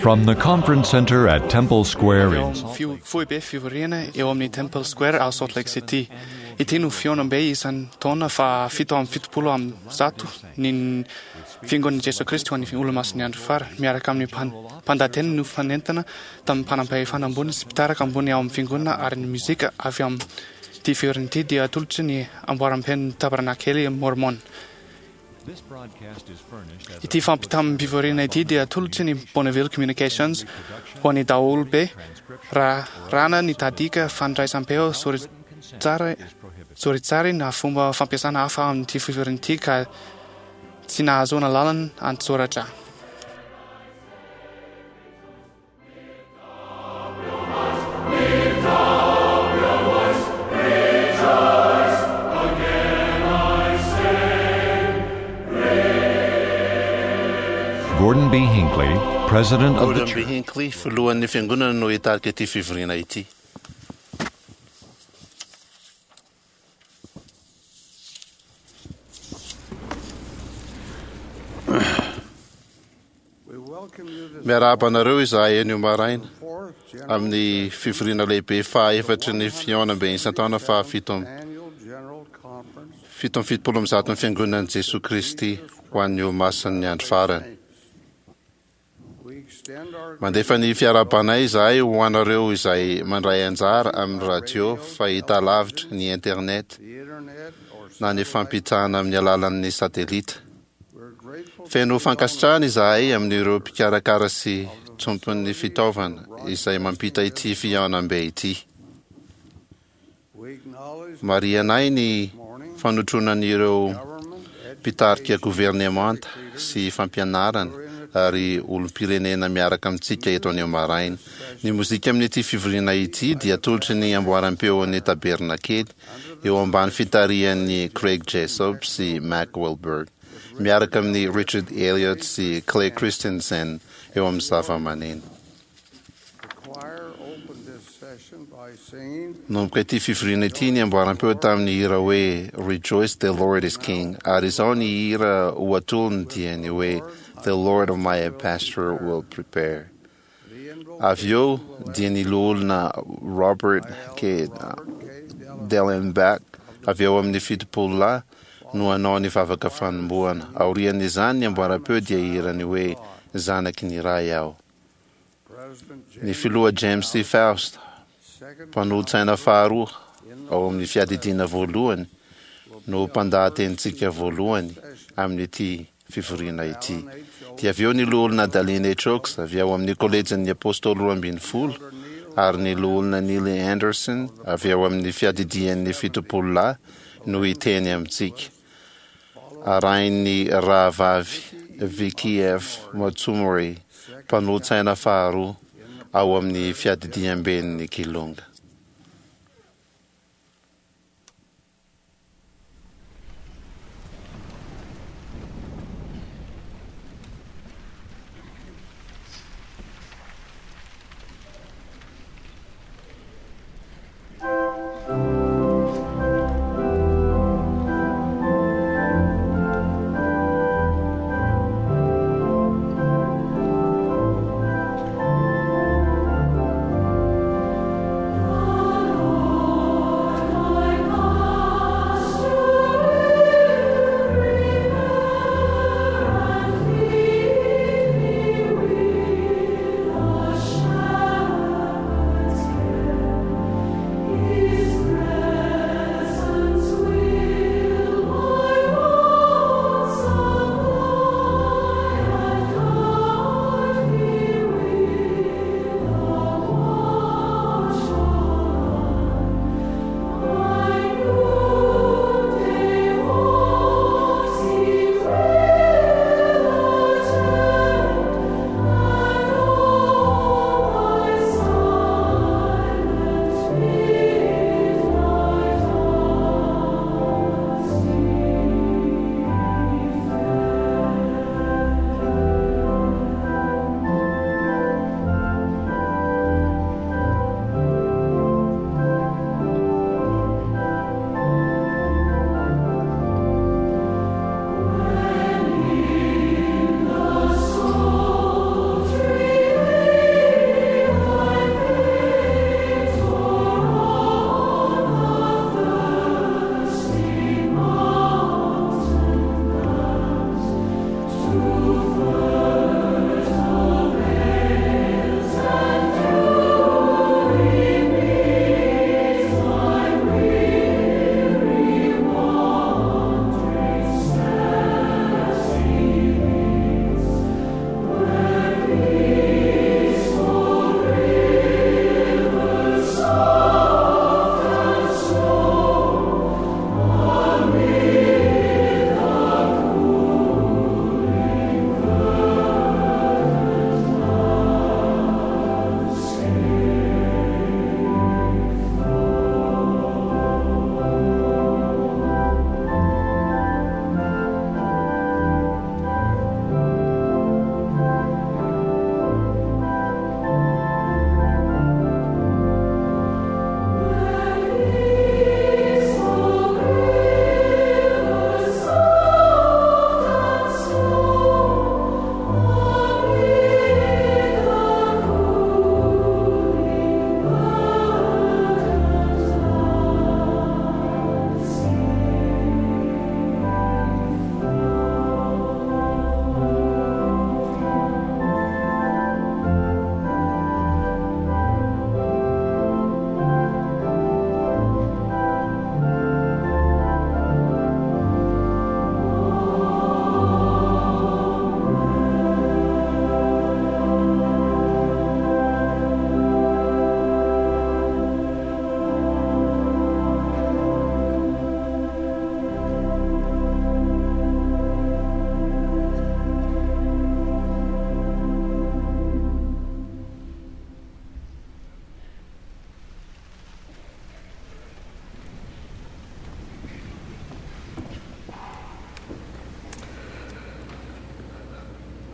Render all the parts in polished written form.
From the Conference Center at Temple Square Eo in amin'ny fio- foibe fivoriana eo amin'ny Temple Square ao Salt Lake City. Ity no fihaonambe isan-taona fa 177 ny Fiangonan'i Jesoa Kristy ho an'ny Olomasin'ny Andro Farany, miaraka amin'ny mpan- mpandahateny nofanentana tamin'ny mpanam-pahefana ambony sy mpitarika ambony ao amin'ny fiangonana ary ny mozika avy amin'ity fivoriana ity dia atolotry ny amboaram-pen'ny Tabernakely Mormon. Ity fampitam-pivoriana ity dia atolotry ny Bonneville Communications ho an'ny daholobe raha rana ny tadika fandraisam-peo soritsary soritsary na fomba fampiasana hafa amin'ity fivoriana ity ka tsy nahazoana lalana an-tsoratra. Gordon B. Hinckley, President of the Gordon B. Church. Hinckley, filohan'ny fiangonana no hitarika ity fivoriana ity. Miarahaba anareo izahay anio maraina amin'ny fivoriana lehibe fahaefatry ny fihaonambe isan-taona faha 177 ny Fiangonan'i Jesoa Kristy ho an'ny Olomasin'ny Andro Farany. Mandefa ny fiarahabanay izahay ho anareo izay mandray anjara amin'ny radio, fahitalavitra, ny internet, na ny fampitana amin'ny alalan'ny satelita. Feno fankasitrahana izahay amin'ireo mpikarakara sy tompon'ny fitaovana izay mampita ity fihaonambe ity. Marihanay ny fanotronan'ireo mpitarika governemanta sy fampianarana ary olom-pirenena miaraka amintsika eto anio maraina. Ny mozika amin'ity fivoriana ity dia atolotry ny amboaram-peon'ny Tabernakely eo ambany fitarihan'i Craig Jessop sy Mack Wilberg, miaraka amin'i Richard Elliott sy Clay Christensen eo amin'ny zavamaneno. Nanomboka ity fivoriana ity ny amboaram-peo tamin'ny hira hoe Rejoice the Lord is King, ary izao ny hira ho atolony dia ny hoe The Lord of my Pasture will prepare. Avy eo dia ny loholona Robert K. Dellenback avy ao amin'ny 70 lahy no hanao ny vavaka fanombohana. Aorian'izany ny amboaram-peo dia hihira ny hoe Zanaky ny Ray aho. Ny filoha James C. Faust, mpanolotsaina faharoa ao amin'ny fiadidiana voalohany, no mpandahatenintsika voalohany amin'ity fivoriana ity. Dia avy eo ny Loholona Dallin H. Oaks avy ao amin'ny Kolejin'ny Apôstôly Roambinifolo ary ny Loholona Neely Andersen avy ao amin'ny Fiadidian'ny Fitopololahy no hiteny amintsika. Arahin'ny Rahavavy Vicki F. Matsumori, mpanolotsaina faharoa ao amin'ny Fiadidiamben'ny Kilonga.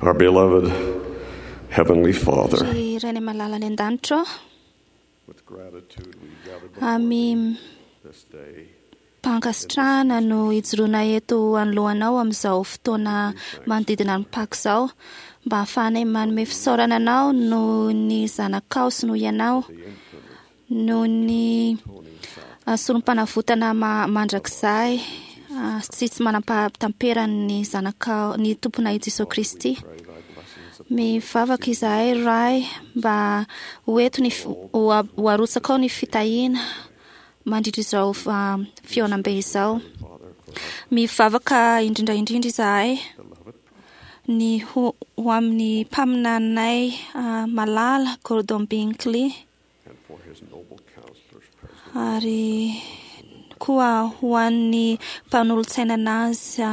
Our beloved Heavenly Father, Ry Rainay malala any an-danitra ô, with gratitude we gather before Ami this day mpankasitrahana no ijoroana eto anoloanao amin'izao fotoana manodidina ny Paka izao, mba hahafahanay manome fisaorana anao noho ny zanakao sy noho ianao, noho ny sorom-panavotana mandrakizay sy tsy manam-pahatamperan'ny zanakao, ny Tomponay Jesoa Kristy. Mivavaka izahay Ray mba ho eto ny ho arotsakao ny fitahiana mandritra izao fihaonambe izao. Mivavaka indrindra indrindra izahay ny ho amin'ny mpaminaninay malala Gordon B. Hinckley ary koa ho an'ny mpanolotsaina anazy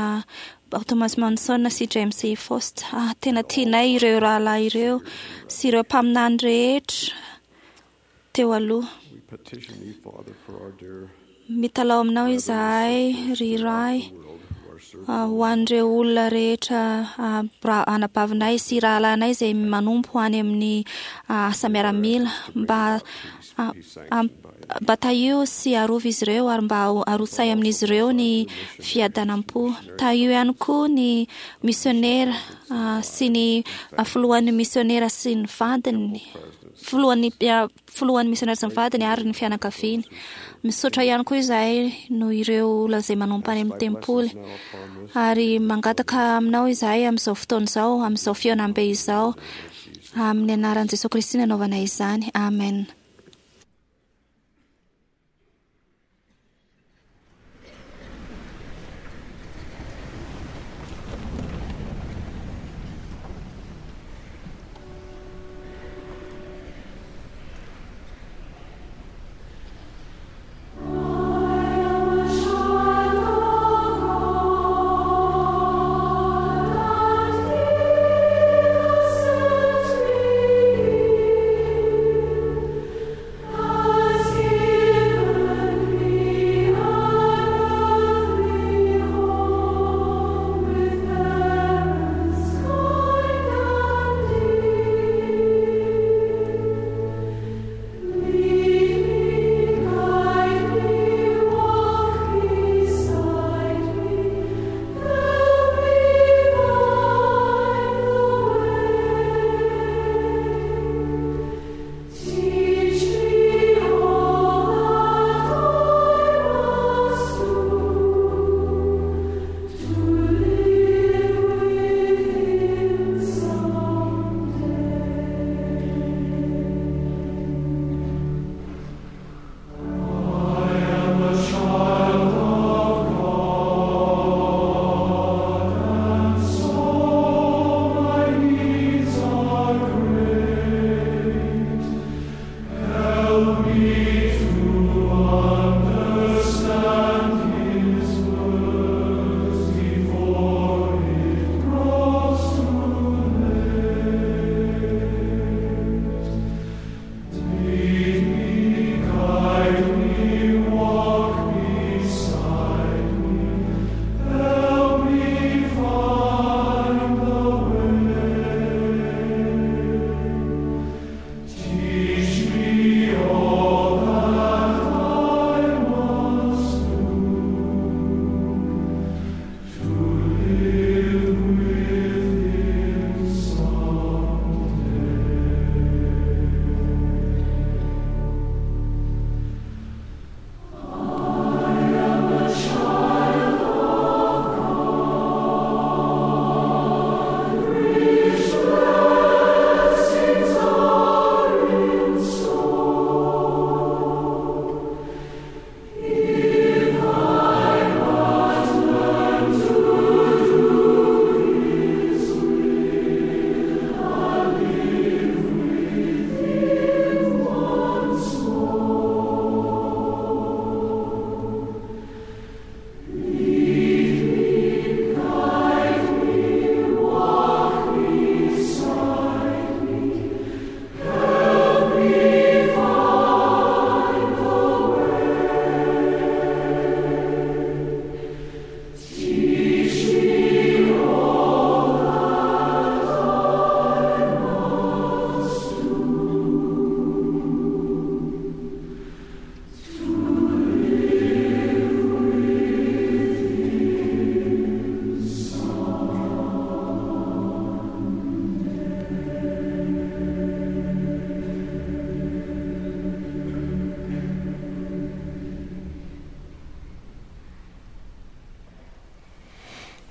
Thomas Monson sy James E. Faust. Tena tianay ireo rahalahy ireo sy ireo mpaminany rehetra teo aloha. Mitalao aminao izahay ry Ray ho an'ireo olona rehetra anabavinay sy rahalahinay izay manompo any amin'ny asa miaramila mba mba tahio sy arovy izy ireo ary mba arotsay amin'izy ireo ny fiadanam-po. Tahio ihany koa ny misionera sy ny filohan'ny misionera sy ny vadiny, filohan'ny filohan'ny misionera sy ny vadiny ary ny fianakaviany. Misaotra ihany koa izahay noho ireo olona izay manompo any amin'ny tempoly. Ary mangataka aminao izahay amin'izao fotoana izao, amin'izao fihaonambe izao, amin'ny anaran'i Jesoa Kristy nanaovana izany. Amen.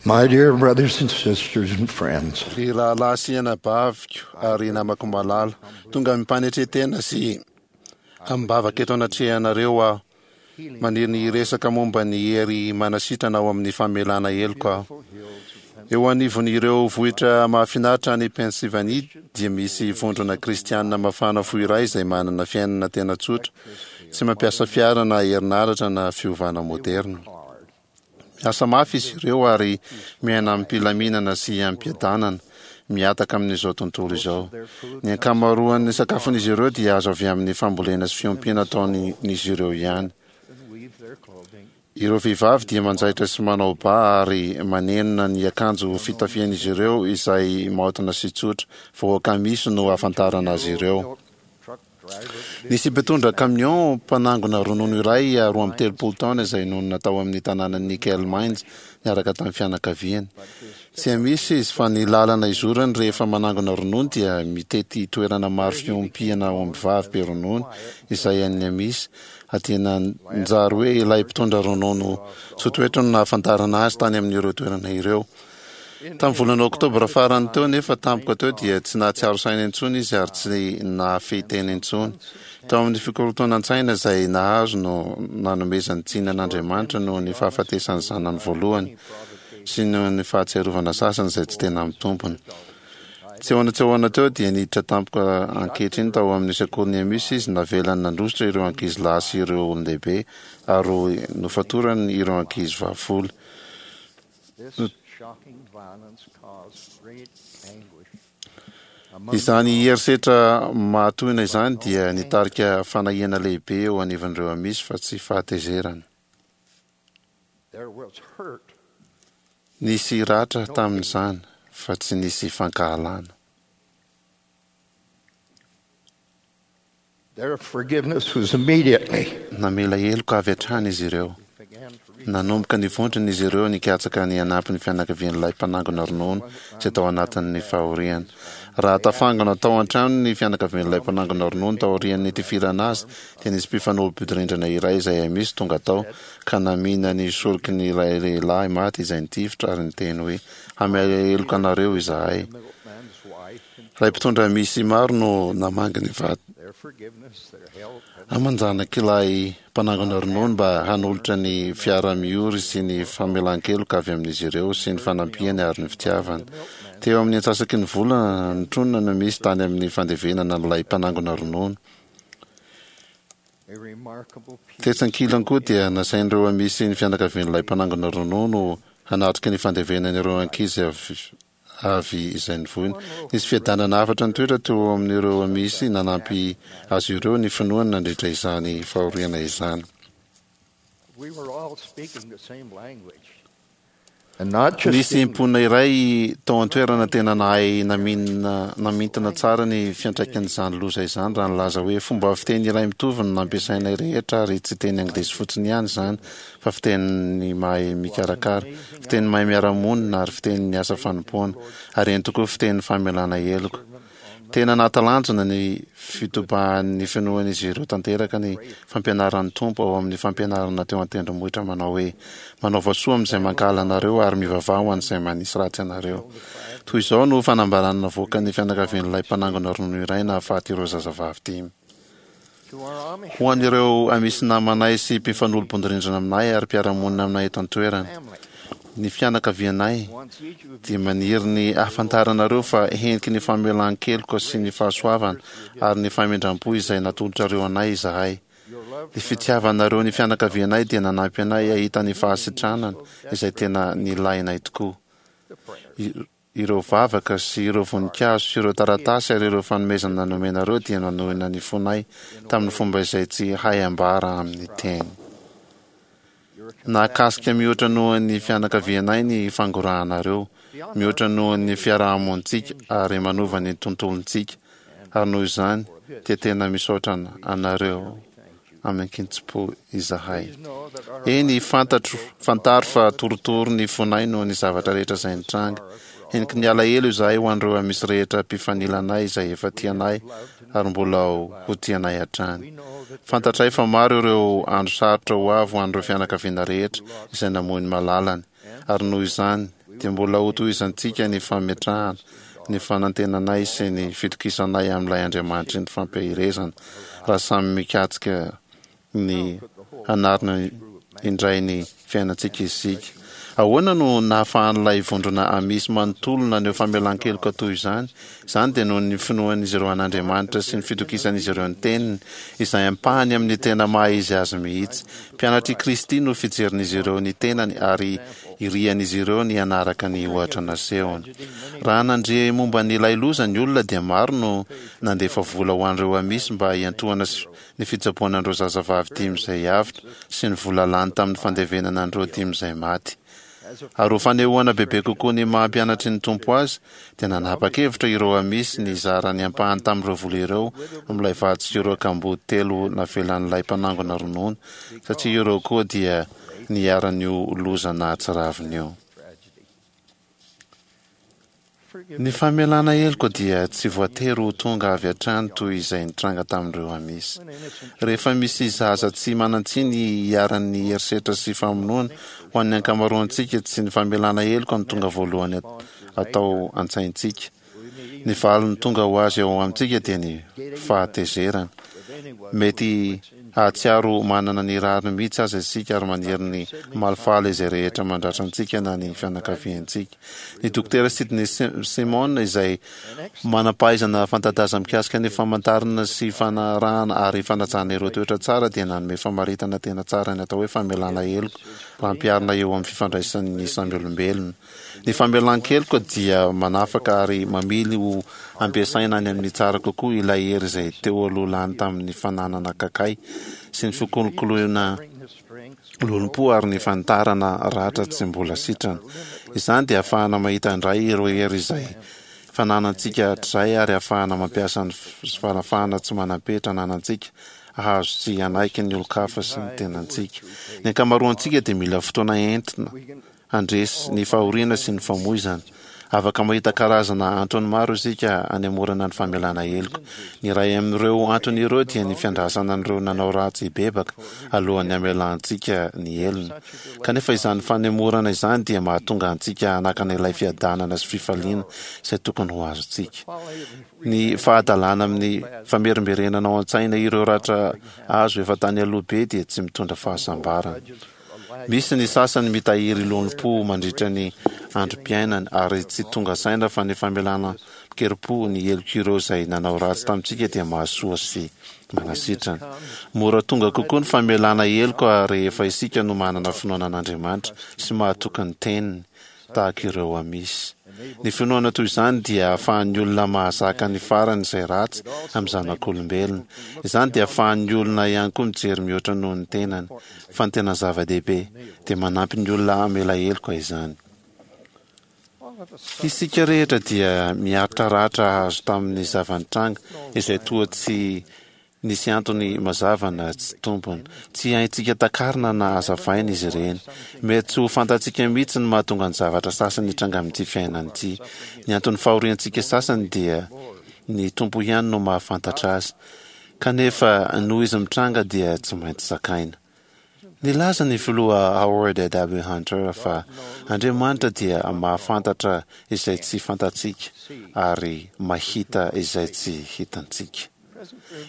My dear brothers and sisters and friends, Ry rahalahy sy anabaviko ary namako malala, tonga amim-panetren-tena sy amim-bavaka eto anatrehanareo aho. Maniry ny hiresaka momba ny hery manasitrana ao amin'ny famelana heloka aho. Eo anivon'ireo vohitra mahafinaritra any Pennsylvanie dia misy vondrona kristiana mafana fo iray izay manana fiainana tena tsotra, tsy mampiasa fiara na herinaratra na fiovana moderna. Miasa mafy izy ireo ary miaina amim-pilaminana sy amim-piadanana, mihataka amin'izao tontolo izao. Ny ankamaroan'ny sakafon'izy ireo dia azo avy amin'ny fambolena sy fiompiana ataon'izy ireo ihany. Ireo vehivavy dia manjaitra sy manao ba ary manenona ny akanjo fitafian'izy ireo izay maotina sy tsotra. Vahoaka misy no ahafantarana azy ireo. Nisy mpitondra camion mpanangona ronono iray 32 taona izay nonina tao amin'ny tanànan'i Nickel Mines niaraka tamin'ny fianakaviany. Tsy Amish izy fa ny lalana izorany rehefa manangona ronono dia mitety toerana maro fiompiana ombivavy be ronono izay an'ny Amish dia nanjary hoe ilay mpitondra ronono tso-toetra no nahafantarana azy tany amin'ireo toerana ireo. Tamin'ny volana oktobra farany teo anefa tampoka teo dia tsy nahatsiaro saina intsony izy ary tsy nahafehy tena intsony. Tao amin'ny fikorontanan-tsaina izay nahazo no nanomezany tsiny an'Andriamanitra noho ny fahafatesan'ny zanany voalohany sy noho ny fahatsiarovana sasany izay tsy tena mitombina. Tsy ahoana tsy ahoana teo dia niditra tampoka ankehitriny tao amin'ny sekolin'ny Amish izy, navelany nandositra ireo ankizy lahy sy ireo olon-dehibe ary nofatorany ireo ankizy vavy folo. Izany herisetra mahatohina izany dia nitarika fanahiana lehibe eo anivon'ireo Amish fa tsy fahatezerana. Nisy ratra tamin'izany fa tsy nisy fankahalana. Their forgiveness was immediately. Namela heloka avy hatrany izy ireo. Nanomboka nivondrona izy ireo nikatsaka ny hanampy ny fianakavian'ilay mpanangona ronono izay tao anatin'ny fahoriana. Raha tafangona tao an-trano ny fianakavian'ilay mpanangona ronono taorian'ny nitifirana azy, dia nisy mpifanolo-bodirindrina iray izay Amish tonga tao ka namihina ny soroky ny ilay lehilahy maty izay nitifitra ary niteny hoe, Hamela heloka anareo izahay. Ilay mpitondra misy maro no namangy ny vady aman-janak'ilay mpanangona ronono mba hanolotra ny fiara-miory sy ny famelan-keloka avy amin'izy ireo sy ny fanampiany ary ny fitiavany. Teo amin'ny antsasaky ny volana notronina no misy tany amin'ny fandevenana an'ilay mpanangona ronono. Tetsy ankilany koa dia nasain'ireo Amisy ny fianakavian'ilay mpanangona ronono hanatrika ny fandevenana ireo ankizy avy avy izay nivoina. Nisy fiadanana hafatra nitoetra teo amin'ireo Amisy nanampy azy ireo ny finoany nandritra izany fahoriana izany. Nisy mponina iray tao an-toerana tena nahay naminina namintina tsara ny fiantraikan'izany loza izany raha nilaza hoe fomba fiteny iray mitovy no nampiasainay rehetra ary tsy teny anglisy fotsiny ihany izany fa fitenin'ny mahay mikarakara, fiteny mahay miara-monina ary fitenin'ny asa fanompoana, ary eny tokoa fitenin'ny famelana heloka. Tena nahatalanjona ny fitobahan'ny finoan'izy ireo tanteraka ny fampianaran'ny Tompo ao amin'ny fampianarana teo an-tendrombohitra manao hoe, Manaova soa amin'izay mankahala anareo ary mivavaha ho an'izay manisy ratsy anareo. Toy izao no fanambarana navoakan'ny fianakavian'ilay mpanangona ronono iray nahafaty ireo zazavavy dimy. Ho an'ireo Amisy namanay sy mpifanolo-bodirindrina aminay ary mpiara-monina aminay eto an-toerana, ny fianakavianay dia maniry ny hahafantaranareo fa heniky ny famelan-keloka sy ny fahasoavana ary ny famindram-po izay natolotrareo anay izahay. Ny fitiavanareo ny fianakavianay dia nanampy anay hahita ny fahasitranana izay tena nilainay tokoa. Ireo vavaka sy ireo voninkazo sy ireo taratasy ary ireo fanomezana nomenareo dia nanohina ny fonay tamin'ny fomba izay tsy hay ambara amin'ny teny. Nahakasika mihoatra noho ny fianakavianay ny fangorahanareo, mihoatra noho ny fiarahamonintsika ary manova ny tontolontsika, ary noho izany dia tena misaotra anareo amin-kitsim-po izahay. Eny, fantatro, fantaro fa torotoro ny fonay noho ny zavatra rehetra izay nitranga. Heniky ny alahelo izahay ho an'ireo Amisy rehetra mpifanila anay izay efa tia anay ary mbola ho tia anay hatrany. Fantatray fa maro ireo andro sarotra ho avy ho an'ireo fianakaviana rehetra izay namoy ny malalany, ary noho izany, dia mbola hotohizantsika ny fametrahana ny fanantenanay sy ny fitokisanay amin'ilay Andriamanitry ny fampiherezana raha samy mikatsika ny hanarina indray ny fiainantsika isika. Ahoana no nahafahan'ilay vondrona Amish manontolo naneho famelan-keloka toy izany? Izany dia noho ny finoan'izy ireo an'Andriamanitra sy ny fitokisan'izy ireo ny Teniny, izay ampahany amin'ny tena maha-izy azy mihitsy. Mpianatr'i Kristy no fijerin'izy ireo ny tenany ary irian'izy ireo ny hanaraka ny ohatra nasehony. Raha nandre momba an'ilay loza ny olona dia maro no nandefa vola ho an'ireo Amish mba hiantohana ny fitsaboana an'ireo zazavavy dimy izay avotra sy ny vola lany tamin'ny fandevenana an'ireo dimy izay maty. Ary ho fanehoana bebe kokoa ny maha mpianatry ny Tompo azy, dia nanapa-kevitra ireo Amish ny hizara ny ampahany tamin'ireo vola ireo amin'ilay vady sy ireo kamboty telo navelan'ilay mpanangona ronono, satria ireo koa dia niharan'io loza nahatsiravina io. Ny famelana heloka dia tsy voatery ho tonga avy hatrany toy izay nitranga tamin'ireo Amish. Rehefa misy zaza tsy manan-tsiny iharan'ny herisetra sy famonoana, ho an'ny ankamaroantsika tsy ny famelana heloka no tonga voalohany atao an-tsaintsika. Ny valiny tonga ho azy ao amintsika dia ny fahatezerana. Mety Hahatsiaro ho manana ny rariny mihitsy aza isika ary maniry ny hamalifaly izay rehetra mandratra antsika na ny fianakaviantsika. Ny Dokotera Sidney Simon, izay manam-pahaizana fanta-daza mikasika ny famantarana sy fanarahana ary fanajana ireo toetra tsara, dia nanome famaritana tena tsara ny atao hoe famelana heloka raha ampiharina eo amin'ny fifandraisan'ny samy olombelona. Ny famelan-keloka dia manafaka ary mamily ho ampiasaina any amin'ny tsara kokoa ilay hery izay teo aloha lany tamin'ny fananana kakay sy ny fikolokoloina lolompo ary ny fanitarana ratra tsy mbola sitrana. Izany dia ahafahana mahita indray ireo hery izay fananantsika hatrizay ary ahafahana mampiasa ny fanafahana tsy manam-petra ananantsika hahazo sy hanaiky ny olon-kafa sy ny tenantsika. Ny ankamaroantsika dia mila fotoana entina handresy ny fahoriana sy ny famoizana. Afaka mahita karazana antony maro isika hanemorana ny famelana heloka. Ny iray amin'ireo antony ireo dia ny fiandrasana an'ireo nanao ratsy hibebaka alohan'ny hamelantsika ny helony. Kanefa izany fanemorana izany dia mahatonga antsika hanakana ilay fiadanana sy fifaliana izay tokony ho azontsika. Ny fahadalana amin'ny famerimberenana ao an-tsaina ireo ratra azo efa tany aloha be dia tsy mitondra fahasambarana. Misy ny sasany mitahiry lolompo mandritra ny androm-piainany ary tsy tonga saina fa ny famelana an-kerim-po ny helok'ireo izay nanao ratsy tamintsika dia mahasoa sy manasitrana. Mora tonga kokoa ny famelana heloka rehefa isika no manana finoana an'Andriamanitra sy mahatoky ny Teniny. tahaka ireo Amish. Ny finoana toy izany dia ahafahan'ny olona mahazaka ny farany izay ratsy amin'ny zanak'olombelona. Izany dia ahafahan'ny olona ihany koa mijery mihoatra noho ny tenany. Fa ny tena zava-dehibe, dia manampy ny olona hamela heloka izany. Isika rehetra dia miaritra ratra azo tamin'ny zava-nitranga izay toa tsy Nisy antony mazava na tsy tompony. Tsy haintsika takarina na hazavaina izy ireny. Mety tsy ho fantatsika mihitsy ny mahatonga ny zavatra sasany hitranga amin'ity fiainana ity. Ny anton'ny fahoriantsika sasany dia ny Tompo ihany no mahafantatra azy. Kanefa noho izy mitranga dia tsy maintsy zakaina. Nilaza ny Filoha Howard W. Hunter fa Andriamanitra dia mahafantatra izay tsy fantatsika ary mahita izay tsy hitantsika.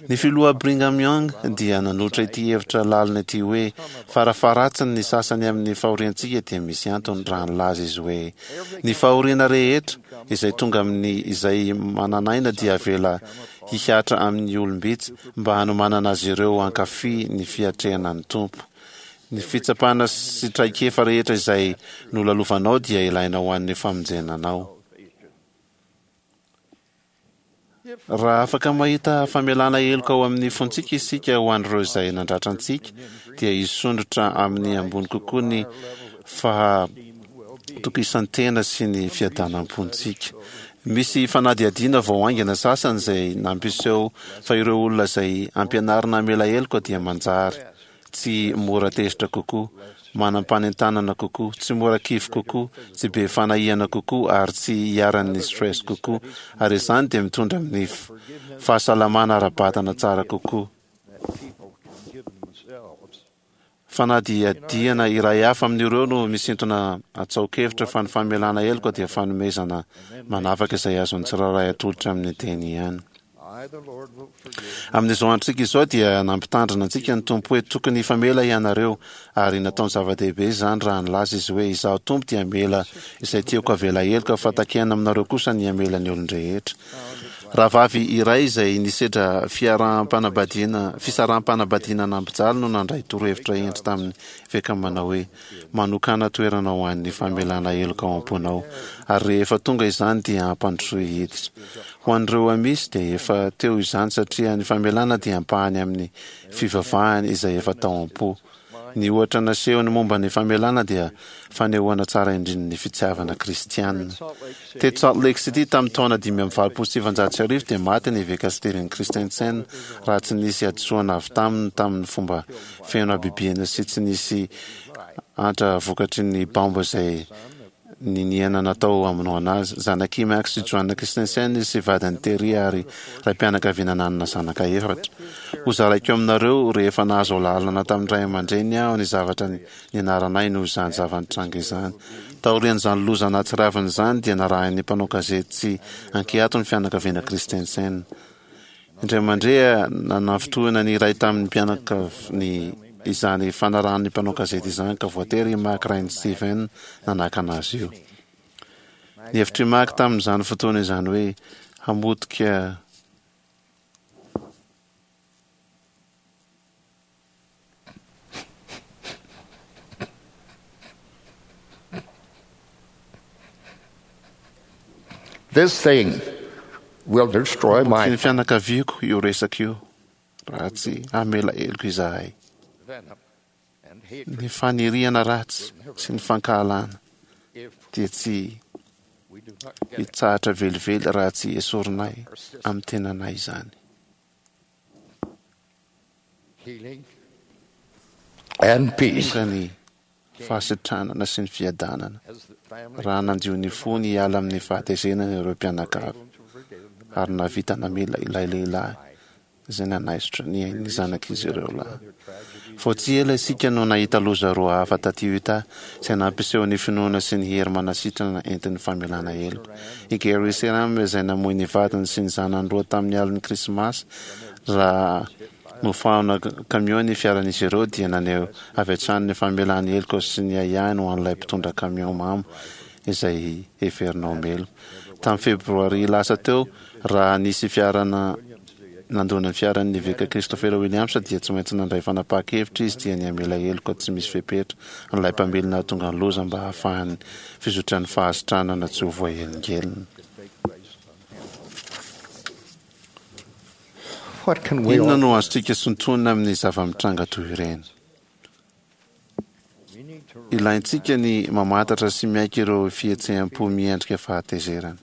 Ny Filoha Brigham Young dia nanolotra ity hevitra lalina ity hoe, Farafaharatsiny ny sasany amin'ny fahoriantsika dia misy antony raha nilaza izy hoe, Ny fahoriana rehetra izay tonga amin'ny izay manan'aina dia avela hihatra amin'ny olom-bitsy mba hanomanana azy ireo hankafy ny fiatrehana ny Tompo. Ny fitsapana sy traikefa rehetra izay nolalovanao dia ilaina ho an'ny famonjena anao. Raha afaka mahita famelana heloka ao amin'ny fontsika isika ho an'ireo izay nandratra antsika, dia hisondrotra amin'ny ambony kokoa ny fahatokisan-tena sy ny fiadanam-pontsika. Misy fanadihadiana vao haingana sasany izay nampiseho fa ireo olona izay ampianarina hamela heloka dia manjary tsy mora tezitra kokoa, manam-panentanana kokoa, tsy mora kivy kokoa, tsy be fanahiana kokoa ary tsy iharan'ny stress kokoa, ary izany dia mitondra amin'ny fahasalamana ara-batana tsara kokoa. Fanadihadiana iray hafa amin'ireo no misintona atsaokevitra fa ny famelana heloka dia fanomezana manavaka izay azon'ny tsirairay atolotra amin'ny teny ihany. Amin'izao androntsika izao dia nampitandrina antsika ny Tompo hoe tokony hifamela ianareo ary nataony zava-dehibe izany raha nilaza Izy hoe Izaho Tompo dia hamela izay tiako havela heloka fa takiana aminareo kosa ny hamela ny olon-drehetra. Rahavavy iray izay nisedra fiaraham-panambadiana fisaraham-panambadiana nampijaly no nandray torohevitra hendry tamin'ny eveka manao hoe, Manokàna toerana ho an'ny famelana heloka ao am-ponao, ary rehefa tonga izany dia ampandrosoy hiditra. Ho an'ireo Amish dia efa teo izany satria ny famelana dia ampahany amin'ny fivavahany izay efa tao am-po. Ny ohatra nasehony momba ny famelana dia fanehoana tsara indrindra ny fitiavana kristiana. Teto Salt Lake City tamin'ny taona 1985 dia maty ny Eveka Steven Christensen raha tsy nisy hadisoana avy taminy tamin'ny fomba feno habibiana sy tsy nisy antra vokatry ny baomba izay niniana natao hamonoana azy. Zanak'i Max sy Joanna Christensen izy sy vadiny Terry ary raim-pianakaviana nanana zanaka efatra. Hozaraiko aminareo rehefa nahazo alalana tamin'ny ray aman-dreniny aho ny zavatra nianaranay noho izany zava-nitranga izany. Taorian'izany loza nahatsiravina izany dia narahin'ny mpanao gazety tsy ankiato ny fianakaviana Christensen. Indray mandeha, nanafintohina ny iray tamin'ny mpianakaviny izany fanarahan'ny mpanao gazety izany ka voatery i Mac rain'i Steven nanakana azy io. Ny hevitr'i Mac tamin'izany fotoana izany hoe hamotika This thing will destroy my Sy ny fianakaviako io resaka io raha tsy hamela heloka izahay. Ny faniriana ratsy sy ny fankahalana dia tsy hitsahatra velively raha tsy esorinay amin'ny tenanay izany. Tonga ny fahasitranana sy ny fiadanana raha nandio ny fony hiala amin'ny fahatezenana ireo mpianakavy ary nahavita namela ilay lehilahy izay nanaisotra ny ain'ny zanak'izy ireo lahy. Vao tsy ela isika no nahita loza roa hafa taty Utah izay nampiseho ny finoana sy ny hery manasitrana entin'ny famelana heloka. I Gary Seram izay namoy ny vadiny sy ny zanany roa tamin'ny alin'ny Krismasy raha nofahana kamiao ny fiaran'izy ireo dia naneho avy hatrany ny famelany heloka sy ny ahiahiny ho an'ilay mpitondra kamiao mamo izay heverina ho meloka. Tamin'ny Febroary lasa teo, raha nisy fiara nandona ny fiaran'ny Eveka Christopher Williams dia tsy maintsy nandray fanapahan-kevitra izy dia ny hamela heloka tsy misy fepetra an'ilay mpamily nahatonga ny loza mba hahafahan'ny fizotran'ny fahasitranana tsy ho voahelingelina. Inona no azontsika sintonina amin'ny zava-mitranga toy ireny? Ilaintsika ny mamantatra sy miaiky ireo fihetseham-po miendrika fahatezerana.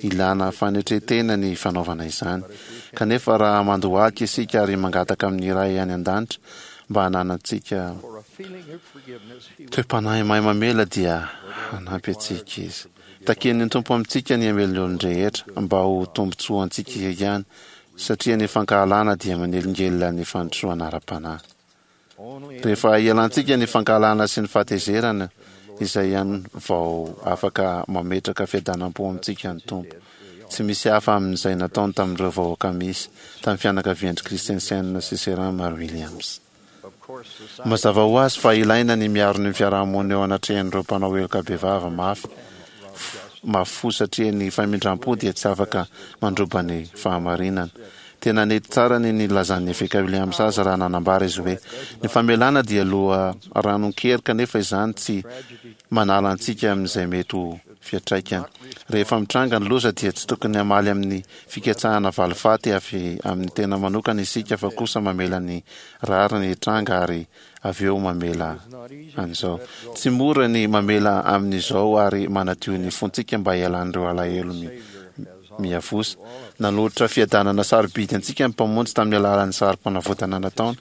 Ilana fanetren-tena ny fanaovana izany. Kanefa raha mandohalika isika ary mangataka amin'ny Ray any An-danitra mba hananantsika toe-panahy mahay mamela dia hanampy antsika Izy. Takian'ny Tompo amintsika ny hamela ny olon-drehetra mba ho tombontsoantsika ihany satria ny fankahalana dia manelingelina ny fandrosoana ara-panahy. Rehefa ialantsika ny fankahalana sy ny fahatezerana, izay ihany vao afaka mametraka fiadanam-po amintsika ny Tompo. Tsy misy hafa amin'izay nataony tamin'ireo vahoaka misy tamin'ny fianakavian-dry Christensen sy Seram ary Williams. Mazava ho azy fa ilaina ny miaro ny fiarahamonina eo anatrehan'ireo mpanao heloka bevava mafy mafy fo satria ny famindram-po dia tsy afaka mandroba ny fahamarinana. Tena nety tsara ny nilazan'ny Eveka Williams azy raha nanambara izy hoe, Ny famelana dia loharanon-kery kanefa izany tsy manala antsika amin'izay mety ho fiantraikany. Rehefa mitranga ny loza dia tsy tokony hamaly amin'ny fikatsahana valifaty avy amin'ny tena manokana isika fa kosa mamela ny rariny hitranga ary avy eo mamela an'izao. Tsy mora ny mamela amin'izao ary manadio ny fontsika mba hialan'ireo alahelo miavosa. Nanolotra fiadanana sarobidy antsika ny Mpamonjy tamin'ny alalan'ny sarim-panavotana nataony,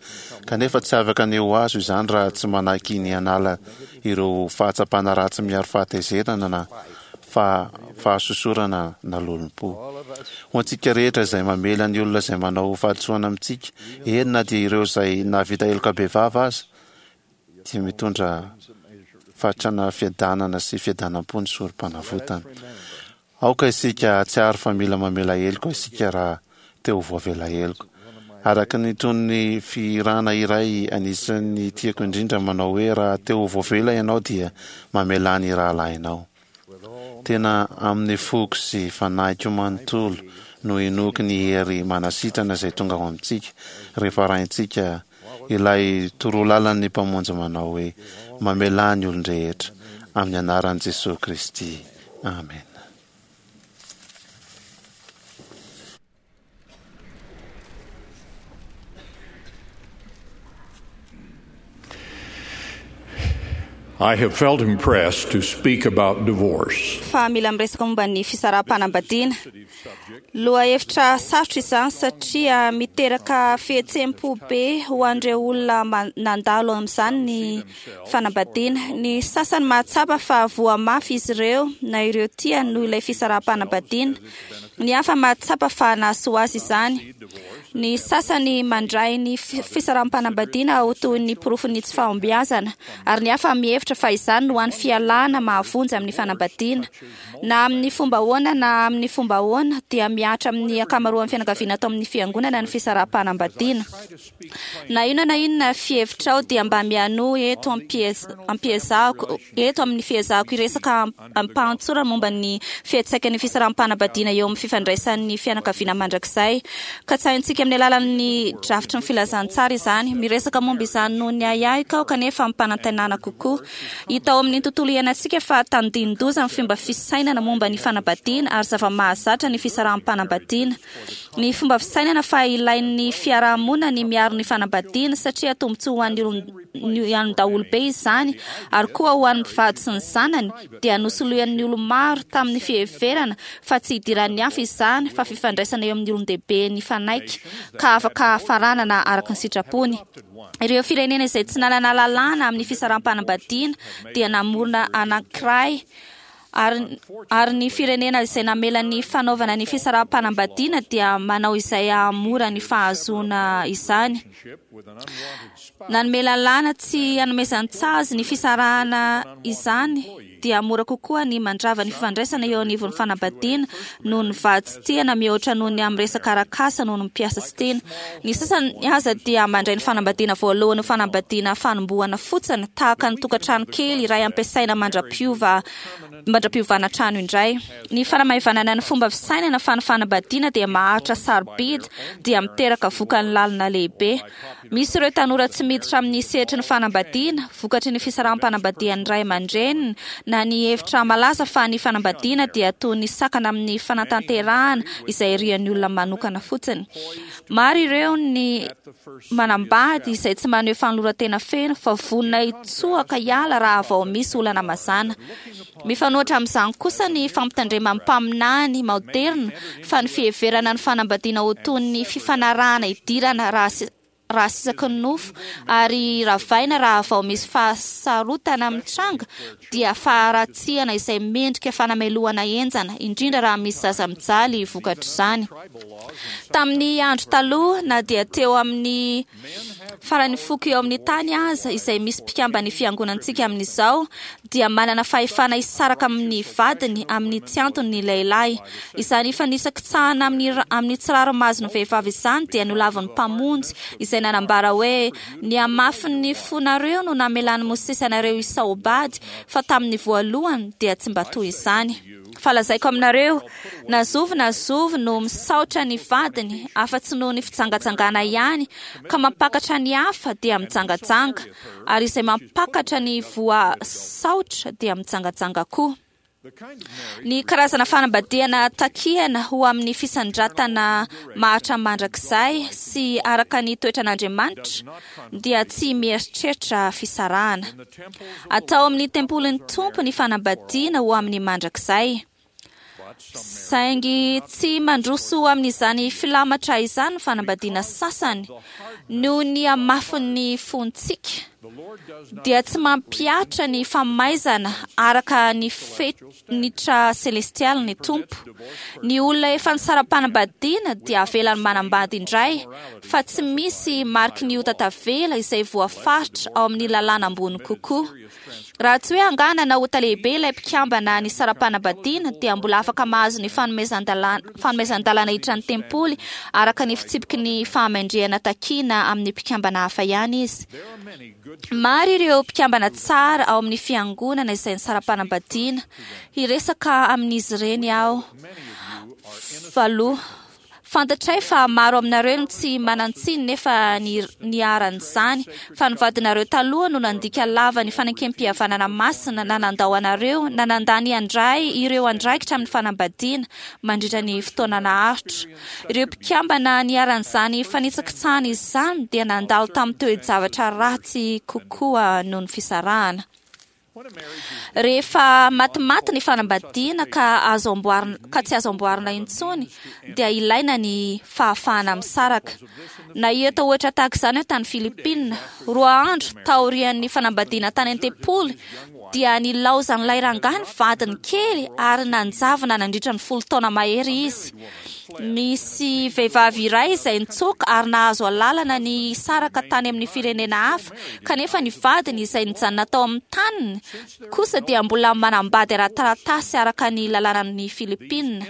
kanefa tsy afaka ny ho azo izany raha tsy manaiky ny hanala ireo fahatsapana ratsy miharo fahatezerana na fahasosorana na lolompo. Ho antsika rehetra izay mamela ny olona izay manao fahadisoana amintsika, eny na dia ireo izay nahavita heloka bevava aza, dia mitondra fatrana fiadanana sy fiadanam-po ny sorom-panavotana. Aoka isika hahatsiaro fa mila mamela heloka isika raha te ho voavela heloka. Araka ny tonon'ny fihirana iray anisan'ny tiako indrindra manao hoe raha te ho voavela ianao dia mamelà ny rahalahinao. Tena amin'ny foko sy fanahiko manontolo no inoako ny hery manasitrana izay tonga ao amintsika rehefa arahintsika ilay torolalan'ny Mpamonjy manao hoe, Mamelà ny olon-drehetra, amin'ny anaran'i Jesoa Kristy. Amena. I have felt impressed to speak about divorce. Fa mila miresaka momba ny fisaraham-panambadiana. Lohahevitra sarotra izany satria miteraka fihetseham-po be ho an'ireo olona nandalo amin'izany ny fanambadiana. Ny sasany mahatsapa fa voa mafy izy ireo na ireo tiany noho ilay fisaraham-panambadiana. Ny hafa mahatsapa fa nahasoa azy izany. Ny sasany mandray ny fisaraham-panambadiana ho toy ny porofon'ny tsy fahombiazana, ary ny hafa mihevitra fa izany no hany fialana mahavonjy amin'ny fanambadiana. Na amin'ny fomba ahoana na amin'ny fomba ahoana, dia mihatra amin'ny ankamaroan'ny fianakaviana ato amin'ny Fiangonana ny fisaraham-panambadiana. Na inona na inona fihevitrao dia mba mianoa eto am-piezahako eto amin'ny fiezahako hiresaka amim-pahatsorana momba ny fiantsaikan'ny fisaraham-panambadiana eo amin'ny fifandraisan'ny fianakaviana mandrakizay. Katsahintsika amin'ny alalan'ny drafitry ny filazantsara izany. Miresaka momba izany noho ny ahiahiko aho kanefa amim-panantenana kokoa. Hita ao amin'ny tontolo iainantsika fa tandindon-doza ny fomba fisainana momba ny fanambadiana ary zava-mahazatra ny fisaraham-panambadiana. Ny fomba fisainana fa ilain'ny fiaraha-monina ny miaro ny fanambadiana satria tombontsoa ho an'ny olon daholobe izany ary koa ho an'ny mpivady sy ny zanany dia nosoloian'ny olo-maro tamin'ny fiheverana fa tsy idiran'ny hafa izany fa fifandraisana eo amin'ny olon-dehibe nifanaiky ka afaka faranana araka ny sitrapony. Ireo firenena izay tsy nanana lalàna amin'ny fisaraham-panambadiana dia namorona anankiray Ary, ary ny firenena izay namela ny fanaovana ny fisaraham-panambadiana dia manao izay hahamora ny fahazoana izany. Nanome lalàna tsy hanomezan-tsazy ny fisarahana izany dia mora kokoa ny mandrava ny fifandraisana eo anivon'ny fanambadiana noho ny vady tsy tiana mihoatra noho ny amin'ny resaka arak'asa noho ny mpiasa tsy tiana. Ny sasany aza dia mandray ny fanambadiana voalohany ho fanambadiana fanombohana fotsiny, tahaka ny tokantrano kely iray ampiasaina mandra-piova mandra-piovana trano indray. Ny fanamaivanana ny fomba fisainana fa ny fanambadiana dia maharitra sarobidy dia miteraka vokany lalina lehibe. Misy ireo tanora tsy miditra amin'ny sehatry ny fanambadiana, vokatry ny fisaraham-panambadian'ny ray aman-dreniny, na ny hevitra malaza fa ny fanambadiana dia toy ny sakana amin'ny fanatanterahana izay irian'ny olona manokana fotsiny. Maro ireo ny manambady izay tsy maneho fanoloran-tena feno fa vonona hitsoaka hiala raha vao misy olana mazàna. Mifanohitra amin'izany kosa ny fampitandreman'ny mpaminany maoderina fa ny fiheverana ny fanambadiana ho toy ny fifanarahana idirana raha raha sisaky ny nofo ary ravaina raha vao misy fahasarotana mitranga dia faharatsiana izay mendrika fanamelohana henjana, indrindra raha misy zaza mijaly vokatr'izany. Tamin'ny andro taloha, na dia teo amin'ny faran'ny foko eo amin'ny tany aza, izay misy mpikamban'ny fiangonantsika amin'izao, dia manana fahefana hisaraka amin'ny vadiny amin'ny tsy antony ny lehilahy. Izany fanisakitsahana amin'ny amin'ny tsy rariny mahazo ny vehivavy izany dia nolavin'ny Mpamonjy, izay nanambara hoe, Ny hamafin'ny fonareo no namelan'i Mosesy anareo hisaobady, fa tamin'ny voalohany dia tsy mba toy izany. Fa lazaiko aminareo, na zovy na zovy no misaotra ny vadiny, afa-tsy noho ny fijangajangana ihany, ka mampakatra ny hafa, dia mijangajanga, ary izay mampakatra ny voasaotra dia mijangajanga koa. Ny karazana fanambadiana takiana ho amin'ny fisandratana maharitra mandrakizay sy araka ny toetran'Andriamanitra dia tsy mieritreritra fisarahana. Atao amin'ny tempolin'ny Tompo ny fanambadiana ho amin'ny mandrakizay. Saingy tsy mandroso amin'izany filamatra izany ny fanambadiana sasany noho ny hamafin'ny fontsika. dia tsy mampihatra ny famaizana araka ny fenitra selestialy ny Tompo. Ny olona efa nisara-panambadiana dia avelany manambady indray, fa tsy misy mariky ny ota tavela izay voafaritra ao amin'ny lalàna ambony kokoa. Raha tsy hoe angaha nanao ota lehibe ilay mpikambana nisara-panambadiana, dia mbola afaka mahazo ny fanomezan-dalàna hiditra ny tempoly araka ny fitsipiky ny fahamendrehana takiana amin'ny mpikambana hafa ihany izy. Maro ireo mpikambana tsara ao amin'ny fiangonana izay nisara-panambadiana. Hiresaka amin'izy ireny aho. Valoha. Fantatray fa maro aminareo no tsy manan-tsiny nefa niharan'izany, fa ny vadinareo taloha no nandika lava ny fanekempihavanana masina na nandao anareo na nandà ny handray ireo andraikitra amin'ny fanambadiana mandritra ny fotoana naharitra. Ireo mpikambana niharan'izany fanitsakitsahana izany dia nandalo tamin'ny toe-javatra ratsy kokoa noho ny fisarahana. Rehefa matimaty ny fanambadiana ka azo amboarina ka tsy azo amboarina intsony dia ilaina ny fahafahana misaraka. Nahita ohatra tahaka izany aho tany Filipina. Roa andro taorian'ny fanambadiana tany an-tempoly dia nilaozan'ilay rangahy ny vadiny kely ary nanjavona nandritra ny 10 taona mahery izy. Nisy vehivavy iray izay nitsoaka ary nahazo alalana ny hisaraka tany amin'ny firenena hafa, kanefa ny vadiny izay nijanona tao amin'ny taniny kosa dia mbola manambady ara-taratasy araka ny lalànan'i Filipina.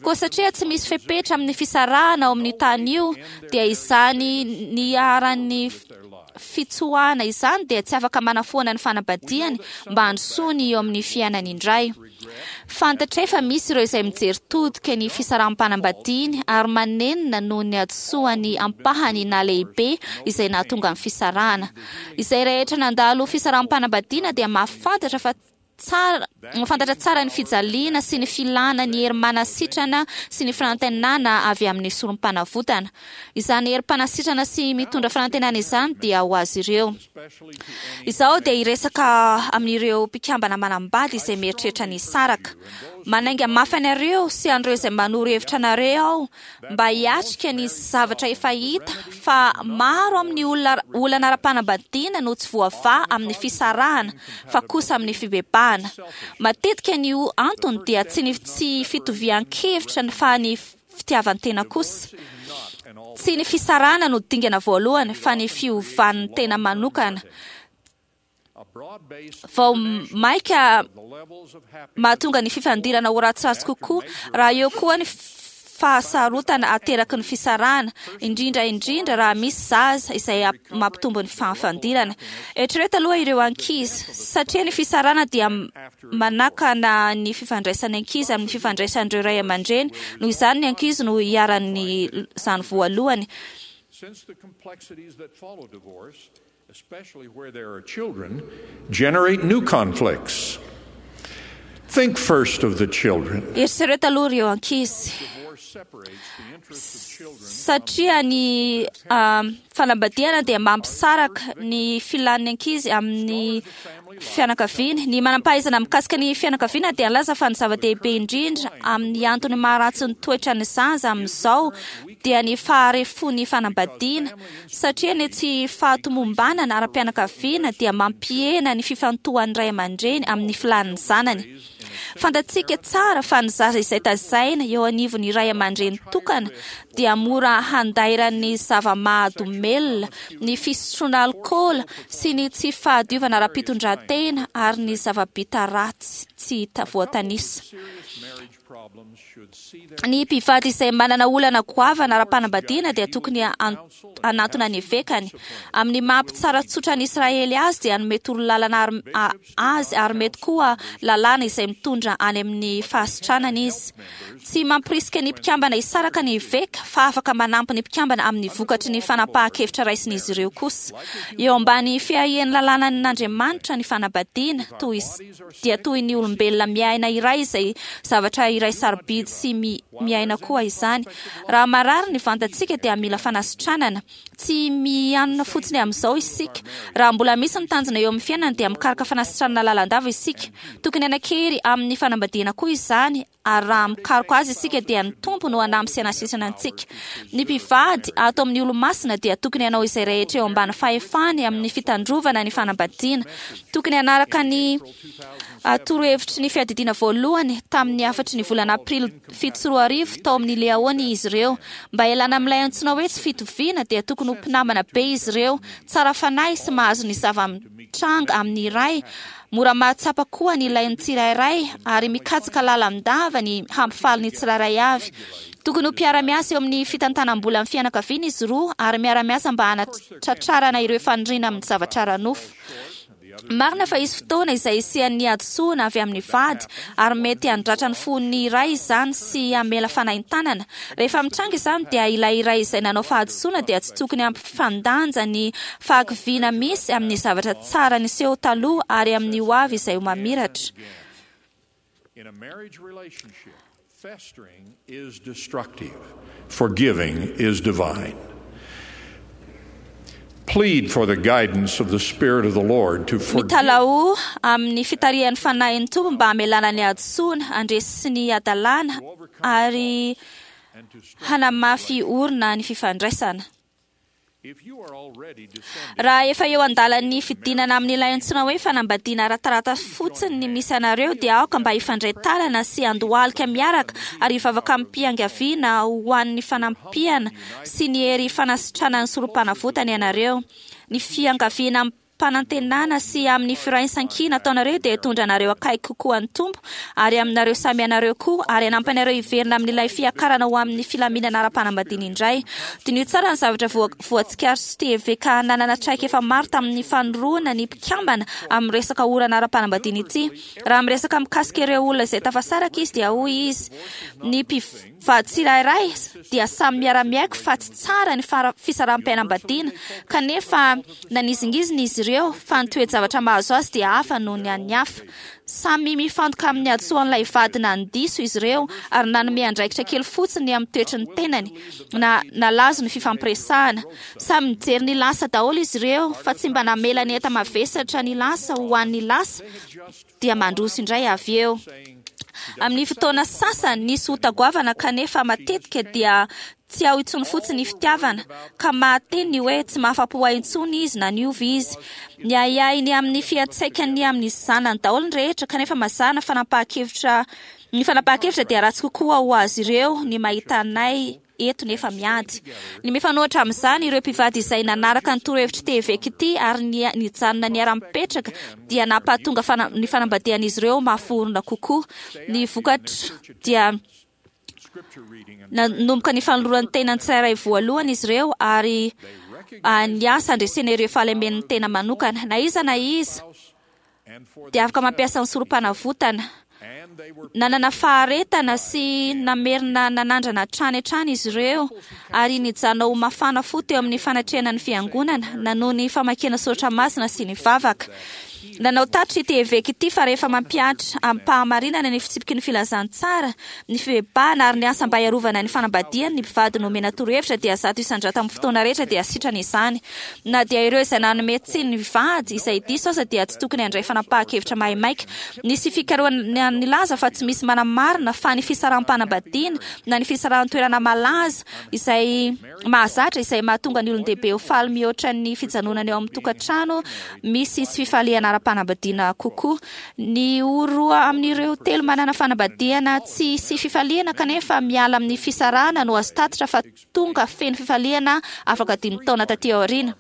Koa satria tsy misy fepetra amin'ny fisarahana ao amin'io tany io, dia izany niharan'ny fitsoahana izany dia tsy afaka manafoana ny fanambadiany mba handrosoany eo amin'ny fiainany indray. Fantatray fa misy ireo izay mijery todika ny fisaraham-panambadiany ary manenina noho ny hadisoany ampahany na lehibe izay nahatonga ny fisarahana. Izay rehetra nandalo fisaraham-panambadiana dia mahafantatra fa tsara mahafantatra tsara ny fijaliana sy ny filana ny hery manasitrana sy ny fanantenana avy amin'ny sorom-panavotana. Izany herim-panasitrana sy mitondra fanantenana izany dia ho azy ireo. Izaho dia hiresaka amin'ireo mpikambana manambady izay mieritreritra ny hisaraka. Manainga mafy anareo sy an'ireo izay manoro hevitra anareo aho mba hiatrika ny zavatra efa hita fa maro amin'ny olona olana ara-panambadiana no tsy voavaha amin'ny fisarahana fa kosa amin'ny fibebahana. Matetika ny antony dia tsy ny tsy fitovian-kevitra fa ny fitiavan-tena kosa. Tsy ny fisarahana no dingana voalohany fa ny fiovan'ny tena manokana. Vao maika mahatonga ny fifandirana ho ratsiratsy kokoa raha eo koa ny fahasarotana ateraky ny fisarahana, indrindra indrindra raha misy zaza izay mampitombo ny fahafandirana. Eritrereto aloha ireo ankizy, satria ny fisarahana dia manakana ny fifandraisan'ny ankizy amin'ny fifandraisan'ireo ray aman-dreny, noho izany ny ankizy no iharan'izany voalohany. Since the complexities that follow divorce, especially where there are children, generate new conflicts. Think first of the children. Eritrereto aloha ireo ankizy. Satria ny fanambadiana dia mampisaraka ny filan'ny ankizy amin'ny fianakaviany. Ny manam-pahaizana mikasika ny fianakaviana dia nilaza fa ny zava-dehibe indrindra amin'ny antony maharatsy ny toetran'ny zaza amin'izao dia ny faharefon'ny fanambadiana, satria ny tsy fahatomombanana ara-pianakaviana dia mampihena ny fifantohan'ny ray aman-dreny amin'ny filan'ny zanany. Fantatsika tsara fa ny zaza izay tazaina eo anivon'ny ray aman-dreny tokana dia mora handairan'ny zava-mahadomelina, ny fisotroana alikaola sy ny tsy fahadiovana ara-pitondran-tena ary ny zava-bita ratsy tsy voatanisa. Ny mpivady izay manana olana goavana ara-panambadiana dia tokony hanantona ny evekany. Amin'ny maha mpitsara tsotra an'i Israely azy dia hanome torolalana azy ary mety koa lalàna izay mitondra any amin'ny fahasitranana izy. Tsy mampirisika ny mpikambana hisaraka ny eveka fa afaka manampy ny mpikambana amin'ny vokatry ny fanapahan-kevitra raisin'izy ireo kosa. Eo ambany fiahian'ny lalànan'Andriamanitra ny fanambadiana, toy dia toy ny olombelona miaina iray izay zavatra iray sarobidy sy miaina koa izany. Raha marary ny vantantsika dia mila fanasitranana. Tsy mianona fotsiny amin'izao isika. Raha mbola misy ny tanjona eo amin'ny fiainana dia mikaroka fanasitranana lalandava isika. Tokony hanan-kery amin'ny fanambadiana koa izany, ary raha mikaroka azy isika dia ny Tompo no hanampy sy hanasitrana antsika. Ny mpivady ato amin'ny Olomasina dia tokony hanao izay rehetra eo ambany fahefany amin'ny fitandrovana ny fanambadiana. Tokony hanaraka ny torohevitry ny Fiadidiana Voalohany tamin'ny hafatry ny volana Aprily 2007 tao amin'ny Liahona izy ireo. Mba hialana amin'ilay antsoina hoe tsy fitoviana dia tokony ho mpinamana be izy ireo, tsara fanahy sy mahazo ny zava-mitranga amin'ny iray, mora mahatsapa koa ny ilain'ny tsirairay ary mikatsaka lalandava ny hampifaly ny tsirairay avy. Tokony ho mpiara-miasa eo amin'ny fitantanam-bolan'ny fianakaviana izy roa ary miara-miasa mba hanatratrarana ireo faniriana amin'ny zavatra ara-nofo. Marina fa hisy fotoana izay hisian'ny hadisoana avy amin'ny vady, ary mety handratra ny fon'ny iray izany sy hamela fanaintanana. Rehefa mitranga izany dia ilay iray izay nanao fahadisoana dia tsy tokony hampifandanja ny fahakiviana misy amin'ny zavatra tsara niseho taloha ary amin'ny ho avy izay ho mamiratra. In a marriage relationship, festering is destructive, forgiving is divine. Plead for the guidance of the Spirit of the Lord to forgive. Mitalahoa amin'ny fitarihan'ny Fanahin'ny Tompo mba hamelana ny hadisoana, handresy ny hadalana ary hanamafy orina ny fifandraisana. Raha efa eo an-dalan'ny fidinana amin'ilay antsoina hoe fanambadiana ara-taratasy fotsiny ny misy anareo dia aoka mba hifandray tanana sy handohalika miaraka ary hivavaka amim-piangaviana ho an'ny fanampiana sy ny hery fanasitranan'ny Sorompanavotana ianareo. Ny fiangaviana amim-panantenana sy amin'ny firaisan-kina ataonareo dia hitondra anareo akaiky kokoa an'ny Tompo ary aminareo samy ianareo koa ary hanampy anareo hiverina amin'ilay fiakarana ho amin'ny filaminana ara-panambadiana indray. Diniho tsara ny zavatra voatsikaritsy TVK nanana traikefa maro tamin'ny fanoroana ny mpikambana amin'ny resaka orana ara-panambadiana ity. Raha miresaka mikasika ireo olona izay tafasaraka izy dia hoy izy, Ny mpivady tsirairay dia samy miara-miaiky fa tsy tsara ny fisaraham-piainam-badiana, kanefa Nanizingizina izy ireo fa ny toe-javatra mahazo azy dia hafa noho ny an'ny hafa. Samy mifantoka amin'ny hadisoan'ilay vady nandiso izy ireo ary nanome andraikitra kely fotsiny amin'ny toetry ny tenany, na nalazo ny fifampiresahana. Samy nijery ny lasa daholo izy ireo fa tsy mba namela ny enta-mavesatra ny lasa ho an'ny lasa dia mandroso indray avy eo. Amin'ny fotoana sasany nisy ota goavana kanefa matetika dia Tsy ao intsony fotsiny ny fitiavana, ka mahateny ny hoe tsy mahafa-po ahy intsony izy na niova izy. Miahiahy ny amin'ny fiantraikany amin'ny zanany daholo ny rehetra, kanefa mazàna fanapahan-kevitra ny fanapahan-kevitra dia ratsy kokoa ho azy ireo ny mahita anay eto nefa miady. Ny mifanohitra amin'izany, ireo mpivady izay nanaraka ny torohevitr'ity eveka ity ary nijanona niara-mipetraka dia nampahatonga ny fanambadian'izy ireo mafy orina kokoa. Ny vokatra dia Nanomboka ny fanoloran-tena ny tsirairay voalohany izy ireo ary niasa handresena ireo fahalemen'ny tena manokana. Na iza na iza dia afaka mampiasa ny sorom-panavotana. Nanana faharetana sy namerina nanandrana hatrany hatrany izy ireo ary nijanona ho mafana fo teo amin'ny fanatrehana ny fiangonana, nanohy ny famakiana soratra masina sy ny vavaka. Nanao tatitra ity eveka ity fa rehefa mampihatra amim-pahamarinana ny fitsipiky ny filazantsara, ny fibebahana ary ny asa mba hiarovana ny fanambadiany ny mpivady nomena torohevitra dia 100% amin'ny fotoana rehetra dia sitrana izany. Na dia ireo izay nanome tsiny ny vady izay diso aza dia tsy tokony handray fanapahan-kevitra maimaika. Nisy fikarohana nilaza fa tsy misy manamarina fa ny fisaraham-panambadiana na ny fisarahan-toerana malaza izay mahazatra izay mahatonga ny olon-dehibe ho faly mihoatra ny fijanonana eo amin'ny tokantrano misy tsy fifaliana ara-panambadiana kokoa. Ny ho roa amin'ireo telo manana fanambadiana tsy hisy fifaliana kanefa miala amin'ny fisarahana no azo tatitra fa tonga feno fifaliana afaka dimy taona taty aoriana.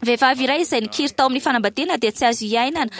Vehivavy iray izay nikiry tao amin'ny fanambadiana dia tsy azo iainana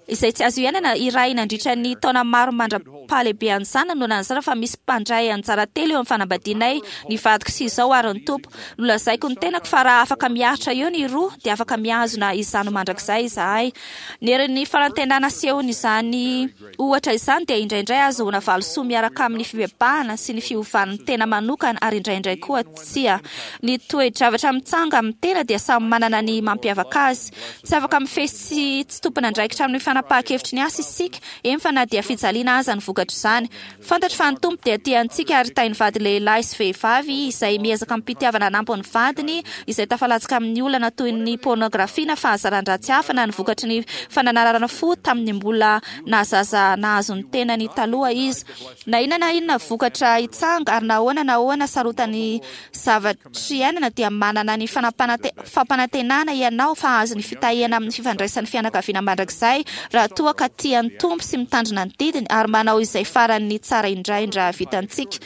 izay tsy azo iainana iray nandritra ny taona maro mandra-pahalehibean'ny zanany no nanazava fa misy mpandray anjara telo eo amin'ny fanambadianay, ny vadiko sy izaho ary ny Tompo. Nolazaiko ny tenako fa raha afaka miaritra eo ny roa dia afaka mihazona izany ho mandrakizay izahay. Ny herin'ny fanantenana asehon'izany ohatra izany dia indraindray ahazoana valisoa miaraka amin'ny fibebahana sy ny fiovan'ny tena manokana ary indraindray koa tsia. Ny toe-javatra mitsanga amin'ny tena dia samy manana ny. ny mampiavaka azy. Tsy afaka mifehy sy tsy tompon'andraikitra amin'ny fanapahan-kevitry ny asa isika, eny fa na dia fijaliana aza ny vokatr'izany. Fantatro fa ny Tompo dia tia antsika ary tahin'ny vady lehilahy sy vehivavy izay miezaka amim-pitiavana hanampy ny vadiny izay tafalatsaka amin'ny olana toy ny pôrnôgrafia na fahazaran-dratsy hafa na ny vokatry ny fananarana fo tamin'ny mbola naha-zaza nahazo ny tenany taloha izy. Na inona na inona vokatra hitsanga ary na ahoana na ahoana sarotan'ny zavatr' iainana dia manana ny fampanantenana ianao fa hahazo ny fitahiana amin'ny fifandraisan'ny fianakaviana mandrakizay raha toa ka tia ny Tompo sy mitandrina ny didiny ary manao izay faran'ny tsara indraindra vitantsika.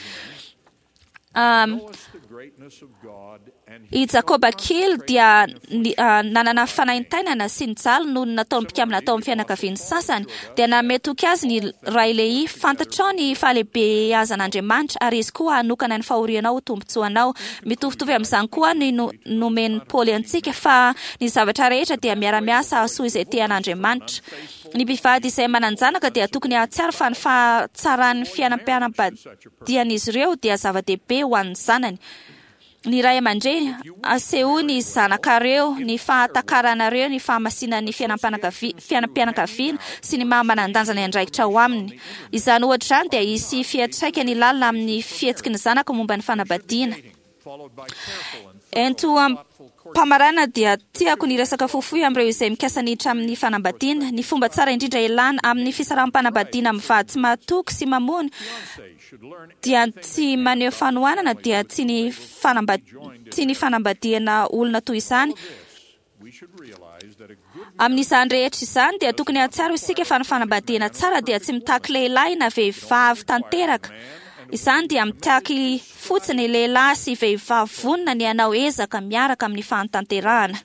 I Jakoba kely dia nanana fanaintainana sy nijaly noho ny nataon'ny mpikambana tao amin'ny fianakaviany sasany. Dia nanome toky azy ny ray Lehia, Fantatrao ny fahalehibeazan'Andriamanitra, ary Izy koa hanokana ny fahorianao ho tombontsoanao. Mitovitovy amin'izany koa ny nomen'i Paoly antsika, fa ny zavatra rehetra dia miara-miasa hahasoa izay tia an'Andriamanitra. Ny mpivady izay manan-janaka dia tokony hahatsiaro fa ny fahatsaran'ny fiainam-pianam-badian'izy ireo dia zava-dehibe ho an'ny zanany. Ny ray aman-dreny, asehoy ny zanakareo ny fahatakaranareo ny fahamasinan'ny fiainam-pianakaviana sy ny maha manan-danja ny andraikitra ao aminy. Izany ohatra izany dia hisy fiantraikany lalina amin'ny fihetsiky ny zanaka momba ny fanambadiana. Ento am-pamarana dia tiako ny hiresaka fohifohy amin'ireo izay mikasa ny hiditra amin'ny fanambadiana. Ny fomba tsara indrindra hialana amin'ny fisaraham-panambadiana amin'ny vady tsy mahatoky sy mamono dia tsy maneho fanohanana dia tsy ny tsy ny fanambadiana olona toy izany. Amin'izany rehetra izany dia tokony hahatsiaro isika fa ny fanambadiana tsara dia tsy mitaky lehilahy na vehivavy tanteraka. Izany dia mitaky fotsiny lehilahy sy vehivavy vonona ny hanao ezaka miaraka amin'ny fahatanterahana.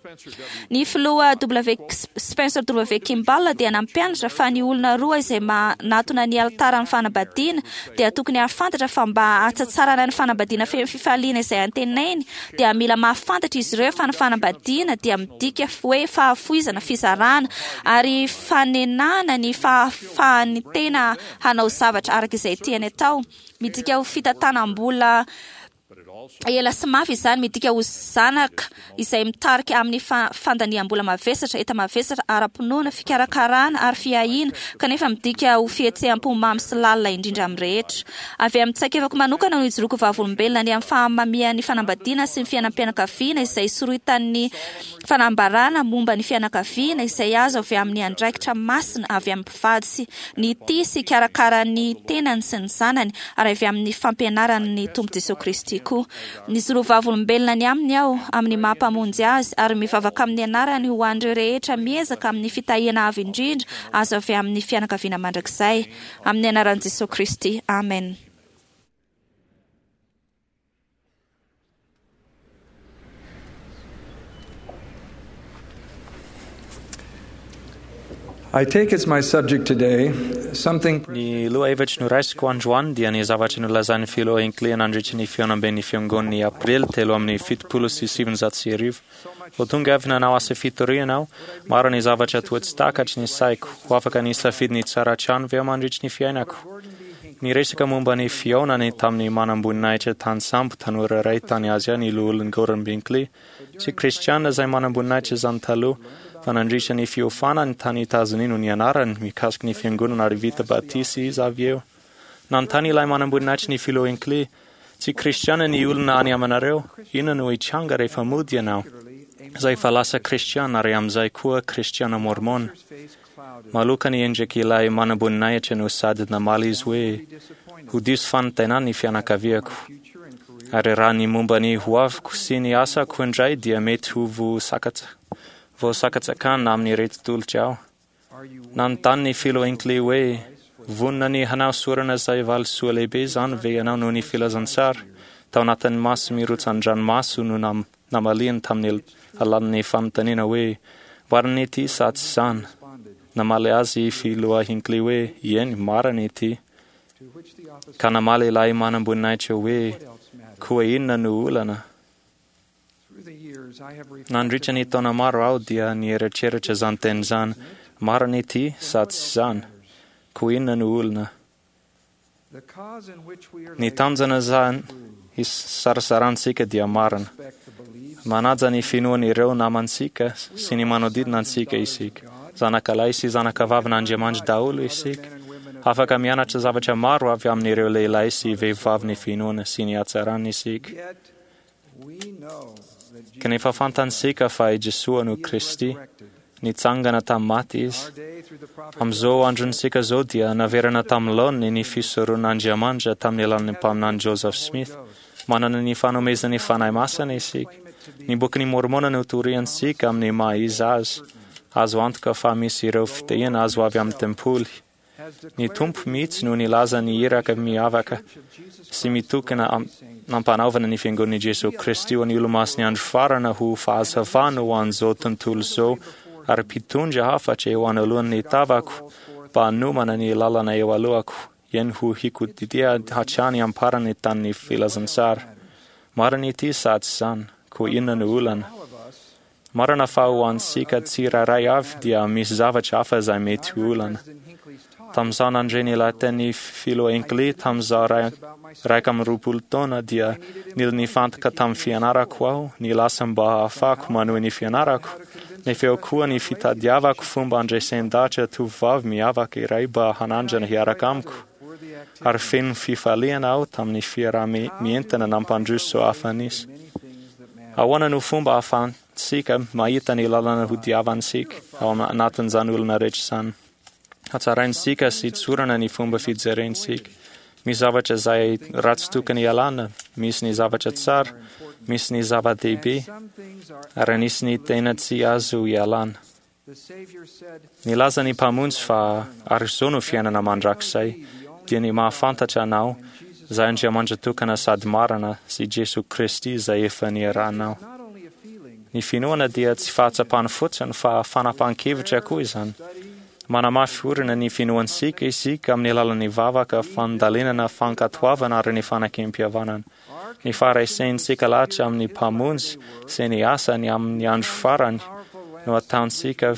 Ny filoha W. Spencer W. Kimball dia nampianatra fa ny olona roa izay manatona ny alitaran'ny fanambadiana dia tokony hahafantatra fa mba hahatsatsarana ny fanambadiana feno fifaliana izay antenainy dia mila mahafantatra izy ireo fa ny fanambadiana dia midika hoe fahafoizana, fizarana ary fanenana ny fahafahan'ny tena hanao zavatra araka izay tiany atao. Midika ho fitantanam-bola Ela sy mafy izany, midika ho zanaka izay mitarika amin'ny fandaniam-bola mavesatra, enta-mavesatra ara-pinoana, fikarakarana ary fiahiana, kanefa midika ho fihetseham-po mamy sy lalina indrindra amin'ny rehetra. Avy amin'ny tsaikefako manokana no ijoroako vavolombelona ny amin'ny fahamamian'ny fanambadiana sy ny fiainam-pianakaviana izay soritan'ny fanambarana momba ny fianakaviana izay azo avy amin'ny andraikitra masina avy amin'ny mpivady sy ny tia sy hikarakara ny tenany sy ny zanany, ary avy amin'ny fampianaran'ny Tompo Jesoa Kristy koa. Nijoro vavolombelona ny Aminy aho, amin'ny maha Mpamonjy Azy, ary mivavaka amin'ny anarany ho an'ireo rehetra miezaka amin'ny fitahiana avo indrindra azo avy amin'ny fianakaviana mandrakizay. Amin'ny anaran'i Jesoa Kristy, amena. I take as my subject today something Ny lohahevitry noraisiko androany dia ny zavatra nolazain'ny filoha Hinckley nandritry ny fihaonamben'ny fiangon'ny Aprily 1973. Vao tonga avy nanao asa fitoriana aho, maro ny zavatra toa tsy takatry ny saiko. Ho afaka ny hisafidy ny tsara hatrany ve aho mandritry ny fiainako? Niresaka momba ny fihaonany tamin'ny manamboninahitra tany sambo tanora iray tany Azia ny Loholon'i Gordon Binkley. Tsy Kristiana izay manamboninahitra izany taloha, fa nandritra ny fiofanany tany Etazonia no nianarany mikasika ny Fiangonana ary vita batisa izy avy eo. Nanontany ilay manamboninahitry ny Filoha Hinckley, Tsy Kristiana ny olona any aminareo? Inona no hitranga rehefa mody ianao? Izay efa lasa Kristiana ary amin'izay koa Kristiana Môrmôna. Maloka ny endrik'ilay manamboninahitra no sady namaly izy hoe, Ho diso fanantenana ny fianakaviako. Ary raha ny momba ny hoaviko sy ny asako indray dia mety ho voasakatsakana amin'ireto tolotra aho. Nanontany ny Filoha Hinckley hoe, Vonona ny hanao sorona izay valisoa lehibe izany ve ianao noho ny filazantsara? Tao anatin'ny maso mirotsan-dranomaso no namaliany tamin'ny alalan'ny fanontaniana hoe, Marina ity sa tsy izany? Namaly azy i Filoha Hinckley hoe, Eny, marina ity. Ka namaly ilay manamboninahitra hoe, Koa inona no olana? Nandritra ny taona maro aho dia nieritreritra izany teny izany, Marina ity sa tsy izany? Koa inona no olona? Ny tanjona izany isarasarantsika dia marina. Manaja ny finoan'ireo namantsika sy ny manodidina antsika isika. Zanakalahy sy zanakavavin'Andriamanitra daholo isika. Afaka mianatra zavatra maro avy amin'ireo lehilahy sy vehivavy ny finoana sy ny hatsarany isika. Kanefa fantatsika fa i Jesoa no Kristy. Nitsangana tamin'ny maty izy. Amin'izao androntsika izao dia naverina tamin'ny laoniny ny fisoron'Andriamanitra tamin'ny alalan'ny mpaminany Joseph Smith. Manana ny fanomezan'ny Fanahy Masina isika. Ny bokin'i Môrmôna no toriantsika amin'ny maha izy azy. Azo antoka fa misy ireo fitahiana azo avy amin'ny tempoly. Ny Tompo mihitsy no nilaza ny iraka miavaka sy mitokana nampanaovana ny Fiangonan'i Jesoa Kristy ho an'ny Olomasin'ny Andro Farany ho fahazavana ho an'izao tontolo izao ary mpitondra hafatra eo anoloan'ny tavako mba hanomana ny lalana eo alohako, eny ho hikodidia hatrany am-parany tamin'ny filazantsara. Marina ity sa tsy izany? Koa inona no olana? Marina fa ho antsika tsirairay avy dia misy zavatra hafa izay mety ho olana. Tamin'izaho nandre ny lahatenin'ny Filoha Hinckley tamin'izaho 21 taona dia nila nifantoka tamin'ny fianarako aho, nilaza mba hahafahako manohy ny fianarako, nefa eo koa ny fitadiavako fomba handresen-dahatra tovovavy miavaka iray mba hanandrana hiaraka amiko. Ary feno fifaliana aho tamin'ny fiaraha-mientana nampandroso hafa nisy. Ahoana no fomba ahafahantsika mahita ny lalana hodiavantsika ao anatin'izany olona rehetra izany? Hatsaraintsika sy tsorana ny fomba fijerentsika. Misy zavatra izay ratsy tokony hialana, misy ny zavatra tsara, misy ny zava-dehibe, ary anisy ny tena tsy azo ialana. Nilaza ny Mpamonjy fa ary izao no fiainana mandrakizay, dia ny mahafantatra Anao, izay Andriamanitra tokana sady marina, sy Jesoa Kristy izay efa niarahanao. Ny finoana dia tsy fahatsapana fotsiny fa fanapahan-kevitra koa izany. Manamafy orina ny finoantsika isika amin'ny alalan'ny vavaka, fandalinana, fankatoavana ary ny fanakem-pihavanana. Ny faharaisentsika lahatra amin'ny Mpamonjy sy ny asany amin'ny andro farany no ataontsika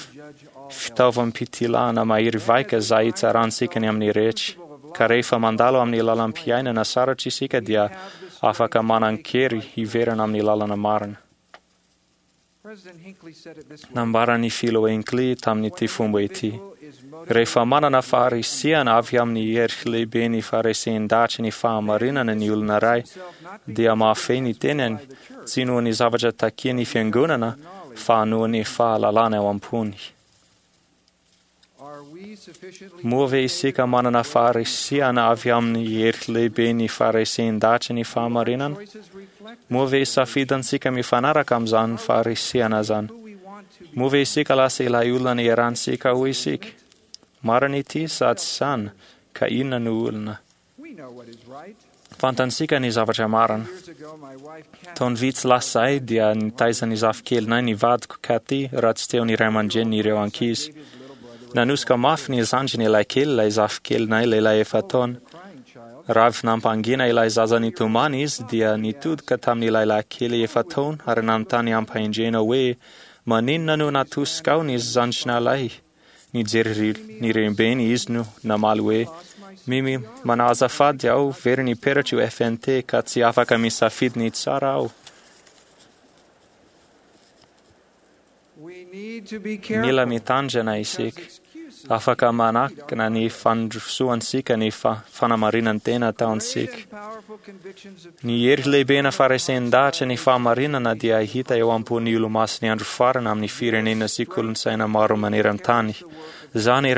fitaovam-pitilahana mahery vaika izay hitsarantsika ny amin'ny rehetra. Ka rehefa mandalo amin'ny lalam-piainana sarotra isika dia afaka manan-kery hiverina amin'ny lalana marina. Nambaran'ny Filoha Hinckley tamin'ity fomba ity, Rehefa manana faharisihana avy amin'ny hery lehibe ny faharesen-dahatry ny fahamarinana ny olona iray, dia mahafehy ny tenany, tsy noho ny zavatra takian'ny fiangonana, fa noho ny fahalalana ao am-pony. Moa ve isika manana faharisihana avy amin'ny hery lehibe ny faharesen-dahatry ny fahamarinana? Moa ve safidintsika mifanaraka amin'izany faharisihana izany? Moa ve isika lasa ilay olona niarahantsika ho isika? Marina ity sa tsy izany? Ka inona no olona? Fantatsika ny zavatra marina. Taona vitsy lasa izay dia nitaiza ny zafikelinay ny vadiko, Kathy, raha tsy teo ny ray aman-dreniny ireo ankizy. Nanosika mafy ny zandriny ilay kely ilay zafikelinay lehilahy efa-taona. Raha avy nampangina ilay zaza nitomany izy dia nitodika tamin'ilay lahy kely efa-taona ary nanontany am-pahendrena hoe, Maninona no natosikao ny zandrinalahy? Nijery ny renibeny izy no namaly hoe, Mimi, manao azafady aho, very ny peratro io FNT ka tsy afaka misafidy ny tsara aho. Mila mitandrina isika. Afaka manakana ny fandrosoantsika ny fanamarinan-tena ataontsika. Ny hery lehibe-na faharesen-dahatra ny fahamarinana dia hita eo am-pon'ny Olomasin'ny Andro Farany amin'ny firenena sy kolontsaina maro maneran-tany. Izany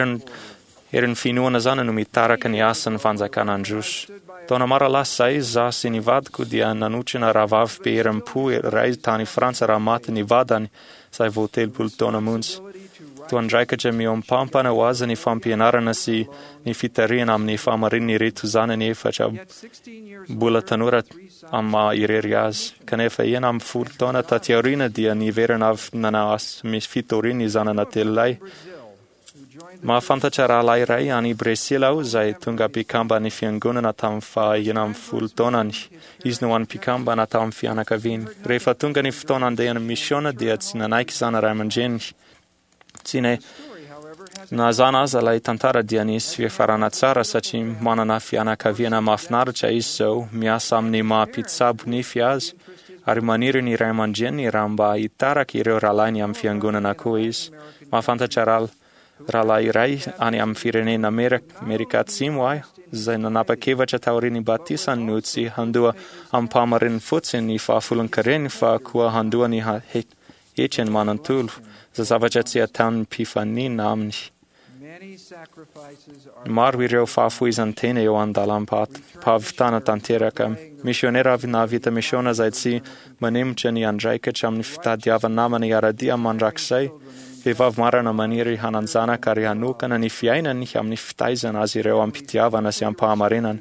herin'ny finoana izany no mitaraka ny asan'ny fanjakana handroso. Taona maro lasa izay, izaho sy ny vadiko dia nanotrona rahavavy be herim-po iray tany Frantsa raha maty ny vadany, izay vao 30 taona monja. Toa andraikitra mihoam-pampana ho azy ny fampianarana sy ny fitarihana amin'ny fahamarinan'ireto zanany efatra mbola tanora amin'ny maha irery azy. Kanefa 16 taona taty aoriana dia niverina avy nanao asa misy fitoriana ny zanana telolahy. Mahafantatra rahalahy iray any Bresila aho izay tonga mpikamban'ny Fiangonana tamin'ny faha 16 taonany. Izy no hany mpikambana tao amin'ny fianakaviany. Rehefa tonga ny fotoana handehany misiona dia tsy nanaiky izany ray aman-dreniny. Tsy Na izany aza ilay tantara dia nisy fiafarana tsara satria manana fianakaviana mahafinaritra izy izao, miasa amin'ny maha mpitsabo nify azy, ary maniry ny ray aman-dreniny raha mba hitaraka ireo rahalahiny amin'ny fiangonana koa izy. Mahafantatra rahalahy iray any amin'ny firenena Amerika Atsimo aho izay nanapa-kevitra taorian'ny batisany no tsy handoa amim-pahamarinany fotsiny ny fahafolon-kareny fa koa handoa ny hetrany manontolo, izay zavatra tsy ataon'ny mpifanina aminy. Maro ireo fahafoizan-tena eo an-dalam-pahavitana tanteraka. Misionera avy nahavita misiona izay tsy manemotra ny andraikitra amin'ny fitadiava-namana hiara-dia mandrakizay. Vehivavy marina maniry hanan-janaka ary hanokana ny fiainany amin'ny fitaizana azy ireo am-pitiavana sy am-pahamarinana.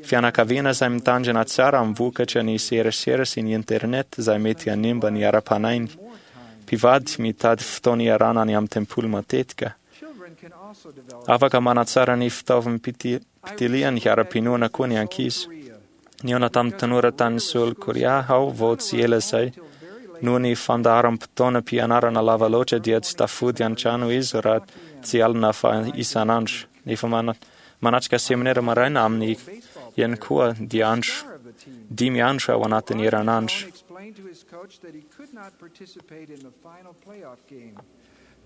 Fianakaviana izay mitandrina tsara amin'ny vokatra ny serasera sy ny internet izay mety hanimba ny ara-panahiny. Mpivady mitady fotoana iarahana any amin'ny tempoly matetika. Afaka manatsara ny fitaovam-pitiliany ara-pinoana koa ny ankizy. Nihaona tamin'ny tanora tany Seoul, Korea aho vao tsy ela izay. Noho ny fandaharam-potoanam-pianarana lava loatra dia tsy tafody an-trano izy raha tsy alina fa isan'andro. Nefa manatrika seminera maraina aminy ihany koa dia andro dimy andro ao anatin'ny herinandro.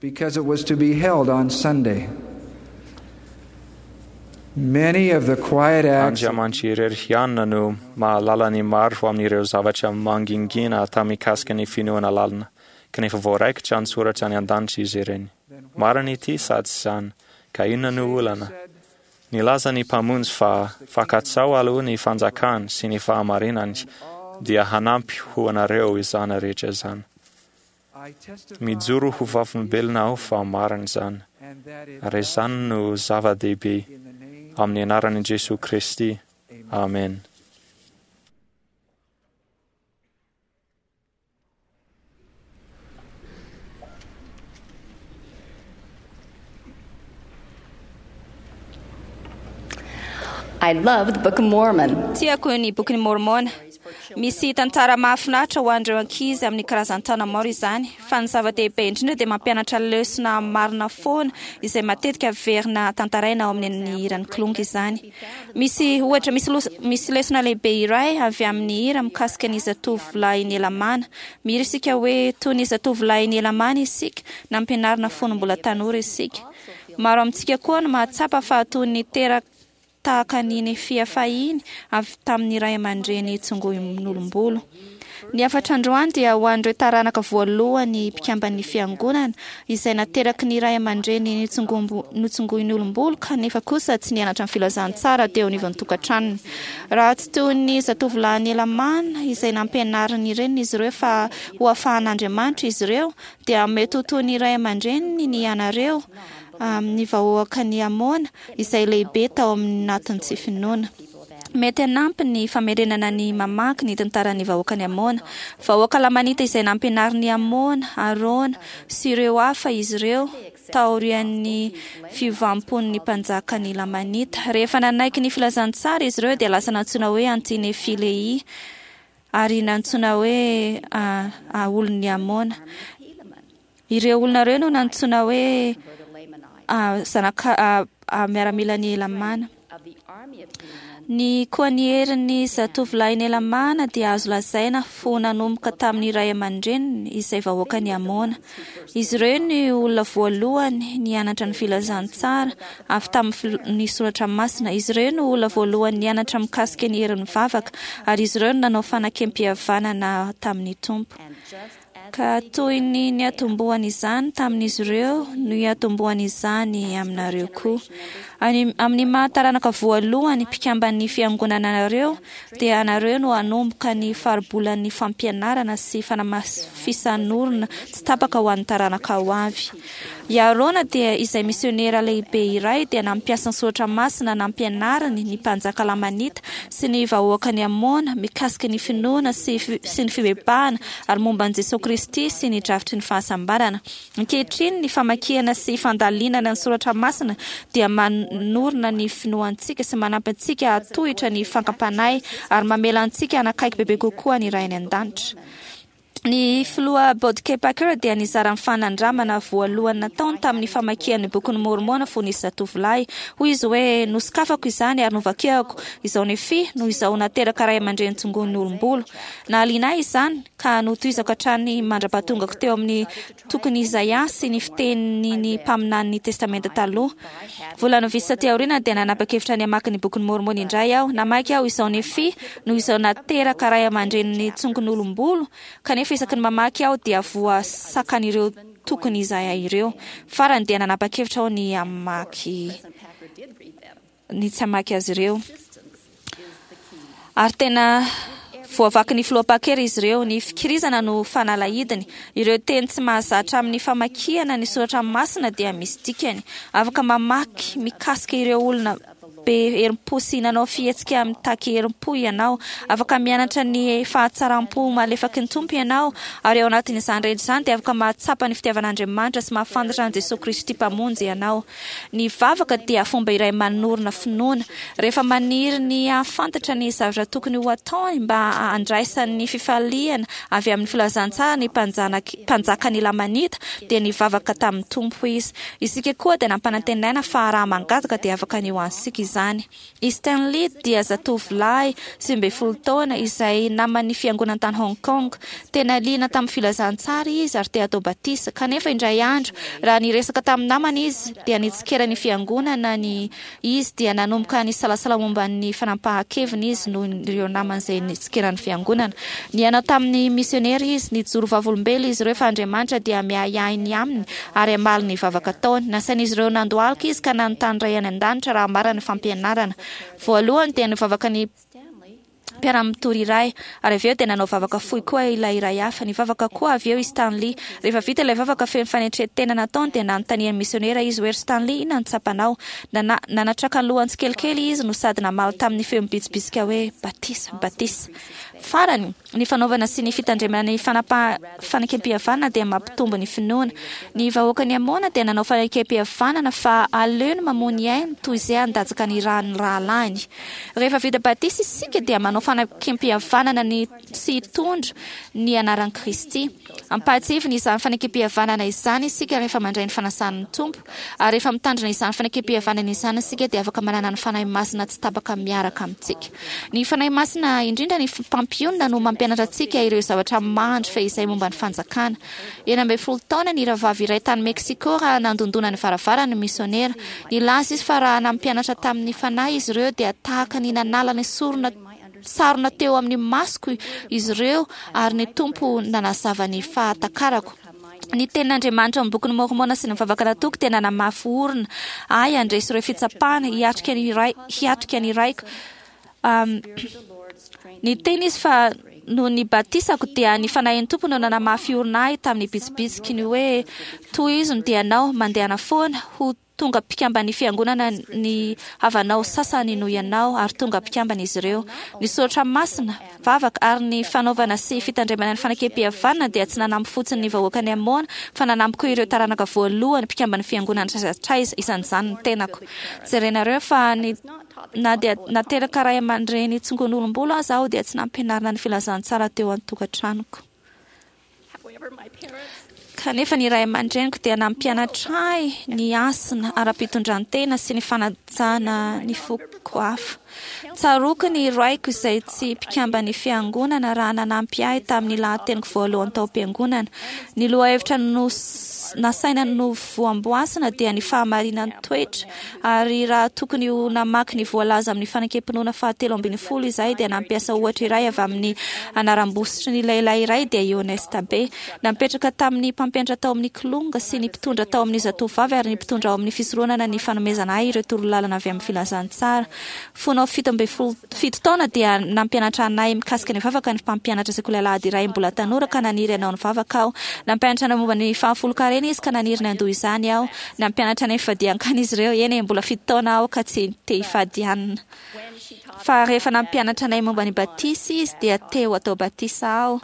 Because it was to be held on Sunday. Many of the quiet acts Andriamanitra irery ihany no mahalala ny maro amin'ireo zavatra mangingina atao mikasika ny finoana lalina, kanefa voaraikitra an-tsoratra any an-danitra izy ireny. Marina ity sa tsy izany? Ka inona no olana? Nilaza ny Mpamonjy fa fankatsao aloha ny fanjakany sy ny fahamarinany, dia hanampy ho anareo izany rehetra izany. Mijoro ho vavolombelona aho fa marina izany, ary izany no zava-dehibe. Amin'ny anaran'i Jesoa Kristy. Amen. I love the Book of Mormon. Tiako ny Bokin'i Môrmôna. Misy tantara mahafinaritra ho an'ireo ankizy amin'ny karazan-taona maro izany, fa ny zava-dehibe indrindra dia mampianatra lesona marina foana izay matetika averina tantaraina ao amin'ny hiran'ny Kilonga izany. Misy ohatra, misy misy lesona lehibe iray avy amin'ny hira mikasika ny zatovolahin'i Helamàna. Mihira isika hoe toy ny zatovolahin'i Helamàna isika, nampianarina fony mbola tanora isika. Maro amintsika koa no mahatsapa fa toy ny teraka tahaka ny Nefia fahiny avy tamin'ny ray aman-dreny tsongoin'olom-bolo. Ny hafatra androany dia ho an'ireo taranaka voalohany mpikamban'ny Fiangonana izay nateraky ny ray aman-dreny notsongoin'olom-bolo kanefa kosa tsy nianatra ny filazantsara teo anivon'ny tokantranony. Raha tsy toy ny zatovolahin'i Helamàna izay nampianarin'ny reniny izy ireo fa ho afahan'Andriamanitra izy ireo dia mety ho toy ny ray aman-dreniny ny ianareo amin'ny vahoakan'i Amôna izay lehibe tao anatin'ny tsy finoana. Mety hanampy ny famerenana ny mamaky ny tantaran'ny vahoakan'i Amôna. Vahoaka Lamanita izay nampianarin'i Amôna, Arona, sy ireo hafa izy ireo taorian'ny fiovam-pon'ny mpanjakan'ny Lamanita. Rehefa nanaiky ny filazantsara izy ireo dia lasa nantsoina hoe Anti-Nefi-Lehia ary nantsoina hoe olon'i Amôna. Ireo olona ireo no nantsoina hoe zanaka miaramilan'i Helamàna. Ny koa ny herin'ny zatovolahin'i Helamàna dia azo lazaina ho nanomboka tamin'ny ray aman-dreniny izay vahoakan'i Amôna. Izy ireo no olona voalohany nianatra ny filazantsara avy tamin'ny soratra masina. Izy ireo no olona voalohany nianatra mikasika ny herin'ny vavaka ary izy ireo no nanao fanakempihavanana tamin'ny Tompo. Ka toy ny niatombohan'izany tamin'izy ireo no hiatombohan'izany aminareo koa. Any, amin'ny maha taranaka voalohany mpikamban'ny Fiangonana anareo, dia anareo no hanomboka ny faribolan'ny fampianarana sy fanamafisan'orina tsy tapaka ho an'ny taranaka ho avy. I Arona dia izay misionera lehibe iray dia nampiasa ny soratra masina nampianariny ny mpanjaka Lamanita sy ny vahoakan'i Amôna mikasika ny finoana sy sy ny fibebahana ary momba an'i Jesoa Kristy sy ny drafitry ny fahasambarana. Ankehitriny ny famakiana sy fandalinana ny soratra masina dia manorina ny finoantsika sy manampy antsika hahatohitra ny fankam-panahy ary mamela antsika hanakaiky bebe kokoa ny Ray any An-danitra. Ny filoha Bob K. Packer dia nizara ny fanandramana voalohany nataony tamin'ny famakiany ny Bokin'i Môrmôna fony izy zatovolahy. Hoy izy hoe, Nosokafako izany ary novakiako, izao Nefia no izao nateraka ray aman-dreny tsongoin'ny olom-bolo. Nahaliana ahy izany ka notohizako hatrany mandra-pahatongako teo amin'ny tokon'i Izaia sy ny fitenin'ny mpaminanin'ny Testamenta Taloha. Volana vitsy taty aoriana dia nanapa-kevitra ny hamaky ny Bokin'i Môrmôna indray aho. Namaky aho izao Nefia noho izao nateraka ray aman-drenin'ny tsongon'olom-bolo, kanefa isaky ny mamaky aho dia voasakan'ireo tokon'i Izaia ireo. Farany dia nanapa-kevitra aho ny hamaky ny tsy hamaky azy ireo. Ary tena voavakin'ny filoha Packer izy ireo. Ny fikirizana no fanalahidiny. Ireo teny tsy mahazatra amin'ny famakiana ny soratra masina dia misy dikany. Afaka mamaky mikasika ireo olona be herim-po sy nanao fihetsika mitaky herim-po ianao. Afaka mianatra ny fahatsaram-po malefaky ny Tompo ianao, ary ao anatin'izany rehetra izany dia afaka mahatsapa ny fitiavan'Andriamanitra sy mahafantatra an'i Jesoa Kristy Mpamonjy ianao. Ny vavaka dia fomba iray manorina finoana. Rehefa maniry ny hahafantatra ny zavatra tokony ho ataony mba handraisany ny fifaliana avy amin'ny filazantsara ny mpanjakan'ny Lamanita, dia nivavaka tamin'ny Tompo izy. Isika koa dia nampanantenaina fa raha mangataka dia afaka ny ho antsika izany. I Stanley dia zatovolahy 19 taona izay naman'ny fiangonana tany Hong Kong. Tena liana tamin'ny filazantsara izy ary te hatao batisa. Kanefa indray andro, raha niresaka tamin'ny namany izy, dia nitsikera ny fiangonana ny izy dia nanomboka nisalasala momba ny fanapahan-keviny izy noho ireo namany izay nitsikera ny fiangonana. Niaina tamin'ny misionera izy. Nijoro vavolombelona izy ireo fa Andriamanitra dia miahiahy ny aminy ary hamaly ny vavaka ataony. Nasain'izy ireo nandohalika izy ka nanontany Ray any An-danitra raha marina ny fampianarana. Voalohany dia nivavaka ny mpiara-mitory iray, ary avy eo dia nanao vavaka fohy koa ilay iray hafa. Nivavaka koa avy eo i Stanley. Rehefa vita ilay vavaka feno fanetren-tena nataony dia nanontanian'ny misionera izy hoe, Ry Stanley, inona no tsapanao? Nana, nanatraka ny lohany tsikelikely izy no sady namaly tamin'ny feo mibitsibitsika hoe, Batisa, batisa. Farany, ny fanaovana sy ny fitandremana ny fanapaha-fanekempihavanana dia mampitombo ny finoana. Ny vahoakan'i Amona dia nanao fanekempihavanana fa aleony mamoa ny ainy toy izay handatsaka ny ran'ny rahalahiny. Rehefa vita batisa isika dia manao fanekempihavanana ny tsy hitondra ny anaran'i Kristy. Ampahatsiahivina izany fanekempihavanana izany isika rehefa mandray ny fanasan'ny Tompo. Ary rehefa mitandrina izany fanekempihavanana izany isika dia afaka manana ny Fanahy Masina tsy tapaka miaraka amintsika. Ny Fanahy Masina, indrindra ny Mpampionona, no mampianatra antsika ireo zavatra mandry fehizay momba ny Fanjakana. 16 taona ny rahavavy iray tany Mexico raha nandondona ny varavarany ny misionera. Nilaza izy fa raha nampianatra tamin'ny Fanahy izy ireo dia tahaka ny nanala ny sorona sarona teo amin'ny masoko izy ireo ary ny Tompo nanazava ny fahatakarako. Ny tenin'Andriamanitra ao amin'ny Bokin'i Môrmôna sy ny vavaka nataoko dia nanamafy orina ahy handresy ireo fitsapana, hiatrika ny ray, hiatrika ny raiko. Um, niteny izy fa noho ny batisako dia ny Fanahin'ny Tompo no nanamafy orina ahy tamin'ny bitsibitsiky ny hoe, Tohizo ny dianao, mandehana foana, ho Tonga mpikamban'ny Fiangonana ny havanao sasany noho ianao, ary tonga mpikambana izy ireo. Ny soratra masina, vavaka, ary ny fanaovana sy fitandremana ny fanekempihavanana dia tsy nanampy fotsiny ny vahoakan'i Amôna, fa nanampy koa ireo taranaka voalohany mpikamban'ny Fiangonana hatraiza hatraiza, isan'izany ny tenako. Jerenareo fa ny na dia nateraka ray aman-dreny tsongon'olom-bolo aza aho dia tsy nampianarina ny filazantsara teo an-tokantranoko. Kanefa ny ray aman-dreniko dia nampianatra ahy ny hasina ara-pitondran-tena sy ny fanajana ny foko hafa. Tsaroako ny raiko izay tsy mpikamban'ny fiangonana raha nanampy ahy tamin'ny lahateniko voalohany tao am-piangonana. Ny lohahevitra nasaina novoamboasina dia ny fahamarinan'ny toetra, ary raha tokony ho namaky ny voalaza amin'ny fanekem-pinoana fahatelo ambinifolo izahay dia nampiasa ohatra iray avy amin'ny anaram-bositry ny lehilahy iray dia i Honest Abe. Napetraka tamin'ny mpampianatra tao amin'ny Kilonga sy ny mpitondra tao amin'ny Zatovovavy ary ny mpitondra ao amin'ny fisoronana ny fanomezana ahy ireo torolalana avy amin'ny filazantsara. Fony aho 17 taona dia nampianatra anay mikasika ny vavaka ny mpampianatra sekoly alahady iray mbola tanora ka naniry hanao ny vavaka aho. Nampianatra anay momba ny fahafolonkarena izy ka naniry ny handoa izany aho. Nampianatra anay fifadian-kanina izy ireo. Eny e, mbola 7 taona aho ka tsy te hifady hanina. Fa rehefa nampianatra anay momba ny batisa izy dia te ho atao batisa aho.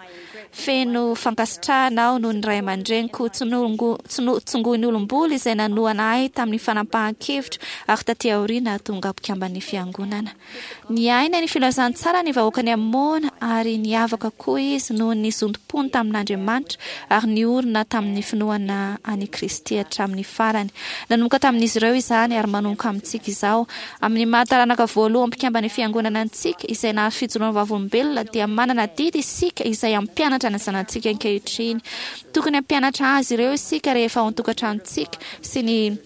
Feno fankasitrahana aho noho ny ray aman-dreniko tsongoin'ny olom-bolo izay nanohana ahy tamin'ny fanapahan-kevitro ary taty aoriana tonga mpikamban'ny fiangonana. Niaina ny filazantsara ny vahoakan'i Amôna ary niavaka koa izy noho ny zotom-pony tamin'Andriamanitra ary niorina tamin'ny finoana an'i Kristy hatramin'ny farany. Nanomboka tamin'izy ireo izany ary manomboka amintsika izao. Amin'ny maha taranaka voalohany mpikamban'ny Fiangonana antsika, izay nahazo fijoroana vavolombelona, dia manana adidy isika izay hampianatra ny zanatsika ankehitriny. Tokony hampianatra azy ireo isika rehefa ao an-tokantranontsika sy ny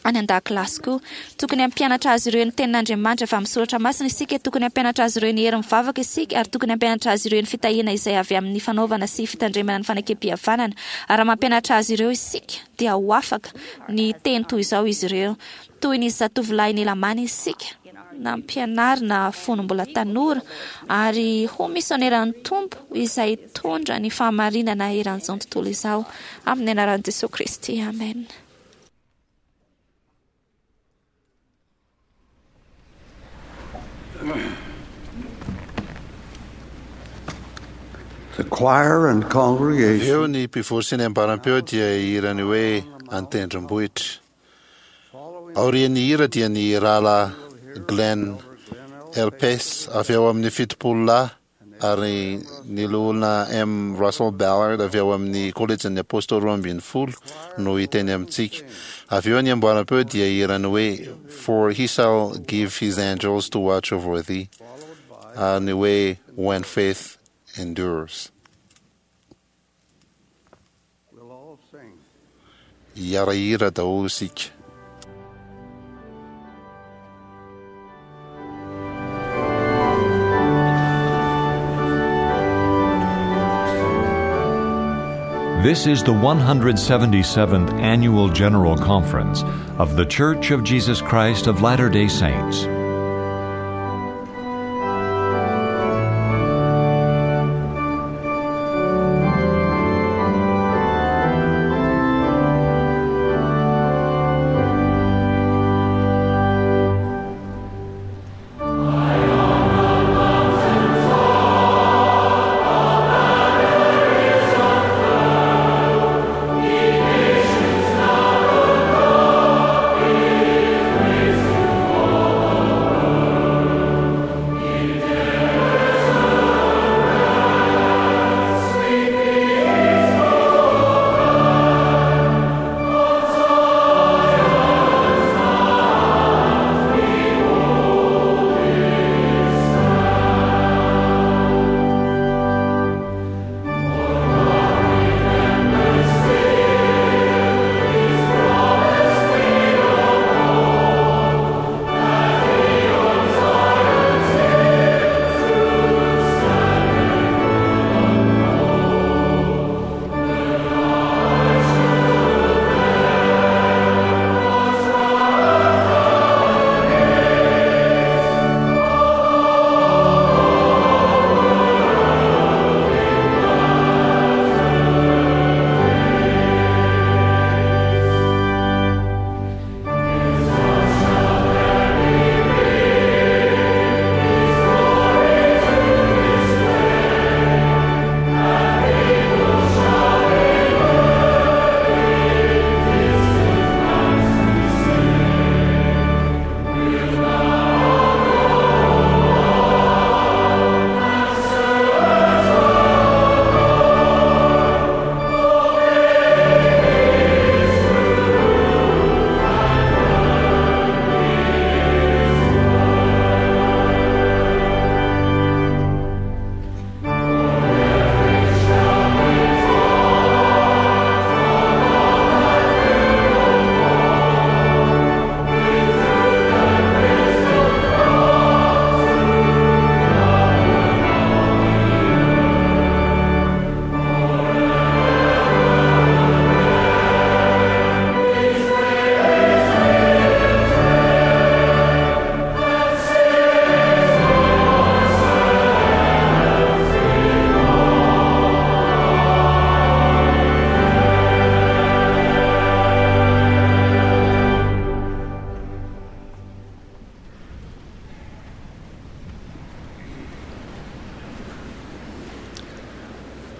any an-dakilasy koa. Tokony hampianatra azy ireo ny Tenin'Andriamanitra avy amin'ny Soratra Masina isika, tokony hampianatra azy ireo ny herin'ny vavaka isika, ary tokony hampianatra azy ireo ny fitahiana izay avy amin'ny fanaovana sy fitandremana ny fanekempihavanana. Ary raha mampianatra azy ireo isika, dia ho afaka ny hiteny toy izao izy ireo, Toy ny zatovolahy nilamana isika, nampianarina fony mbola tanora, ary ho misioneran'ny Tompo izay hitondra ny fahamarinana eran'izao tontolo izao. Amin'ny anaran'i Jesoa Kristy, amena. The choir and congregation. Eo ny mpivory sy ny ambaram-peo dia hihira ny hoe An-tendrombohitra. Aorian'ny hira dia ny Rahalahy Glenn Elpes avy ao amin'ny 70 lahy ary ny Loholona M. Russell Ballard avy ao amin'ny Kolejin'ny Apôstôly 12 no hiteny amintsika. Avy eo ny amboaram-peo dia hihira ny hoe For he shall give his angels to watch over thee ary ny hoe When faith endures. Hiara-hira daholo isika. This is the 177th Annual General Conference of The Church of Jesus Christ of Latter day Saints.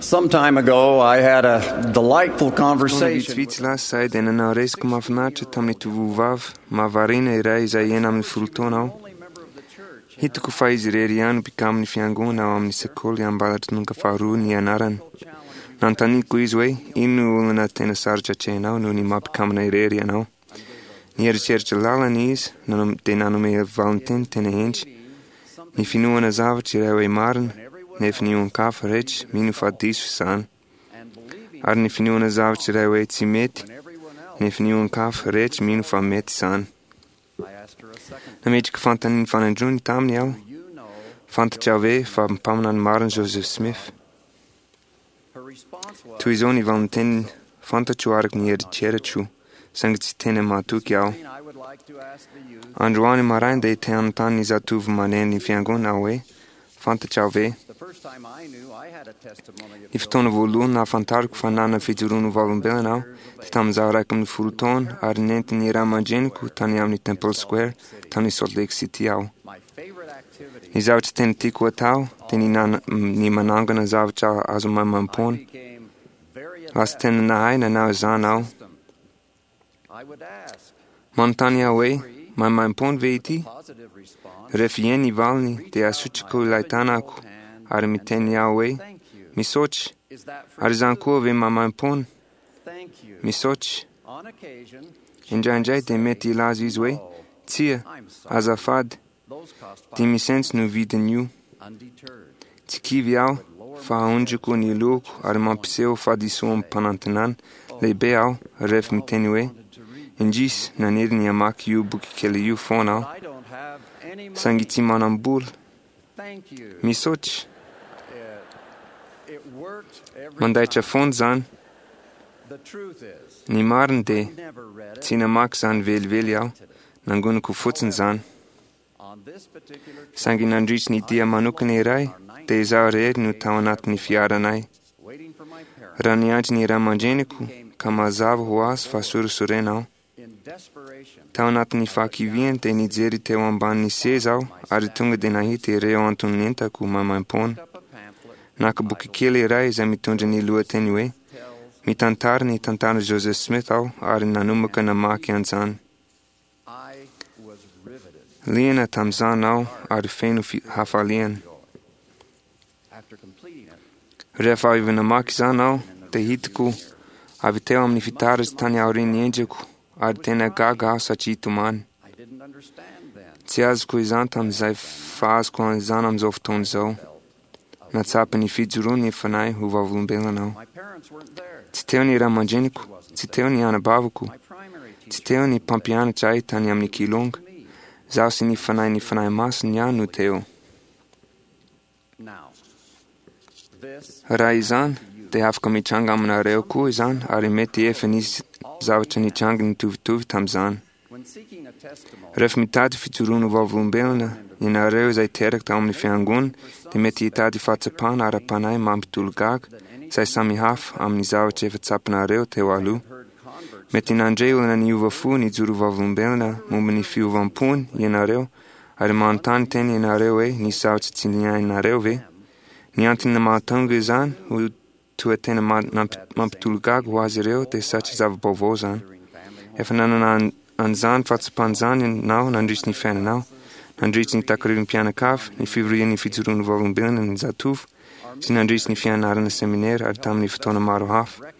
Some time ago, I had a delightful Taona conversation. vitsivitsy lasa izahay dia nanao resaka mahafinaritra tamin'ny tovovavy mahavariana iray izay 16 taona aho. Hitako fa izy irery ihany mpikamin'ny fiangonana ao amin'ny sekoly ambaratonga faharoa ny anarany. Nanontaniako izy hoe ino no olana tena sarotra atrehinao noho ny maha mpikamina irery ianao. Nieritreritra lalina izy dia nanome valin-teny tena hendry. Ny finoana zavatra iray hoe marina, nefa ny olon-kafa rehetra mino fa diso izany. Ary ny finoana zavatra iray hoe tsy mety, nefa ny olon-kafa rehetra mino fa mety izany. Nametraka fanontaniana fanindroany taminy aho. Fantatrao ve fa mpaminany marina Joseph Smith? Toy izao ny valin-teniny, fantatro araka ny eritreritro, saingy tsy tena mahatoky aho. Androany maraina dia te hanontany ny zatovo maneno ny fiangonana aho hoe, fantatrao ve? Ny fotoana voalohany nahafantarako fa nanana fijoroana ho vavolombelona aho dia tamin'izaho 11 taona ary nentin'ny ray aman-dreniko tany amin'ny Temple Square tany Salt Lake City aho. Ny zavatra tena tiako atao dia ny manangona zavatra azo maimaimpoana. Lasa tena nahay nanao izany aho. Manontany aho hoe, maimaimpoana ve ity? Rehefa eny ny valiny dia asotriko ilay tanako ary miteny aho hoe, misaotra. Ary izany koa ve maimaimpoana? Misaotra. Indraindray dia mety hilaza izy hoe, tsia, azafady, 5 cents no vidin'io. Tsy kivy aho fa aondriko ny lohako ary mampiseho fahadisoam-panantenana lehibe aho rehefa miteny hoe, indrisy, naniry ny hamaky io boky kely io foana aho, saingy tsy manam-bola. Misaotra. Mandaitra foana izany. Ny marina dia tsy namaky izany velively aho, nangoniko fotsiny izany. Saingy nandritry ny dia manokana iray dia izaho irery no tao anatin'ny fiaranay. Raha niandry ny ray aman-dreniko ka mazava ho azy fa sorisorena aho. Tao anatin'ny fahakiviana dia nijery teo ambanin'ny seza aho ary tonga dia nahita ireo anton'entako maimaimpoana. Naka boky kely iray izay mitondra ny lohateny hoe Mitantara ny tantaran'i Joseph Smith aho ary nanomboka namaky an'izany. Liana tamin'izany aho ary feno hafaliana. Rehefa avy namaky izany aho dia hitako avy teo amin'ny fitaratra tany aorian'ny endriko ary tena gaga aho satria tomany. Tsy azoko izany tamin'izay fa azoko an'izany amin'izao fotoana izao. Nahatsapa ny fijoroan'ny fanahy ho vavolombelona aho. Tsy teo ny ray aman-dreniko, tsy teo ny anabaviko, tsy teo ny mpampianatra ahy tany amin'ny kilonga. Izaho sy ny fanahin'ny Fanahy Masina ihany no teo. Raha izany, dia afaka mitranga aminareo koa izany ary mety efa nisy zavatra nitranga nitovitovy tamin'izany. Rehefa mitady fijoroana ho vavolombelona ianareo izay teraka tao amin'ny fiangonana dia mety hitady fahatsapana ara-panahy mampitolagaga izay samihafa amin'ny zavatra efa tsapanareo teo aloha. Mety nandre olona niova fo nijoro vavolombelona momba ny fiovam-pony ianareo ary manontany tena ianareo hoe nisy zavatra tsy niainareo ve? Ny antony mahatonga izany ho toa tena mampitolagaga ho azy ireo dia satria zava-baovao izany. Efa nanana an'izany fahatsapana izany ianao nandritry ny fiainanao, nandritry ny takarivam-pianakavy, ny fivorian'ny fijoroan'ny vavolombelona ny zatovo, sy nandritry ny fianarana seminera ary tamin'ny fotoana maro hafa.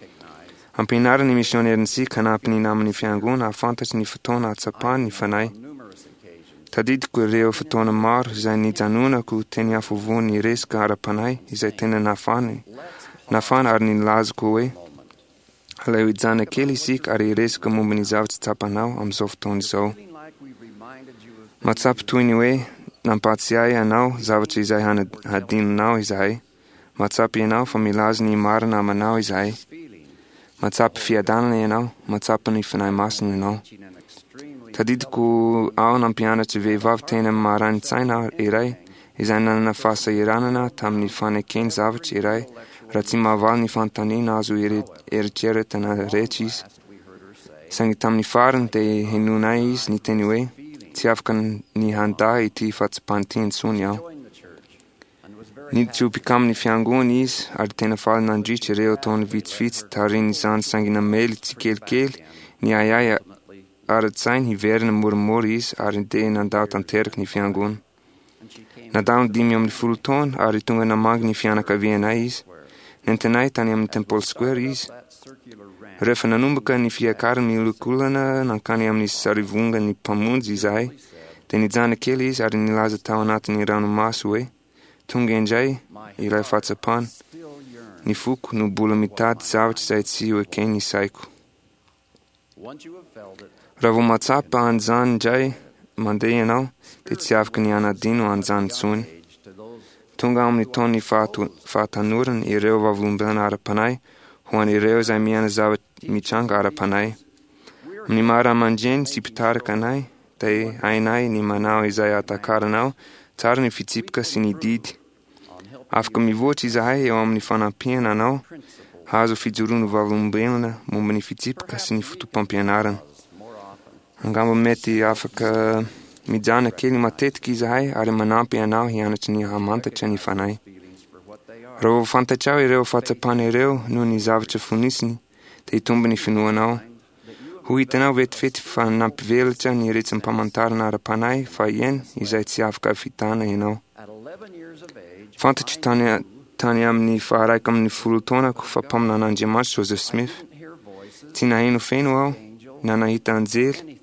Ampianarina ny misionerintsika hanampy ny naman'ny fiangonana hahafantatry ny fotoana hahatsapany ny Fanahy. Tadidiko ireo fotoana maro izay nijanonako teny afovoan'ny resaka ara-panahy izay tena nafana, nafana ary nilazako hoe, Aleo hijanona kely isika ary hiresaka momba ny zavatra tsapanao amin'izao fotoana izao. Mahatsapa toy ny hoe nampahatsiahy anao zavatra izay hadinonao izahay. Mahatsapa ianao fa milaza ny marina aminao izahay. Mahatsapa fiadanana ianao, mahatsapa ny Fanahy Masina ianao. Tadidiko aho nampianatra vehivavy tena maranin-tsaina iray izay nanana fahasahiranana tamin'ny fanekeny zavatra iray raha tsy mahavaly ny fanontaniana azo eritreretina rehetra izy. Saingy tamin'ny farany dia henonay izy niteny hoe, Tsy afaka ny handà ity fahatsapana ity intsony aho. Niditra ho mpikamin'ny fiangonana izy ary tena faly nandritra ireo taona vitsivitsy taorian'izany saingy namely tsikelikely ny ahiahy ara-tsainy hiverina moramora izy ary dia nandao tanteraka ny fiangonana. Nandalo ny 15 taona ary tonga namangy ny fianakavianay izy. Nentinay tany amin'ny Temple Square izy. Rehefa nanomboka ny fiakarany miolakolana nankany amin'ny sarivongan'ny Mpamonjy izahay, dia nijanona kely izy ary nilaza tao anatin'ny ranomaso hoe, Tonga indray ilay fahatsapana. Ny foko no mbola mitady zavatra izay tsy ho eken'ny saiko. Raha vao mahatsapa an'izany indray mandeha ianao, dia tsy afaka ny hanadino an'izany intsony. Tonga amin'ny taon'ny fahatanorana ireo vavolombelona ara-panahy ho an'ireo izay miaina zava-mitranga ara-panahy. Amin'ny maha ray aman-dreny sy mpitarika anay, dia hainay ny manao izay hahatakaranao tsara ny fitsipika sy ny didy. Afaka mivoatra izahay eo amin'ny fanampiana anao hahazo fijoroana vavolombelona momba ny fitsipika sy ny fotopampianarana. Angamba mety afaka mijanona kely matetika izahay ary manampy anao hianatra ny hamantatra ny Fanahy. Raha vao fantatrao ireo fahatsapana ireo noho ny zavatra fonosiny, dia hitombo ny finoanao. Ho hitanao vetivety fa nampivelatra ny retsim-pamantarana ara-panahy fahiny izay tsy afaka vitana ianao. Fantatro tany tany amin'ny faharaika amin'ny folo taonako fa mpaminan'Andriamanitra Joseph Smith. Tsy naheno feno aho, na nahita anjely,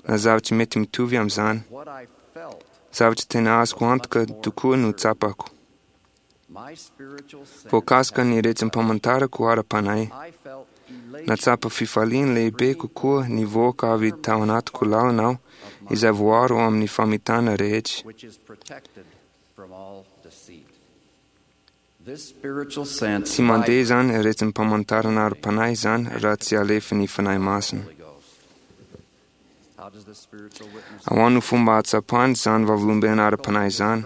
na zavatra mety mitovy amin'izany. Zavatra tena azoko antoka tokoa no tsapako. Voakasika ny retsim-pamantarako ara-panahy. Nahatsapa fifaliana lehibe kokoa nivoaka avy tao anatiko lalina aho, izay voaro amin'ny famitana rehetra. Tsy mandeha izany retsim-pamantarana ara-panahy izany raha tsy alefan'ny Fanahy Masina. Ahoana no fomba ahatsapany izany vavolombelona ara-panahy izany?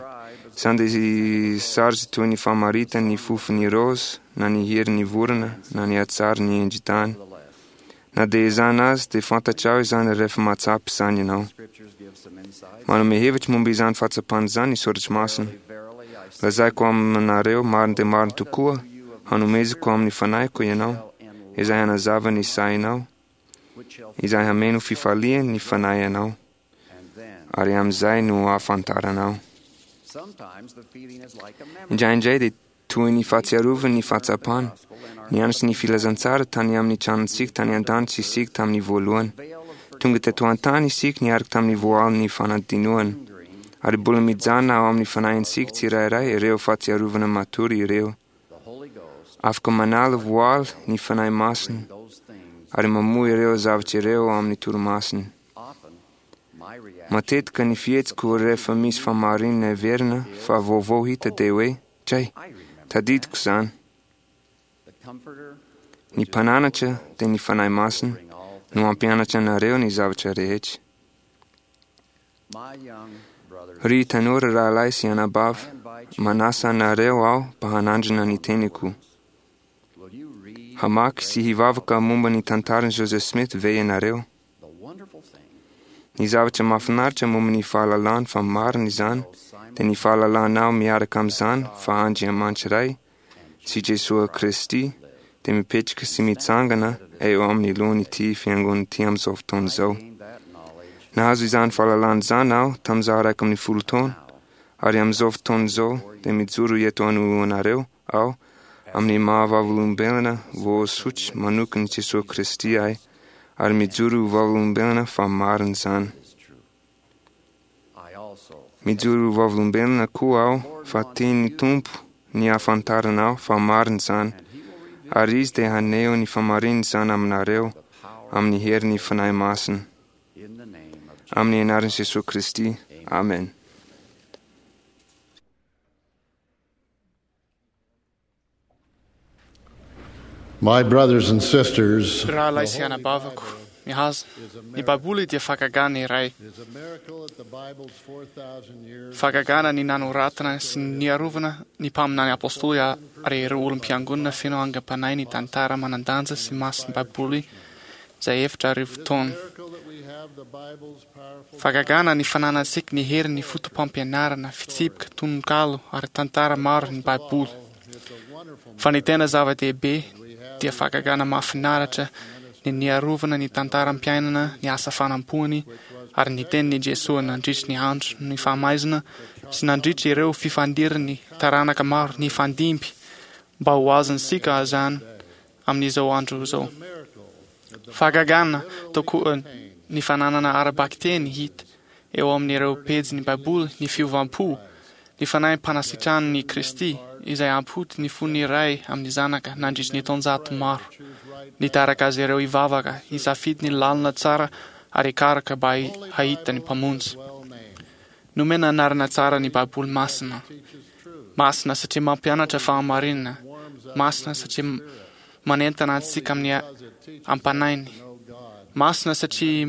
Izany dia sarotra toy ny famaritany ny fofon'ny raozy, na ny herin'ny vorona, na ny hatsaran'ny endri-tany. Na dia izany aza, dia fantatrao izany rehefa mahatsapa izany ianao. Manome hevitra momba izany fahatsapana izany ny Soratra Masina. Lazaiko aminareo marina dia marina tokoa, hanomezako amin'ny fanahiko ianao, izay hanazava ny sainao, izay hameno fifalian ny fanahy anao, ary amin'izay no hahafantaranao. Indraindray dia toy ny fahatsiarovana ny fahatsapana, nianatra ny filazantsara tany amin'ny tranontsika tany an-danitra isika tamin'ny voalohany. Tonga teto an-tany isika niaraka tamin'ny voalin'ny fanadinoana. Ary mbola mijanona ao amin'ny fanahintsika tsirairay ireo fahatsiarovana matory ireo. Afaka manala voaly ny Fanahy Masina ary mamoha ireo zavatra ireo ao amin'ny torimasony. Matetika ny fihetsiko rehefa misy fahamarinana heverina fa vaovao hita dia hoe, Dray! Tadidiko izany! Ny Mpananatra, dia ny Fanahy Masina, no hampianatra anareo ny zavatra rehetra. Ry tanora rahalahy sy anabavy, manasa anareo aho mba hanandrana ny teniko. Hamaky sy hivavaka momba ny tantaran'i Joseph Smith ve ianareo? Ny zavatra mahafinaritra momba ny fahalalana fa marina izany dia ny fahalalanao miaraka amin'izany fa Andriamanitra Ray sy Jesoa Kristy dia mipetraka sy mitsangana eo amin'ny lohan'ity fiangonana ity amin'izao fotoana izao. Nahazo izany fahalalana izany aho tamin'izaho 11 taona, ary amin'izao fotoana izao dia mijoro eto anoloanareo aho amin'ny maha vavolombelona voasotry manokan'i Jesoa Kristy ahy, ary mijoro ho vavolombelona fa marina izany. Mijoro ho vavolombelona koa aho fa tian'ny Tompo ny hahafantarana aho fa marina izany, ary Izy dia haneho ny fahamarinana izany aminareo amin'ny herin'ny Fanahy Masina. Amin'ny anaran'i Jesoa Kristy, Amen. My brothers and sisters, Ry rahalahy sy anabaviko, mihaza, ny Baiboly dia fahagagana iray. Fahagagana ny nanoratana sy niarovana ny mpaminany apostoly ary ireo olom-piangonana feno angam-panahy ny tantara manan-danja sy masin'ny Baiboly izay 4000 taona. Fahagagana ny fananantsika ny herin'ny fotopampianarana, fitsipika, tononkalo ary tantara maro ny Baiboly. Fa ny tena zava-dehibe dia fahagagana mahafinaritra ny niarovana ny tantaram-piainana, ny asa fanampoany ary ny tenin'i Jesoa nandritry ny andro ny fahamaizina sy nandritry ireo fifandiran'ny taranaka maro nifandimby mba ho azontsika izany amin'izao andro izao. Fahagagana tokoa ny fananana ara-bakiteny hita eo amin'ireo pejin'ny Baiboly ny fiovam-po, ny fanahim-panasitran'i Kristy izay hampody ny fon'ny ray amin'ny zanaka nandritry ny taonjato maro. Nitarika azy ireo hivavaka, hisafidy ny lalana tsara ary hikaroka mba hahita ny Mpamonjy. Nomena anarana tsara ny Baiboly Masina. Masina satria mampianatra fahamarinana. Masina satria manentana antsika amin'ny am-panainy. Masina satria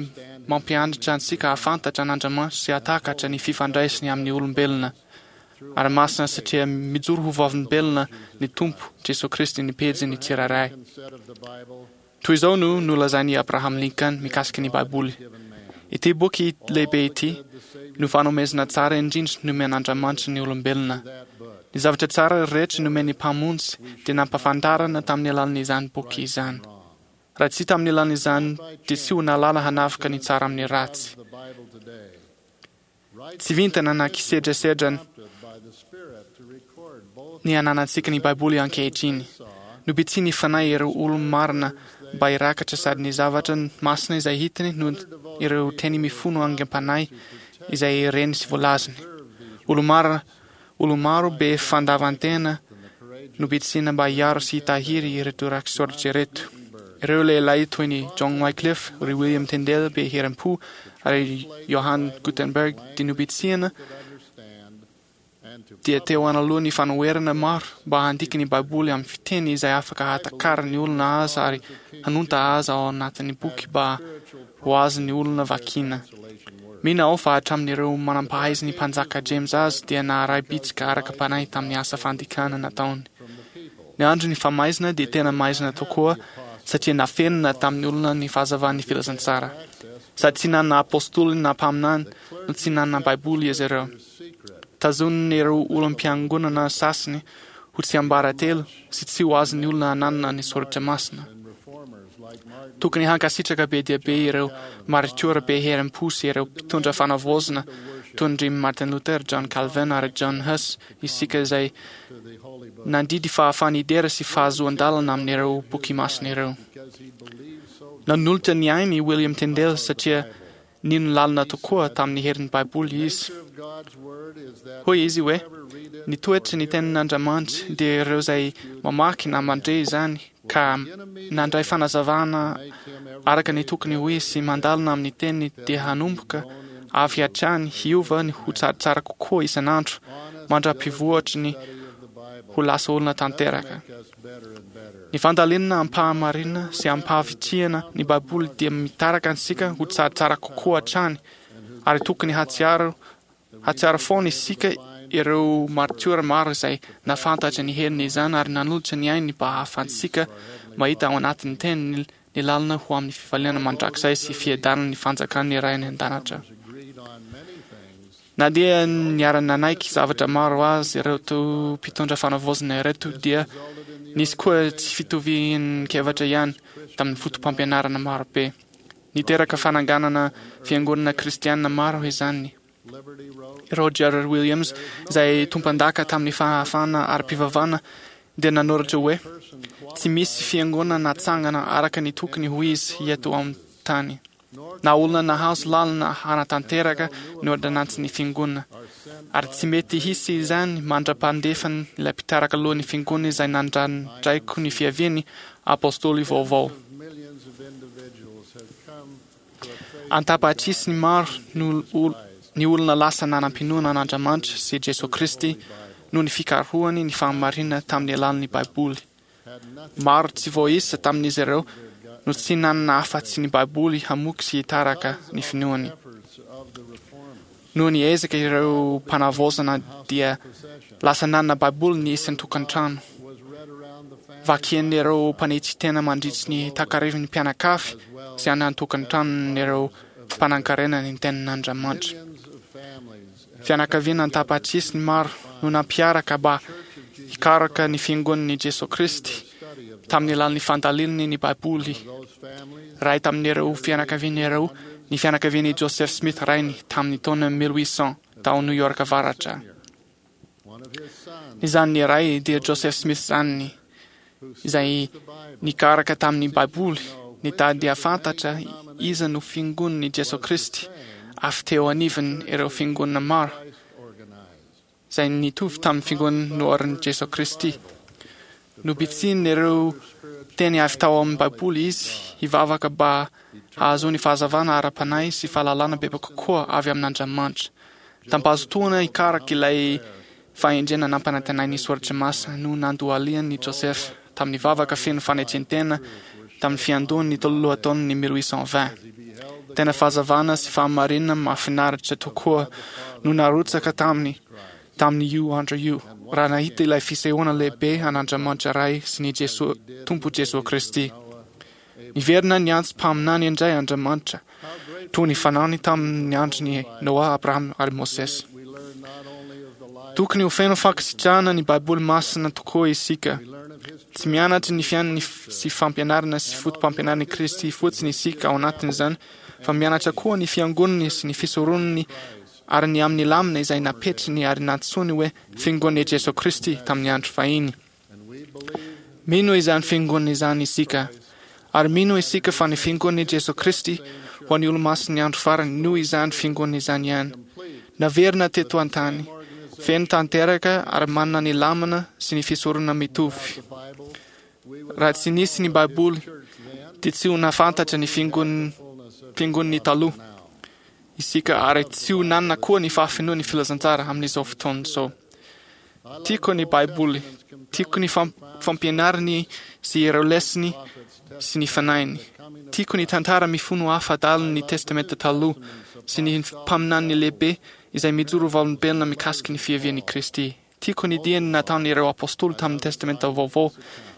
mampianatra antsika hahafantatra an'Andriamanitra sy hahatakatra ny fifandraisany amin'ny olombelona. Ary masina satria mijoro ho vavolombelona ny Tompo Jesoa Kristy ny pejiny tsirairay. Toy izao no nolazain'i Abraham Lincoln mikasika ny Baiboly, Ity boky lehibe ity no fanomezana tsara indrindra nomen'Andriamanitra ny olombelona. Ny zavatra tsara rehetra nomen'ny Mpamonjy dia nampahafantarana tamin'ny alalan'izany boky izany. Raha tsy tamin'ny alalan'izany dia tsy ho nahalala hanavaka ny tsara amin'ny ratsy. Tsy vintana na kisedrasedra ny ananantsika ny Baiboly ankehitriny. Nobitsihin'ny Fanahy ireo olo-marina mba hirakatra sady ny zavatra masina izay hitany no ireo teny mifono aingam-panahy izay reny sy voalazany. Olo-marina, olo-maro be fandavan-tena nobitsihina mba hiaro sy hitahiry ireto rakitsoratra ireto. Ireo lehilahy toy ny John Wycliffe, ry William Tyndale be herim-po ary Johann Gutenberg dia nobitsihina dia teo anoloan'ny fanoherana maro mba handika ny Baiboly amin'ny fiteny izay afaka hahatakaran'ny olona azy ary hanonta azy ao anatin'ny boky mba ho azon'ny olona vakiana. Mino aho fa hatramin'ireo manampahaizan'ny Mpanjaka James azy dia naharay bitsika araka-panahy tamin'ny asa fandikana nataony. Ny andron'ny famaizana dia tena maizina tokoa satria nafenina tamin'ny olona ny fahazavan'ny filazantsara. Sady tsy nanana apostoly na mpaminany no tsy nanana Baiboly izy ireo. Tazonin'ireo olom-piangonana sasany ho tsiambaratelo sy tsy ho azon'ny olona ananana ny soratra masina. Tokony hankasitraka be dia be ireo maritiora be herim-po sy ireo mpitondra fanavaozana toy an-dry Martin Luther, John Calvin ary John Huss isika izay nandidy fahafaha-nidera sy fahazoan-dalana amin'ireo boky masina ireo. Nanolotra ny ainy i William Tyndale satria Nino lalina tokoa tamin'ny herin'ny Baiboly izy. Hoy izy hoe, Ny toetry ny Tenin'Andriamanitra dia ireo izay mamaky na mandre izany ka nandray fanazavana araka ny tokony ho izy sy mandalina amin'ny Teniny dia hanomboka avy hatrany hiova ny ho tsaratsara kokoa isan'andro mandra-pivoatry ny ho lasa olona tanteraka. Ny fandalinana am-pahamarinana sy am-pahavitrihana ny Baiboly dia mitaraka antsika ho tsaratsara kokoa hatrany, ary tokony hahatsiaro hahatsiaro foana isika ireo maritiora maro izay nahafantatra ny herin'izany ary nanolotra ny ainy mba hahafahantsika mahita ao anatin'ny Teniny ny lalana ho amin'ny fifaliana mandrakizay sy fiadanan'ny fanjakan'ny Ray any An-danitra. Na dia niara-nanaiky zavatra maro azy ireto mpitondra fanavaozana ireto dia nisy koa tsy fitovian-kevitra ihany tamin'ny fotopampianarana maro be. Niteraka fananganana fiangonana kristiana maro izany. Roger Williams, izay tompandaka tamin'ny fahafahana ara-pivavahana, dia nanoratra hoe, Tsy misy fiangonana natsangana araka ny tokony ho izy eto amin'ny tany. na olona nahazo lalana hanatanteraka ny ôrdônansin'ny Fiangonana, ary tsy mety hisy izany mandra-pandefany ilay mpitaraka lohan'ny Fiangonana izay nandrandraiko ny fiaviany, Apôstôly vaovao. An-tapatrisany maro no ny olona lasa nanam-pinoana an'Andriamanitra sy Jesoa Kristy noho ny fikarohany ny fahamarinana tamin'ny alalan'ny Baiboly. Maro tsy voaisa tamin'izy ireo no tsy nanana afa-tsy ny Baiboly hamoky sy hitaraka ny finoany. Noho ny ezaka ireo mpanavaozana dia lasa nanana Baiboly ny isan-tokantrano. Vakian'ireo mpanetry tena mandritry ny takarivin'ny mpianakavy sy any an-tokantranon'ireo mpanankarena ny tenin'Andriamanitra. Fianakaviana an-tapatrisiny maro no nampiaraka mba hikaroka ny Fiangonan'i Jesoa Kristy tamin'ny alalan'ny fandalinany ny Baiboly. Iray tamin'ireo fianakaviana ireo ny fianakavian'i Joseph Smith rainy tamin'ny taona 1800 tao New York Avaratra. Ny zanany iray dia Joseph Smith zanany, izay nikaraka tamin'ny Baiboly, nitady hahafantatra iza no Fiangonan'i Jesoa Kristy avy teo anivon' ireo fiangonana maro izay nitovy tamin'ny Fiangonana noharin'i Jesoa Kristy. Nobitsihin' ireo teny avy tao amin'ny Baiboly izy hivavaka mba hahazoany fahazavana ara-panahy sy fahalalana bebe kokoa avy amin'Andriamanitra. Tam-pahazotoana hikaraka ilay fahendrena nampanantenain'ny Soratra Masina no nandohalian'i Joseph tamin'ny vavaka feno fanetren-tena tamin'ny fiandohan'ny lohataon'ny 1820. Tena fahazavana sy fahamarinana mahafinaritra tokoa no narotsaka taminy tamin'io andro io, raha nahita ilay fisehoana lehibe an'Andriamanitra Ray sy ny Jesoa Tompo Jesoa Kristy. Niverina niantso mpaminany indray Andriamanitra, toy ny fanaony tamin'ny andron'i Noa, Abrahama ary Mosesy. Tokony ho feno fankasitrahana ny Baiboly Masina tokoa isika. Tsy mianatra ny fiainany sy fampianarana sy foto-pampianaran'i Kristy fotsiny isika ao anatin'izany, fa mianatra koa ny fiangonany sy ny fisoronany ary ny amin'ny lamina izay napetrany ary nantsoiny hoe Fiangonan'i Jesoa Kristy tamin'ny andro fahiny. Mino izany Fiangonana izany isika, ary mino isika fa ny Fiangonan'i Jesoa Kristy ho an'ny Olomasin'ny andro farany no izany Fiangonana izany ihany. Naverina teto an-tany, feno tanteraka ary manana ny lamina sy ny fisoronana mitovy. Raha tsy nisy ny Baiboly, dia tsy ho nahafantatra ny Fiangonany taloha isika ary tsy ho nanana koa ny fahafenoan'ny filazantsara amin'izao fotoana izao. Tiako ny Baiboly. Tiako ny fampianarany sy ireo lesony sy ny fanahiny. Tiako ny tantara mifono hafa adalin'ny Testamenta Taloha sy ny mpaminaniny lehibe izay mijoro vavolombelona mikasika ny fiavian'i Kristy. Tiako ny diany nataon'ireo apostoly tamin'ny Testamenta Vaovao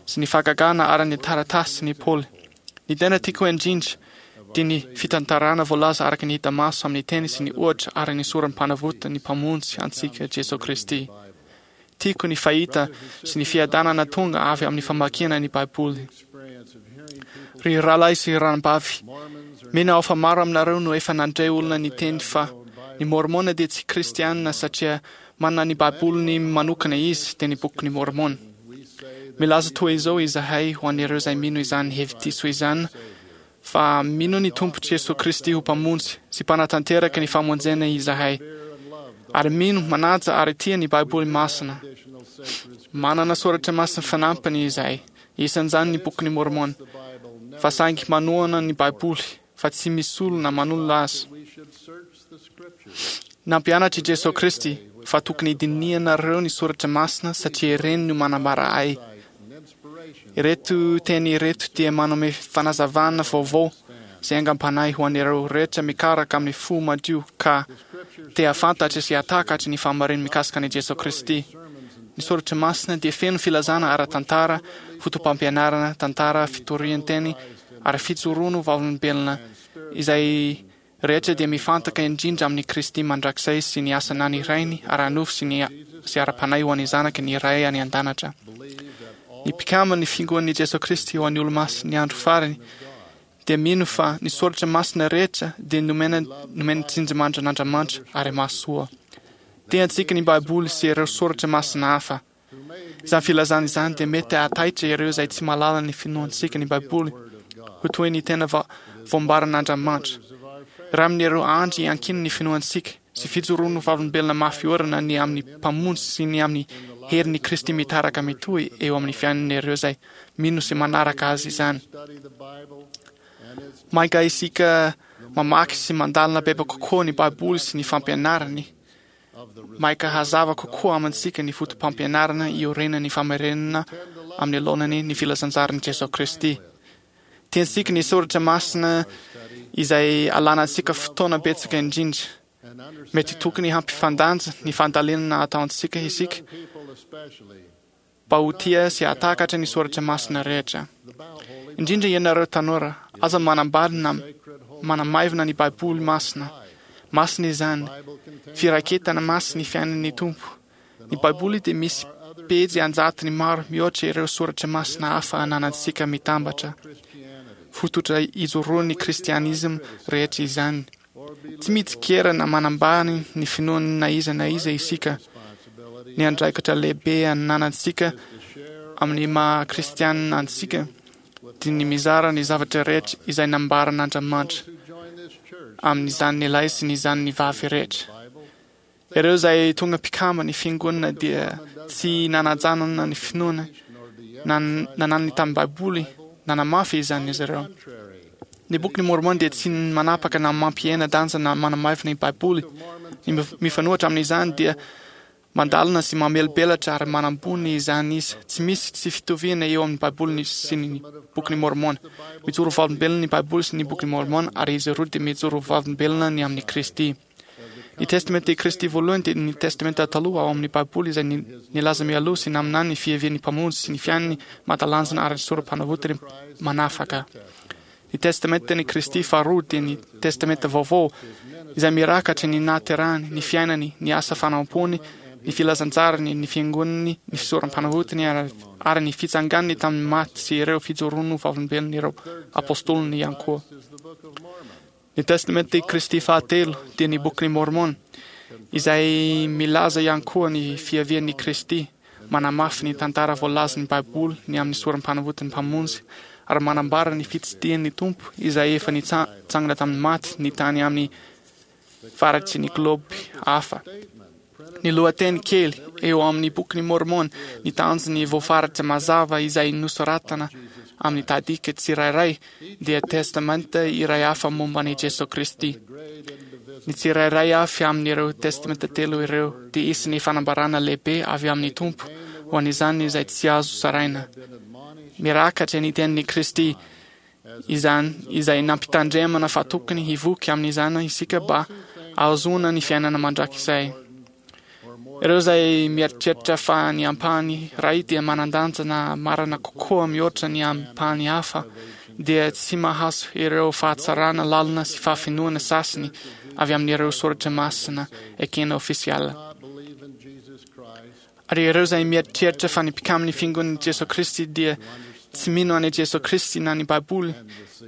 sy ny fahagagana ary ny taratasin'i Paoly. Ny tena tiako indrindra dia ny fitantarana voalaza araka ny hita maso amin'ny teny sy ny ohatra ary ny sorom-panavotan'ny Mpamonjy antsika Jesoa Kristy. Tiako ny fahita sy ny fiadanana tonga avy amin'ny famakiana ny Baiboly. Ry rahalahy sy ranabavy, mino aho fa maro aminareo no efa nandre olona niteny fa ny Môrmôna dia tsy Kristianina satria manana ny Baiboliny manokana izy, dia ny Bokin'i Môrmôna. Milaza toa izao izahay ho an'ireo izay mino izany hevi-diso izany fa mino ny Tompo Jesoa Kristy ho Mpamonjy sy Mpanatanteraka ny famonjena izahay, ary mino, manaja ary tia ny Baiboly Masina. Manana soratra masina fanampiny izahay, isan'izany ny Bokin'i Môrmôna, fa saingy manohana ny Baiboly fa tsy misolo na manolo azy. Nampianatra i Jesoa Kristy fa tokony hidinihanareo ny soratra masina satria ireny no manambara Ahy. Ireto teny ireto dia manome fanazavana vaovao sy aingam-panahy ho an'ireo rehetra mikaraka amin'ny fo madio ka te hahafantatra sy hahatakatra ny fahamarin'ny mikasika an'i Jesoa Kristy. Ny soratra masina dia feno filazana ara-tantara, fotopampianarana, tantara, fitorian-teny ary fijoroana ho vavolombelona izay rehetra dia mifantaka indrindra amin'i Kristy mandrakizay sy ny asa nanirainy ara-nofo sy ny sy ara-panahy ho an'ny zanaky ny Ray any an-danitra. Ny mpikamban'ny Fiangonan'i Jesoa Kristy ho an'ny Olomasin'ny andro farany dia mino fa ny soratra masina rehetra dia nomena nomen'ny tsinjimandrin'Andriamanitra ary mahasoa. Tiantsika ny Baiboly sy ireo soratra masina hafa. Izany filazana izany dia mety hahataitra ireo izay tsy mahalala ny finoantsika ny Baiboly ho toy ny tena voambaran'Andriamanitra. Iray amin'ireo andry iankinan'ny finoantsika sy fijoroan'ny vavolombelona mafy orina ny amin'ny Mpamonjy sy ny amin'ny herin'i Kristy mitaraka mitohy eo amin'ny fiainan'ireo izay mino sy manaraka Azy izany. Mainka isika mamaky sy mandalina bebe kokoa ny Baiboly sy ny fampianarany, Maika hazava kokoa amintsika ny fotopampianarana iorenan'ny famerenana amin'ny laonany ny filazantsaran'i Jesoa Kristy. Tiantsika ny soratra masina izay alanantsika fotoana betsaka indrindra. Mety tokony hampifandanja ny fandalinana ataontsika isika mba ho tia sy hahatakatra ny soratra masina rehetra. Indrindra ianareo tanora, aza manambady na manamaivina ny Baiboly masina. Masina izany. Firaketana masina ny fiainan'ny Tompo. Ny Baiboly dia misy pejy an-jatony maro mihoatra ireo soratra masina hafa ananantsika mitambatra. Fototra ijoroan'ny kristianisma rehetra izany. Tsy mitsikera na manambany ny finoan'ny na iza na iza isika. Ny andraikitra lehibe ananantsika amin'ny maha kristianina antsika dia ny mizara ny zavatra rehetra izay nambaran'Andriamanitra amin'izany lahy sy ny izany vavy rehetra. Ireo izay tonga mpikamba ny fiangonana dia tsy nanajanona ny finoana nananany tamin'ny Baiboly, nanamafy izany izy ireo. Ny Bokin'i Môrmôna dia tsy manapaka na mampihena danja na manamaivina ny Baiboly. Ny mifanohitra amin'izany dia mandalina sy mamelabelatra ary manambony izany izy. Tsy misy tsy fitoviana eo amin'ny Baiboly sy ny Bokin'i Môrmôna. Mijoro vavolombelona ny Baiboly sy ny Bokin'i Môrmôna ary izy roa dia mijoro vavolombelona ny amin'i Kristy. Ny Testamenta i Kristy voalohany dia ny Testamenta Taloha ao amin'ny Baiboly izay nilaza mialoha sy naminany ny fiavian'ny Mpamonjy sy ny fiainany mahatalanjona ary ny sorom-panavotany manafaka. Ny Testamentan'i Kristy faharoa dia ny Testamenta Vaovao izay mirakatra ny nahaterahany, ny fiainany, ny asa fanompoany, ny filazantsarany, ny fiangonany, ny fisorom-panavotany ary ny fitsanganany tamin'ny maty sy ireo fijoroany ho vavolombelon'ireo apostoliny ihany koa. Ny Testamenta i Kristy fahatelo dia ny Bokin'i Môrmôna, izay milaza ihany koa ny fiavian'i Kristy, manamafy ny tantara voalazan'ny Baiboly ny amin'ny sorom-panavotan'ny Mpamonjy, ary manambara ny fitsidihan'ny Tompo izay efa nitsangana tamin'ny maty ny tany amin'ny faritry ny globe hafa. Ny lohateny kely eo amin'ny Bokin'i Môrmôna, ny tanjony voafaritra mazava izay nosoratana amin'ny tahadika tsirairay dia testamenta iray hafa momba an'i Jesoa Kristy. Ny tsirairay avy amin'ireo testamenta telo ireo dia isan'ny fanambarana lehibe avy amin'ny Tompo ho an'izany izay tsy azo zaraina. Mirakatra ny tenin'i Kristy izany izay nampitandremana fa tokony hivoky amin'izany isika mba hahazoana ny fiainana mandrakizay. Ireo izay mieritreritra fa ny ampahany iray dia manan-danja na marina kokoa mihoatra ny ampahany hafa dia tsy mahazo ireo fahatsarana lalina sy fahafenoana sasany avy amin'ireo soratra masina ekena ofisialy. Ary ireo izay mieritreritra fa ny mpikamin'ny Fiangonan'i Jesoa Kristy dia tsy mino an'i Jesoa Kristy na ny Baiboly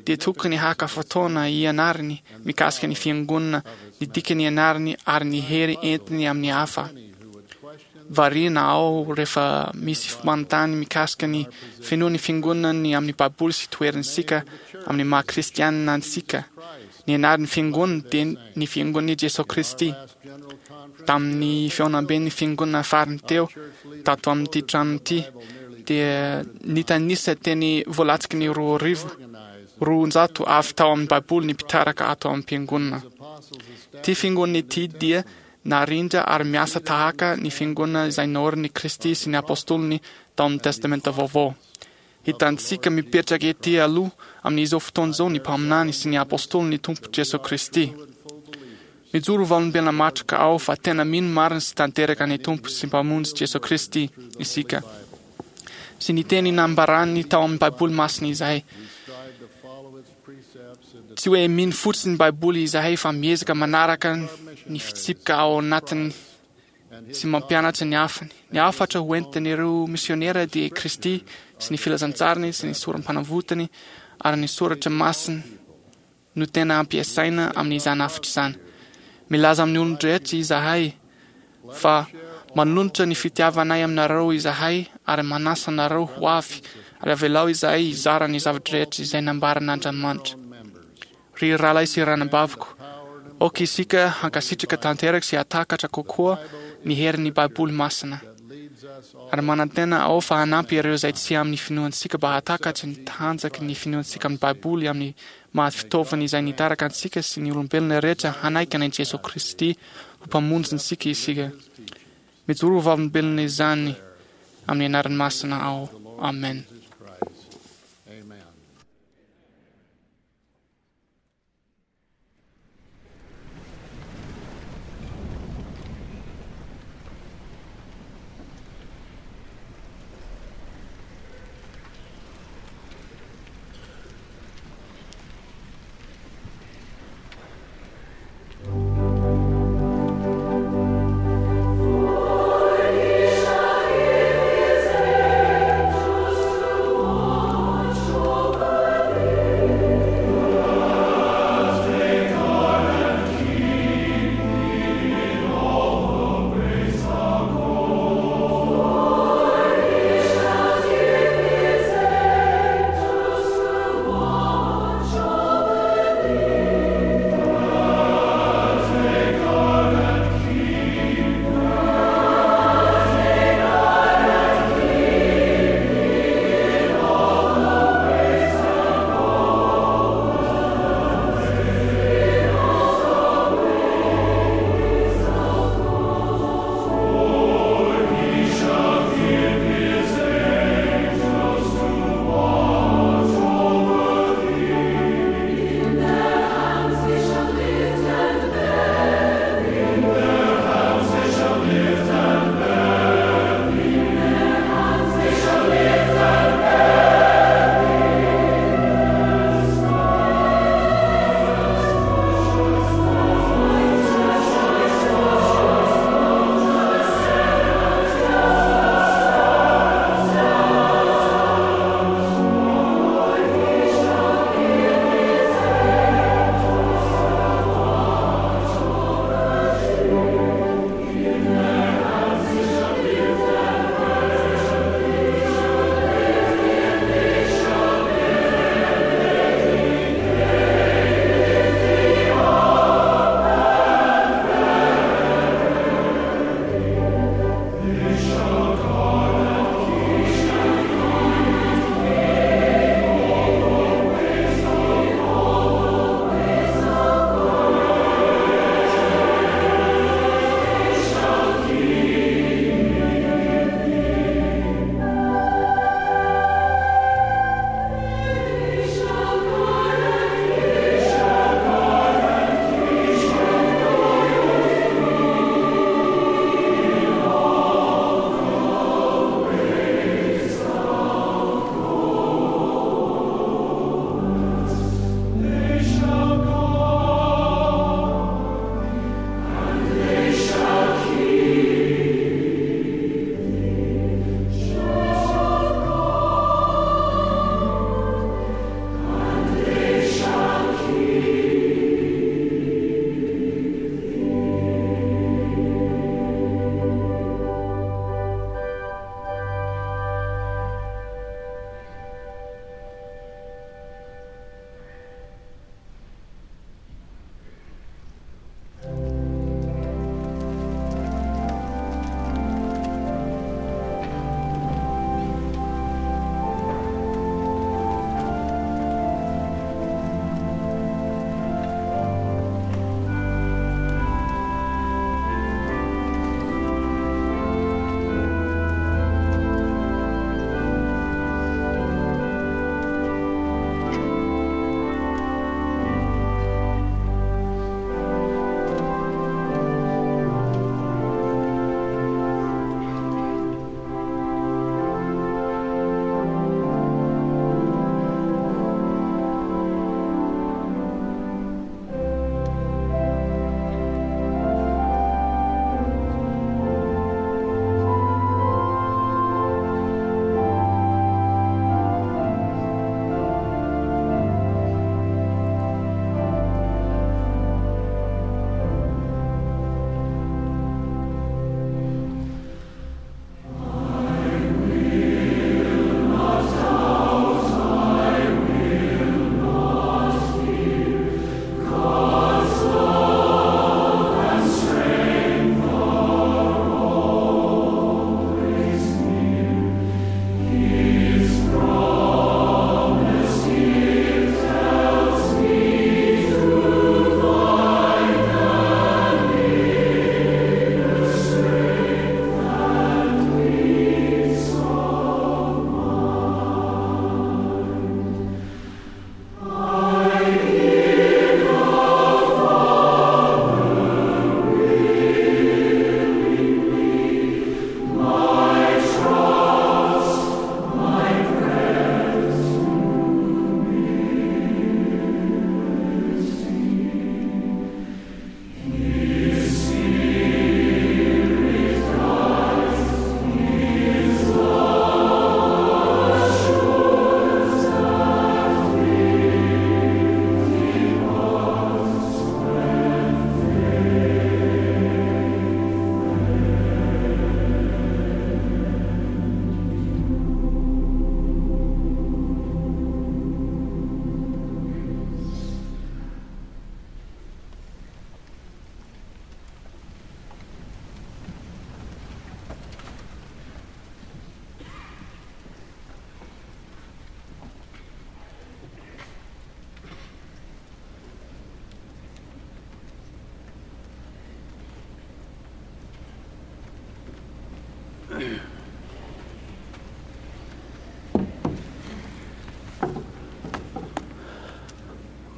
dia tokony haka fotoana hianarany mikasika ny Fiangonana, ny dikany ianarany ary ny hery entiny amin'ny hafa. Variana aho rehefa misy manontany mikasika ny finoan'ny Fiangonana ny amin'ny Baiboly sy toerantsika amin'ny maha Kristianina antsika. Ny anaran'ny Fiangonana dia ny Fiangonan'i Jesoa Kristy. Tamin'ny fihaonamben'ny Fiangonana farany teo tato amin'ity trano ity dia nitanisa teny voalatsiky ny 220 avy tao amin'ny Baiboly ny mpitaraka ato am-piangonana. Ity Fiangonana ity dia narindra ary miasa tahaka ny Fiangonana izay naorin'i Kristy sy ny Apostoliny tao amin'ny Testamenta Vaovao. Hitantsika mipetraka ety aloha amin'izao fotoana izao ny mpaminany sy ny apostolin'ny Tompo Jesoa Kristy. Mijoro ho vavolombelona matroka aho fa tena mino marina sy tanteraka ny Tompo sy Mpamonjy Jesoa Kristy isika sy ny teny nambarany tao amin'ny Baiboly masina izahay. Tsy hoe mino fotsiny ny Baiboly izahay fa miezaka manaraka ny fitsipika ao anatiny sy mampianatra ny hafany. Ny hafatra ho entin'ireo misionera dia Kristy sy ny filazantsariny sy ny sorom-panavotany ary ny soratra masina no tena ampiasaina amin'izany hafatra izany. Milaza amin'ny olon-drehetra izahay fa manolotra ny fitiavanay aminareo izahay ary manasa anareo ho avy ary avelao izahay hizara ny zava-drehetra izay nambaran'Andriamanitra. Ry rahalahy sy ranabaviko, aoka isika hankasitraka tanteraka sy hahatakatra kokoa ny herin'ny Baiboly Masina. Ary manantena aho fa hanampy ireo izay tsy amin'ny finoantsika mba hahatakatra ny tanjaky ny finoantsika amin'ny Baiboly amin'ny maha fitaovana izay nitaraka antsika sy ny olombelona rehetra hanaiky an'i Jesoa Kristy ho Mpamonjintsika isika. Mijoro ho vavolombelona izany amin'ny anarany masina aho. Amen.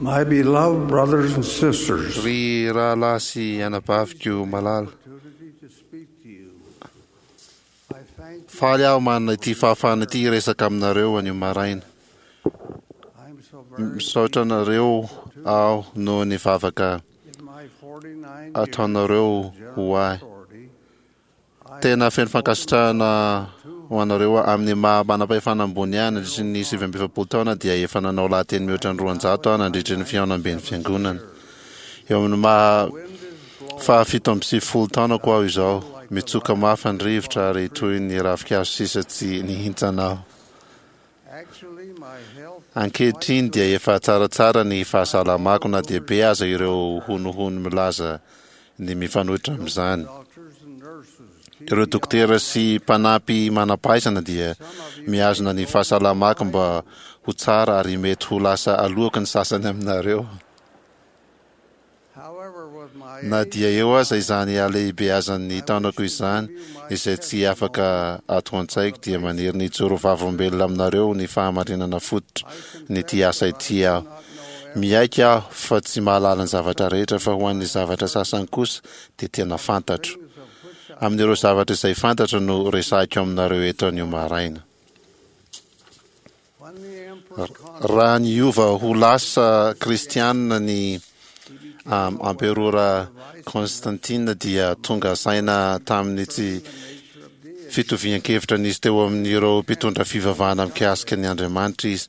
My beloved brothers and sisters, Ry rahalahy sy anabaviko malala, faly aho manana ity fahafahana ity hiresaka aminareo anio maraina. Misaotra anareo aho noho ny vavaka ataonareo ho ahy. Tena feno fankasitrahana ho anareo aho. Amin'ny maha manam-pahefana ambony ahy nandritry ny 49 taona dia efa nanao lahateny mihoatra ny 200 aho nandritry ny fihaonamben'ny fiangonana. Eo amin'ny maha faha 97 taonako aho izao. Mitsoka mafy ny rivotra ary toy ny ravinkazo sisa tsy nihintsana aho. Ankehitriny dia efa tsaratsara ny fahasalamako na dia be aza ireo honohono milaza ny mifanohitra amin'izany. Ireo dokotera sy mpanampy manam-pahaizana dia mihazona ny fahasalamako mba ho tsara ary mety ho lasa aloako ny sasany aminareo. Na dia eo aza izany halehibeazan'ny taonako izany, izay tsy afaka ato an-tsaiko, dia maniry ny hijoro vavolombelona aminareo ny fahamarinana fototra n'ity asa ity aho. Miaiky aho fa tsy mahalala ny zavatra rehetra, fa ho an'ny zavatra sasany kosa dia tena fantatro. Amin'ireo zavatra izay fantatro no resahiko aminareo eto anio maraina. Raha niova ho lasa kristianina ny amperora Constantine dia tonga saina tamin'ny tsy fitovian-kevitra nisy teo amin'ireo mpitondra fivavahana mikasika ny Andriamanitra izy.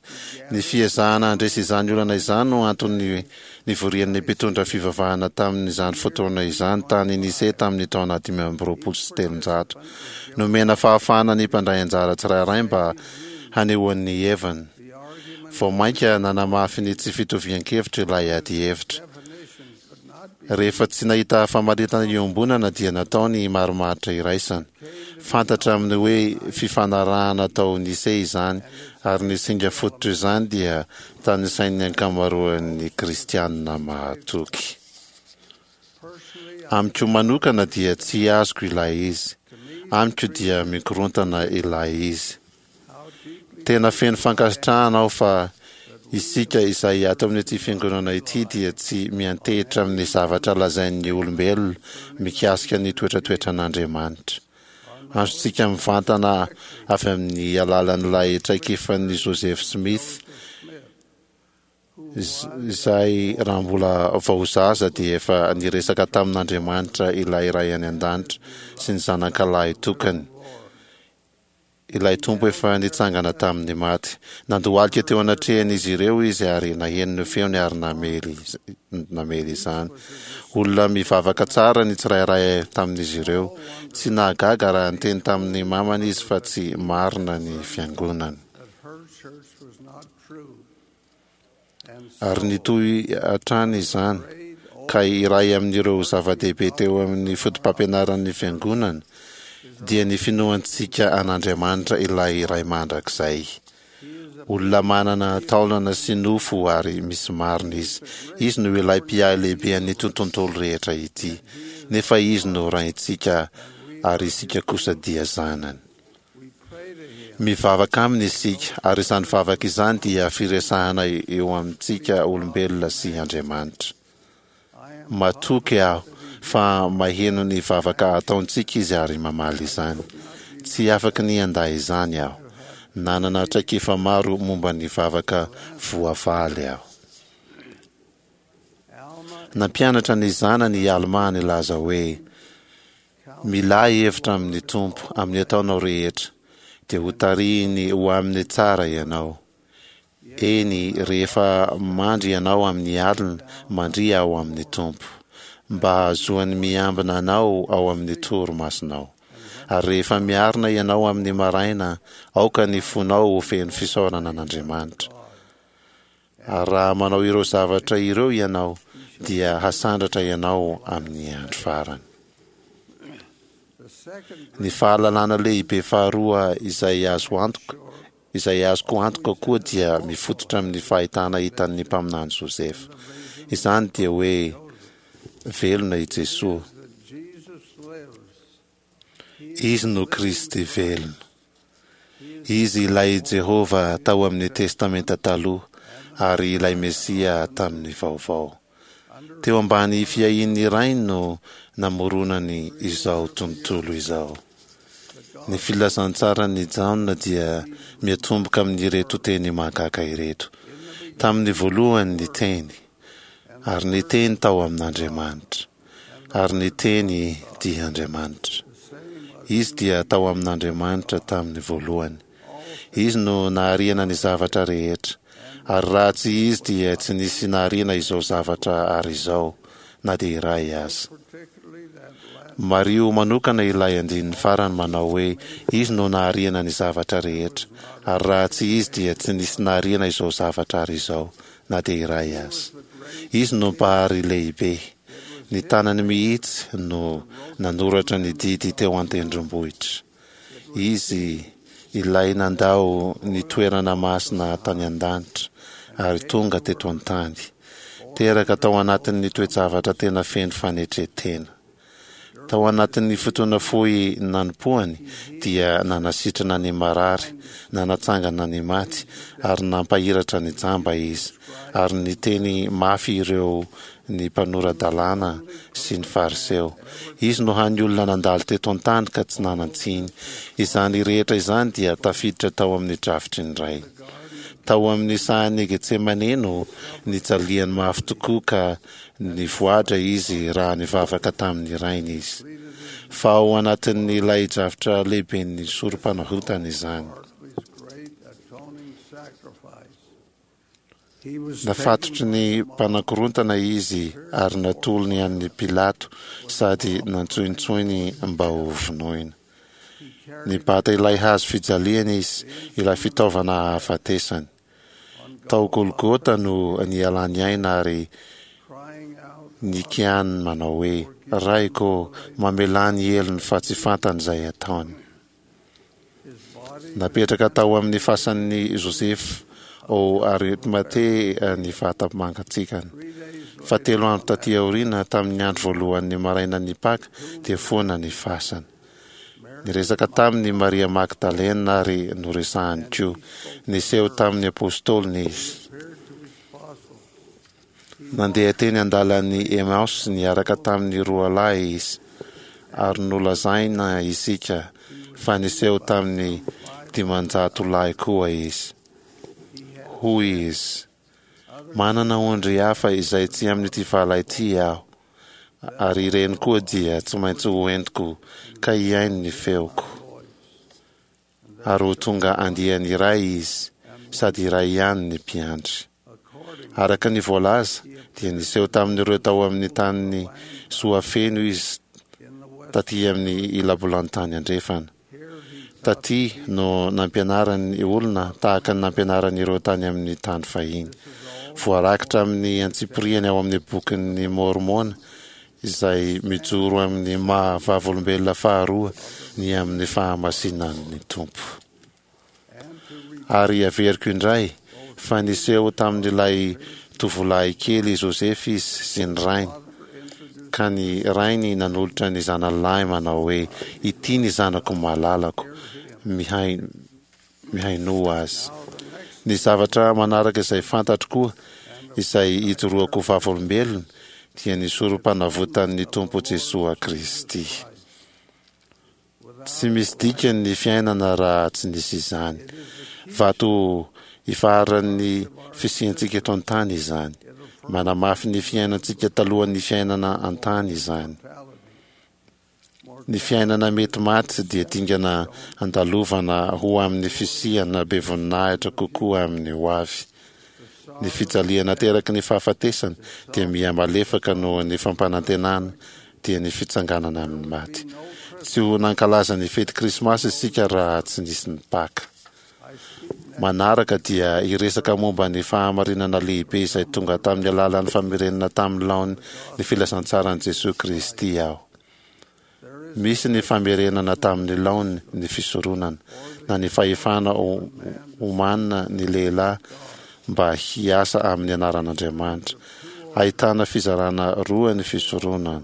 Ny fiezahana handresy izany olana izany no antony nivorian'ny mpitondra fivavahana tamin'izany fotoana izany tany Nicée tamin'ny taona 325. Nomena fahafahana ny mpandray anjara tsirairay mba hanehoany ny heviny. Vao mainka nanamafy ny tsy fitovian-kevitra ilay adihevitra. Rehefa tsy nahita famaritana iombonana dia natao ny marimaritra iraisana. Fantatra amin'ny hoe fifanarahana tao Nicée izany ary ny singa fototr'izany dia tanisain'ny ankamaroan'ny kristianina mahatoky. Amiko manokana dia tsy azoko ilay izy. Amiko dia mikorontana ilay izy. Tena feno fankasitrahana aho fa isika izay ato amin'ity fiangonana ity dia tsy miantehitra amin'ny zavatra lazain'ny olombelona mikasika ny toetratoetran'Andriamanitra. Azontsika mivantana avy amin'ny alalan'ilay traikefan'i Joseph Smith izay raha mbola vao zaza dia efa niresaka tamin'Andriamanitra ilay Ray any An-danitra sy ny Zanakalahy tokany. Ilay Tompo efa nitsangana tamin'ny maty. Nandohalika teo anatrehan'izy ireo izy ary naheno ny feony ary namely namely izany. Olona mivavaka tsara ny tsirairay tamin'izy ireo. Tsy nahagaga raha niteny tamin'ny mamany izy fa tsy marina ny fiangonany. Ary nitohy hatrany izany, ka iray amin'ireo zava-dehibe teo amin'ny fotopampianaran'ny Fiangonana dia ny finoantsika an'Andriamanitra ilay Ray Mandrakizay. Olona manana taolana sy nofo ary misy marina Izy. Izy no ilay Mpiahy lehibe an'ity tontolo rehetra ity. Nefa Izy no Raintsika ary isika kosa dia zanany. Mivavaka Aminy isika, ary izany vavaka izany dia firesahana eo amintsika olombelona sy Andriamanitra. Matoky aho fa maheno ny vavaka ataontsika Izy ary mamaly izany. Tsy afaky ny handà izany aho. Nanana traikefa maro momba ny vavaka voavaly aho. Nampianatra ny zanany i Almà nilaza hoe, Milà hevitra amin'ny Tompo amin'ny ataonao rehetra, dia hotarihiny ho amin'ny tsara ianao. Eny, rehefa mandry ianao amin'ny alina, mandria ao amin'ny Tompo, mba hahazoany miambina anao ao amin'ny torimasonao. Ary rehefa miarina ianao amin'ny maraina, aoka ny fonao ho feno fisaorana an'Andriamanitra. Ary raha manao ireo zavatra ireo ianao, dia hasandratra ianao amin'ny andro farany. Ny fahalalana lehibe faharoa izay azo antoka, izay azoko antoka koa dia mifototra amin'ny fahitana hitan'ny mpaminany Josefa. Izany dia hoe velona i Jesoa. Izy no Kristy velona. Izy ilay Jehovah tao amin'ny Testamenta Taloha, ary ilay Mesia tamin'ny vaovao. Teo ambany fiahian'ny Rainy no namoronany izao tontolo izao. Ny Filazantsaran'i Jaona dia miatomboka amin'ireto teny mahagaga ireto, Tamin'ny voalohany ny Teny, ary ny Teny tao amin'Andriamanitra, ary ny Teny dia Andriamanitra. Izy dia tao amin'Andriamanitra tamin'ny voalohany. Izy no nahariana ny zavatra rehetra, ary raha tsy Izy dia tsy nisy nahariana izao zavatra ary izao, na dia iray aza. Mariho manokana ilay andininy farany manao hoe, Izy no nahariana ny zavatra rehetra, ary raha tsy Izy dia tsy nisy nahariana izao zavatra ary izao, na dia iray aza. Izy no Mpahary lehibe. Ny tanany mihitsy no nanoratra ny didy teo an-tendrombohitra. Izy ilay nandao ny toerana masina tany an-danitra ary tonga teto an-tany. Teraka tao anatin'ny toe-javatra tena feno fanetren-tena. Tao anatin'ny fotoana fohy nanompoany dia nanasitrana ny marary, nanatsangana ny maty ary nampahiratra ny jamba izy, ary niteny mafy ireo ny mpanora-dalàna sy ny Fariseo. Izy no hany olona nandalo teto an-tany ka tsy nanan-tsiny. Izany rehetra izany dia tafiditra tao amin'ny drafitry ny Ray. Tao amin'ny sahan'i Getsemane no nijaliany mafy tokoa ka nivoadra izy raha nivavaka tamin'ny Rainy izy. Fa ao anatin'ilay drafitra lehiben'ny sorom-panavotana izany. Nafatotry ny mpanakorontana izy ary natolony an'i Pilato sady nantsointsoiny mba ho vonoina. Nibata ilay hazo fijaliana izy, ilay fitaovana hahafatesany. Tao Golgota no nialany aina ary nikianiny manao hoe, Raiko ô, mamelà ny helony fa tsy fantany izay ataony. Napetraka tao amin'ny fasan'i Josefa ao Arimatea ny vata mangatsiakany. Fa telo andro tatỳ aoriana, tamin'ny andro voalohan'ny marainan'ny Paka, dia foana ny fasana. Niresaka taminy i Maria Magdalena ary noresahany koa. Niseho tamin'ny apostoliny izy. Nandeha teny an-dalan'i Emaosy niaraka tamin'ny roa lahy izy, ary nolazaina isika fa niseho tamin'ny 500 lahy koa izy. Hoy izy, Manana ondry hafa izay tsy amin'ity vala ity aho, ary ireny koa dia tsy maintsy ho entiko ka hihaino ny feoko. Ary ho tonga andiany iray izy, sady iray ihany ny mpiandry. Araka ny voalaza, dia niseho tamin'ireo tao amin'ny tanin'i Soafeno izy taty amin'ny ilabolantany andrefana. Taty no nampianarany olona tahaka ny nampianarany ireo tany amin'ny tany fahiny. Voarakitra amin'ny antsipiriany ao amin'ny Bokin'i Môrmôna izay mijoro amin'ny maha vavolombelona faharoa ny amin'ny fahamasinan'ny Tompo. Ary averiko indray fa niseho tamin'ilay tovolahy kely Josefa izy sy ny rainy, ka ny rainy nanolotra ny zanany lahy manao hoe, Ity ny zanako malalako, mihainoa azy. Ny zavatra manaraka izay fantatro koa, izay ijoroako vavolombelona, dia ny sorom-panavotan'ny Tompo Jesoa Kristy. Tsy misy dikany ny fiainana raha tsy nisy izany. Vato ifaharan'ny fisiantsika eto an-tany izany. Manamafy ny fiainantsika talohan'ny fiainana an-tany izany. Ny fiainana mety maty dia dingana andalovana ho amin'ny fisiana be voninahitra kokoa amin'ny hoavy. Ny fijaliana ateraky ny fahafatesana dia miha-malefaka noho ny fampanantenana dia ny fitsanganana amin'ny maty. Tsy ho nankalaza ny fety Krismasy isika raha tsy nisy ny Paka. Manaraka dia hiresaka momba ny fahamarinana lehibe izay tonga tamin'ny alalan'ny famerenana tamin'ny laony ny filazantsaran'i Jesoa Kristy aho. Misy ny famerenana tamin'ny laony ny fisoronana, na ny fahefana omanina ny lehilahy mba hiasa amin'ny anaran'Andriamanitra. Ahitana fizarana roa ny fisoronana.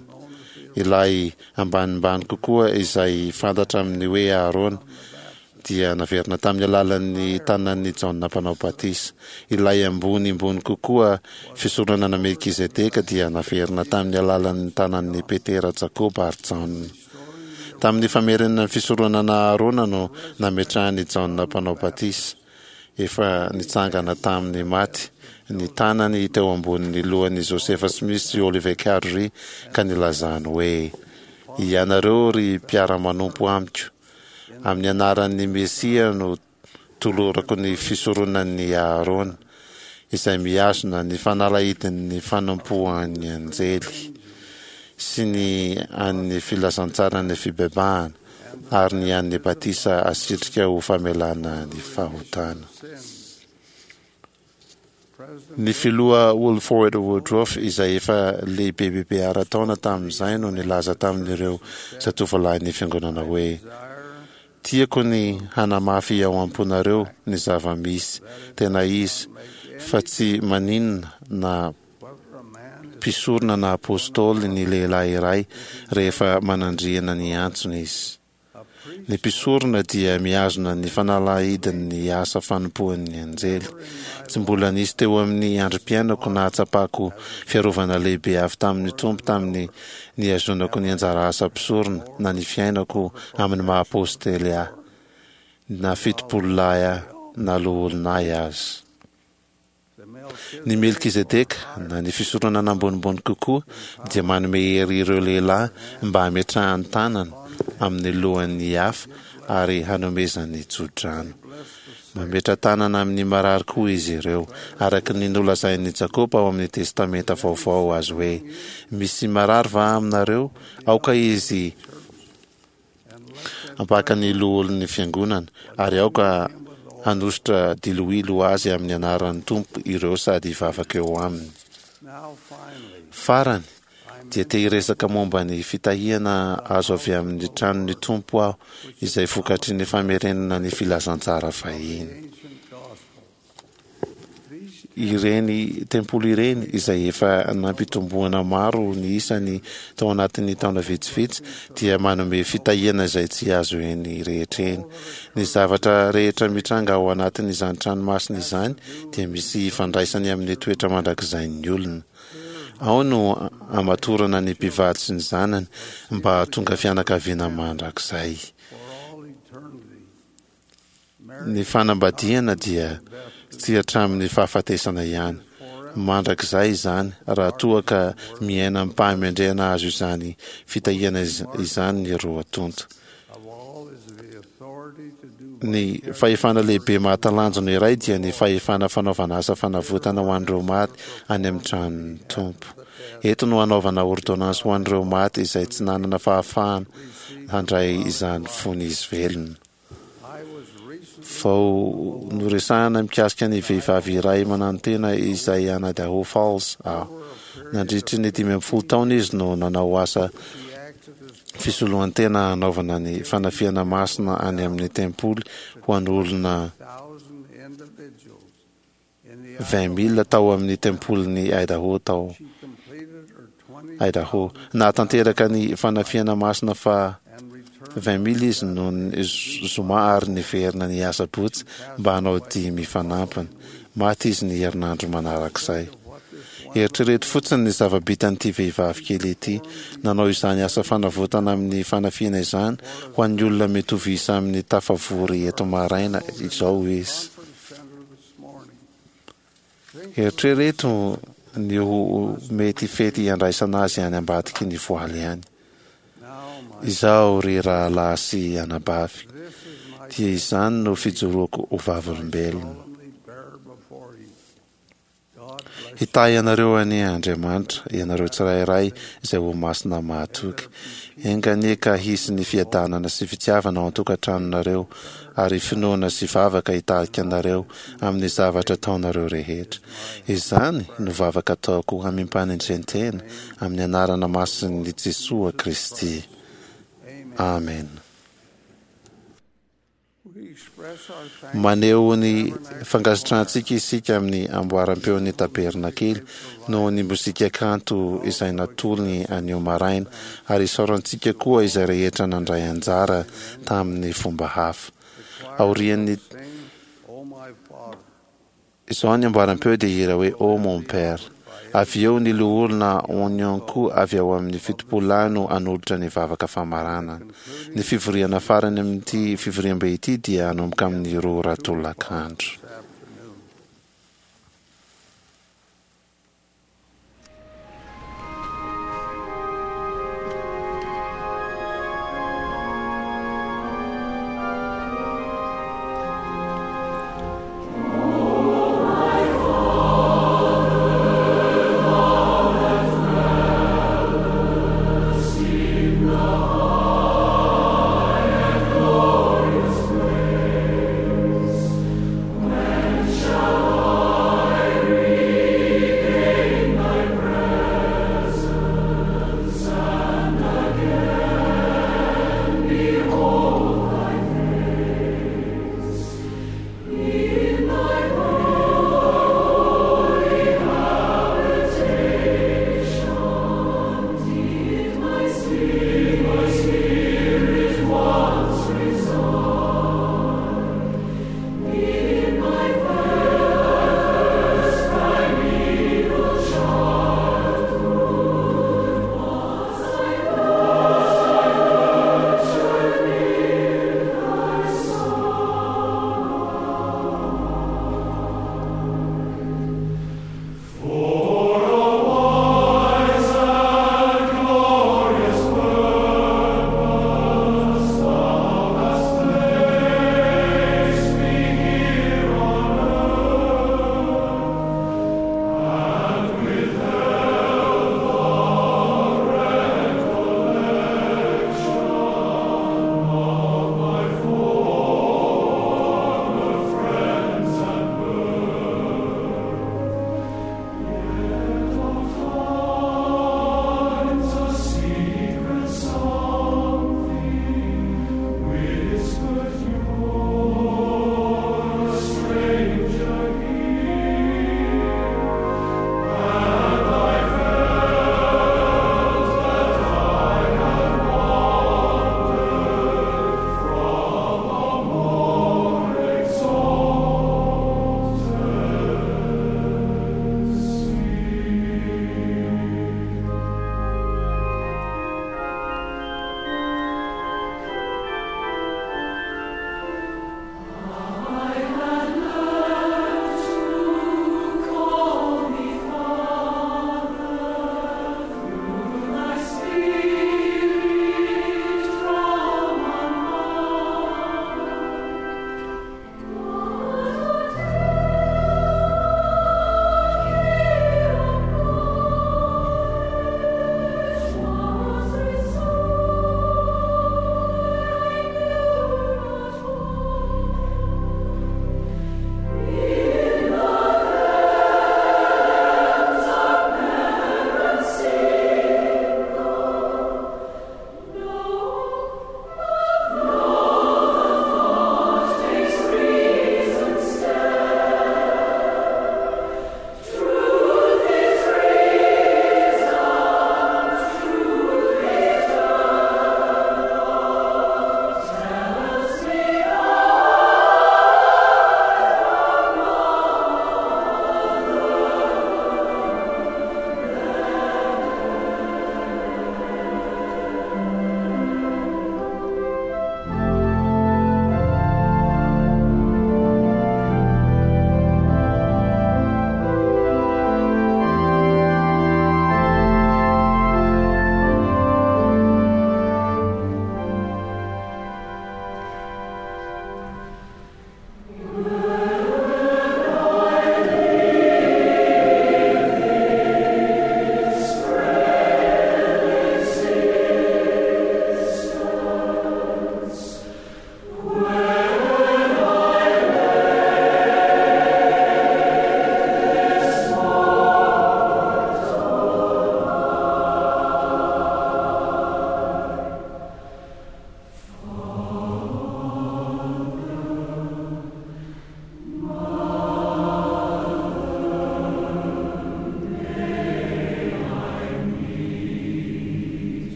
Ilay ambanimbany kokoa izay fantatra amin'ny hoe Aharôna. dia naverina tamin'ny alalan'ny tanan'i Jaona Mpanao Batisa. Ilay ambonimbony kokoa fisoronana Melkizedeka dia naverina tamin'ny alalan'ny tanan'i Petera, Jakoba ary Jaona. Tamin'ny famerenana ny fisoronana Aharona no nametrahan'i Jaona Mpanao Batisa, efa nitsangana tamin'ny maty, ny tanany teo ambonin'ny lohan'i Josefa Smith sy Oliver Cowdery ka nilazany hoe, Ianareo ry mpiara-manompo amiko, amin'ny anaran'ny Mesia no tolorako ny fisoronan'i Aharôna, izay mihazona ny fanalahidin'ny fanompoan'ny anjely, sy ny an'ny filazantsaran'ny fibebahana, ary ny an'ny batisa asitrika ho famelana ny fahotana. Ny filoha Wilford Woodruff, izay efa lehibebebe ara-taona tamin'izay, no nilaza tamin'ireo zatovolahin'ny fiangonana hoe, Tiako ny hanamafy ao am-ponareo ny zava-misy tena izy fa tsy maninona na mpisorona na apostoly ny lehilahy iray rehefa manandriana ny antsony izy. Ny mpisorona dia mihazona ny fanalahidin'ny asa fanompoan'ny anjely. Tsy mbola nisy teo amin'ny androm-piainako nahatsapako fiarovana lehibe avy tamin'ny Tompo tamin'ny nihazonako ny anjara asa mpisorona na ny fiainako amin'ny maha apostely ahy, na fitopololahy ahy na loholona ahy aza. Ny Melkizedeka, na ny fisoronana ambonimbony kokoa, dia manome hery ireo lehilahy mba hametrahany tanana amin'ny lohan'ny hafa ary hanomezany tsodrano. Mametra-tanana amin'ny marary koa izy ireo, araka ny nolazain'i Jakoba ao amin'ny Testamenta Vaovao azy hoe, Misy marary va aminareo? Aoka izy hampaka ny loholon'ny fiangonana, ary aoka hanosotra diloilo ho azy amin'ny anaran'ny Tompo ireo sady hivavaka eo aminy. Farany, dia te hiresaka momba ny fitahiana azo avy amin'ny tranon'ny Tompo aho, izay vokatry ny famerenana ny filazantsara fahiny. Ireny tempoly ireny, izay efa nampitomboana maro ny isany tao anatin'ny taona vitsivitsy, dia manome fitahiana izay tsy azo eny rehetra eny. Ny zavatra rehetra mitranga ao anatin'izany trano masina izany dia misy ifandraisany amin'ny toetra mandrakizain'ny olona. Ao no amatorana ny mpivady sy ny zanany mba hahatonga fianakaviana mandrakizay. Ny fanambadiana dia tsy hatramin'ny fahafatesana ihany. Mandrakizay izany raha toa ka miaina amim-pahamendrehana azo izany fitahiana izany ny roa tonta. Ny fahefana lehibe mahatalanjona iray dia ny fahefana fanaovana asa fanavotana ho an'ireo maty any amin'ny tranon'ny Tompo. Eto no hanaovana ôrdônansy ho an'ireo maty izay tsy nanana fahafahana handray izany fony izy velona. Vao noresahana mikasika ny vehivavy iray mananotena izay any Idaho Falls aho. Nandritry ny 15 taona izy no nanao asa fisoloan-tena hanaovana ny fanafihana masina any amin'ny tempoly ho an'olona 20,000 tao amin'ny tempolin'i Idaho tao Idaho. Nahatanteraka ny fanafihana masina faha 20,000 izy noho ny zoma ary niverina ny asabotsy mba hanao dimy fanampiny. Maty izy ny herinandro manarak'izay. Eritrereto fotsiny ny zava-bitan'ity vehivavy kely ity, nanao izany asa fanavotana amin'ny fanafihana izany ho an'ny olona mitovy isa amin'ny tafavory eto maraina izao izy. Eritrereto ny ho mety fety handraisana azy any ambadiky ny voaly any. Izaho ry rahalahy sy anabavy, dia izany no fijoroako ho vavolombelona. Hitahy anareo anie Andriamanitra, ianareo tsirairay izay ho masina mahatoky. Enga anie ka hisy ny fiadanana sy fitiavana ao an-tokantranonareo, ary finoana sy vavaka hitarika anareo amin'ny zavatra ataonareo rehetra. Izany no vavaka ataoko amim-panetren-tena amin'ny anarana masin'i Jesoa Kristy. Amena. Maneho ny fankasitrahantsika isika amin'ny amboaram-peon'ny Tabernakely noho ny mozika kanto izay natolony anio maraina, ary isaorantsika koa izay rehetra nandray anjara tamin'ny fomba hafa. Aorian'ny izao ny amboaram-peo dia hihira hoe Ô mon Père. Avy eo ny Loholona Onyonko avy ao amin'ny Fitopololahy no hanolotra ny vavaka famaranana. Ny fivoriana farany amin'ity fivoriambe ity dia hanomboka amin'ny roa ora tolakandro.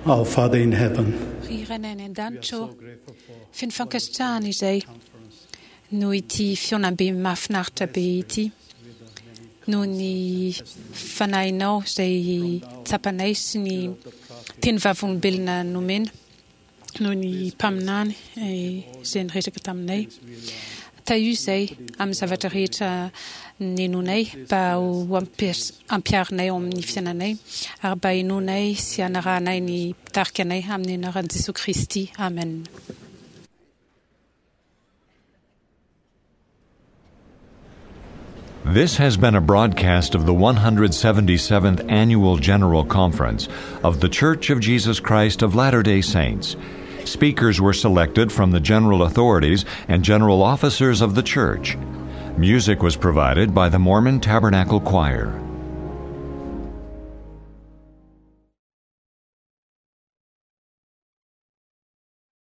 Our Father in heaven, Ry Rainay any an-danitra ô, feno fankasitrahana izay noho ity fihaonambe mahafinaritra be ity, noho ny Fanahinao izay tsapanay sy ny teny vavolombelona nomena noho ny mpaminany izay niresaka taminay. Tahio izay amin'ny zavatra rehetra nenoinay mba ho ampiharinay ao amin'ny fiainanay ary mba henoinay sy hanarahanay ny mpitarika anay amin'ny anaran'i Jesoa Kristy. Amen. This has been a broadcast of the 177th Annual General Conference of The Church of Jesus Christ of Latter day Saints. Speakers were selected from the general authorities and general officers of the church. Music was provided by the Mormon Tabernacle Choir.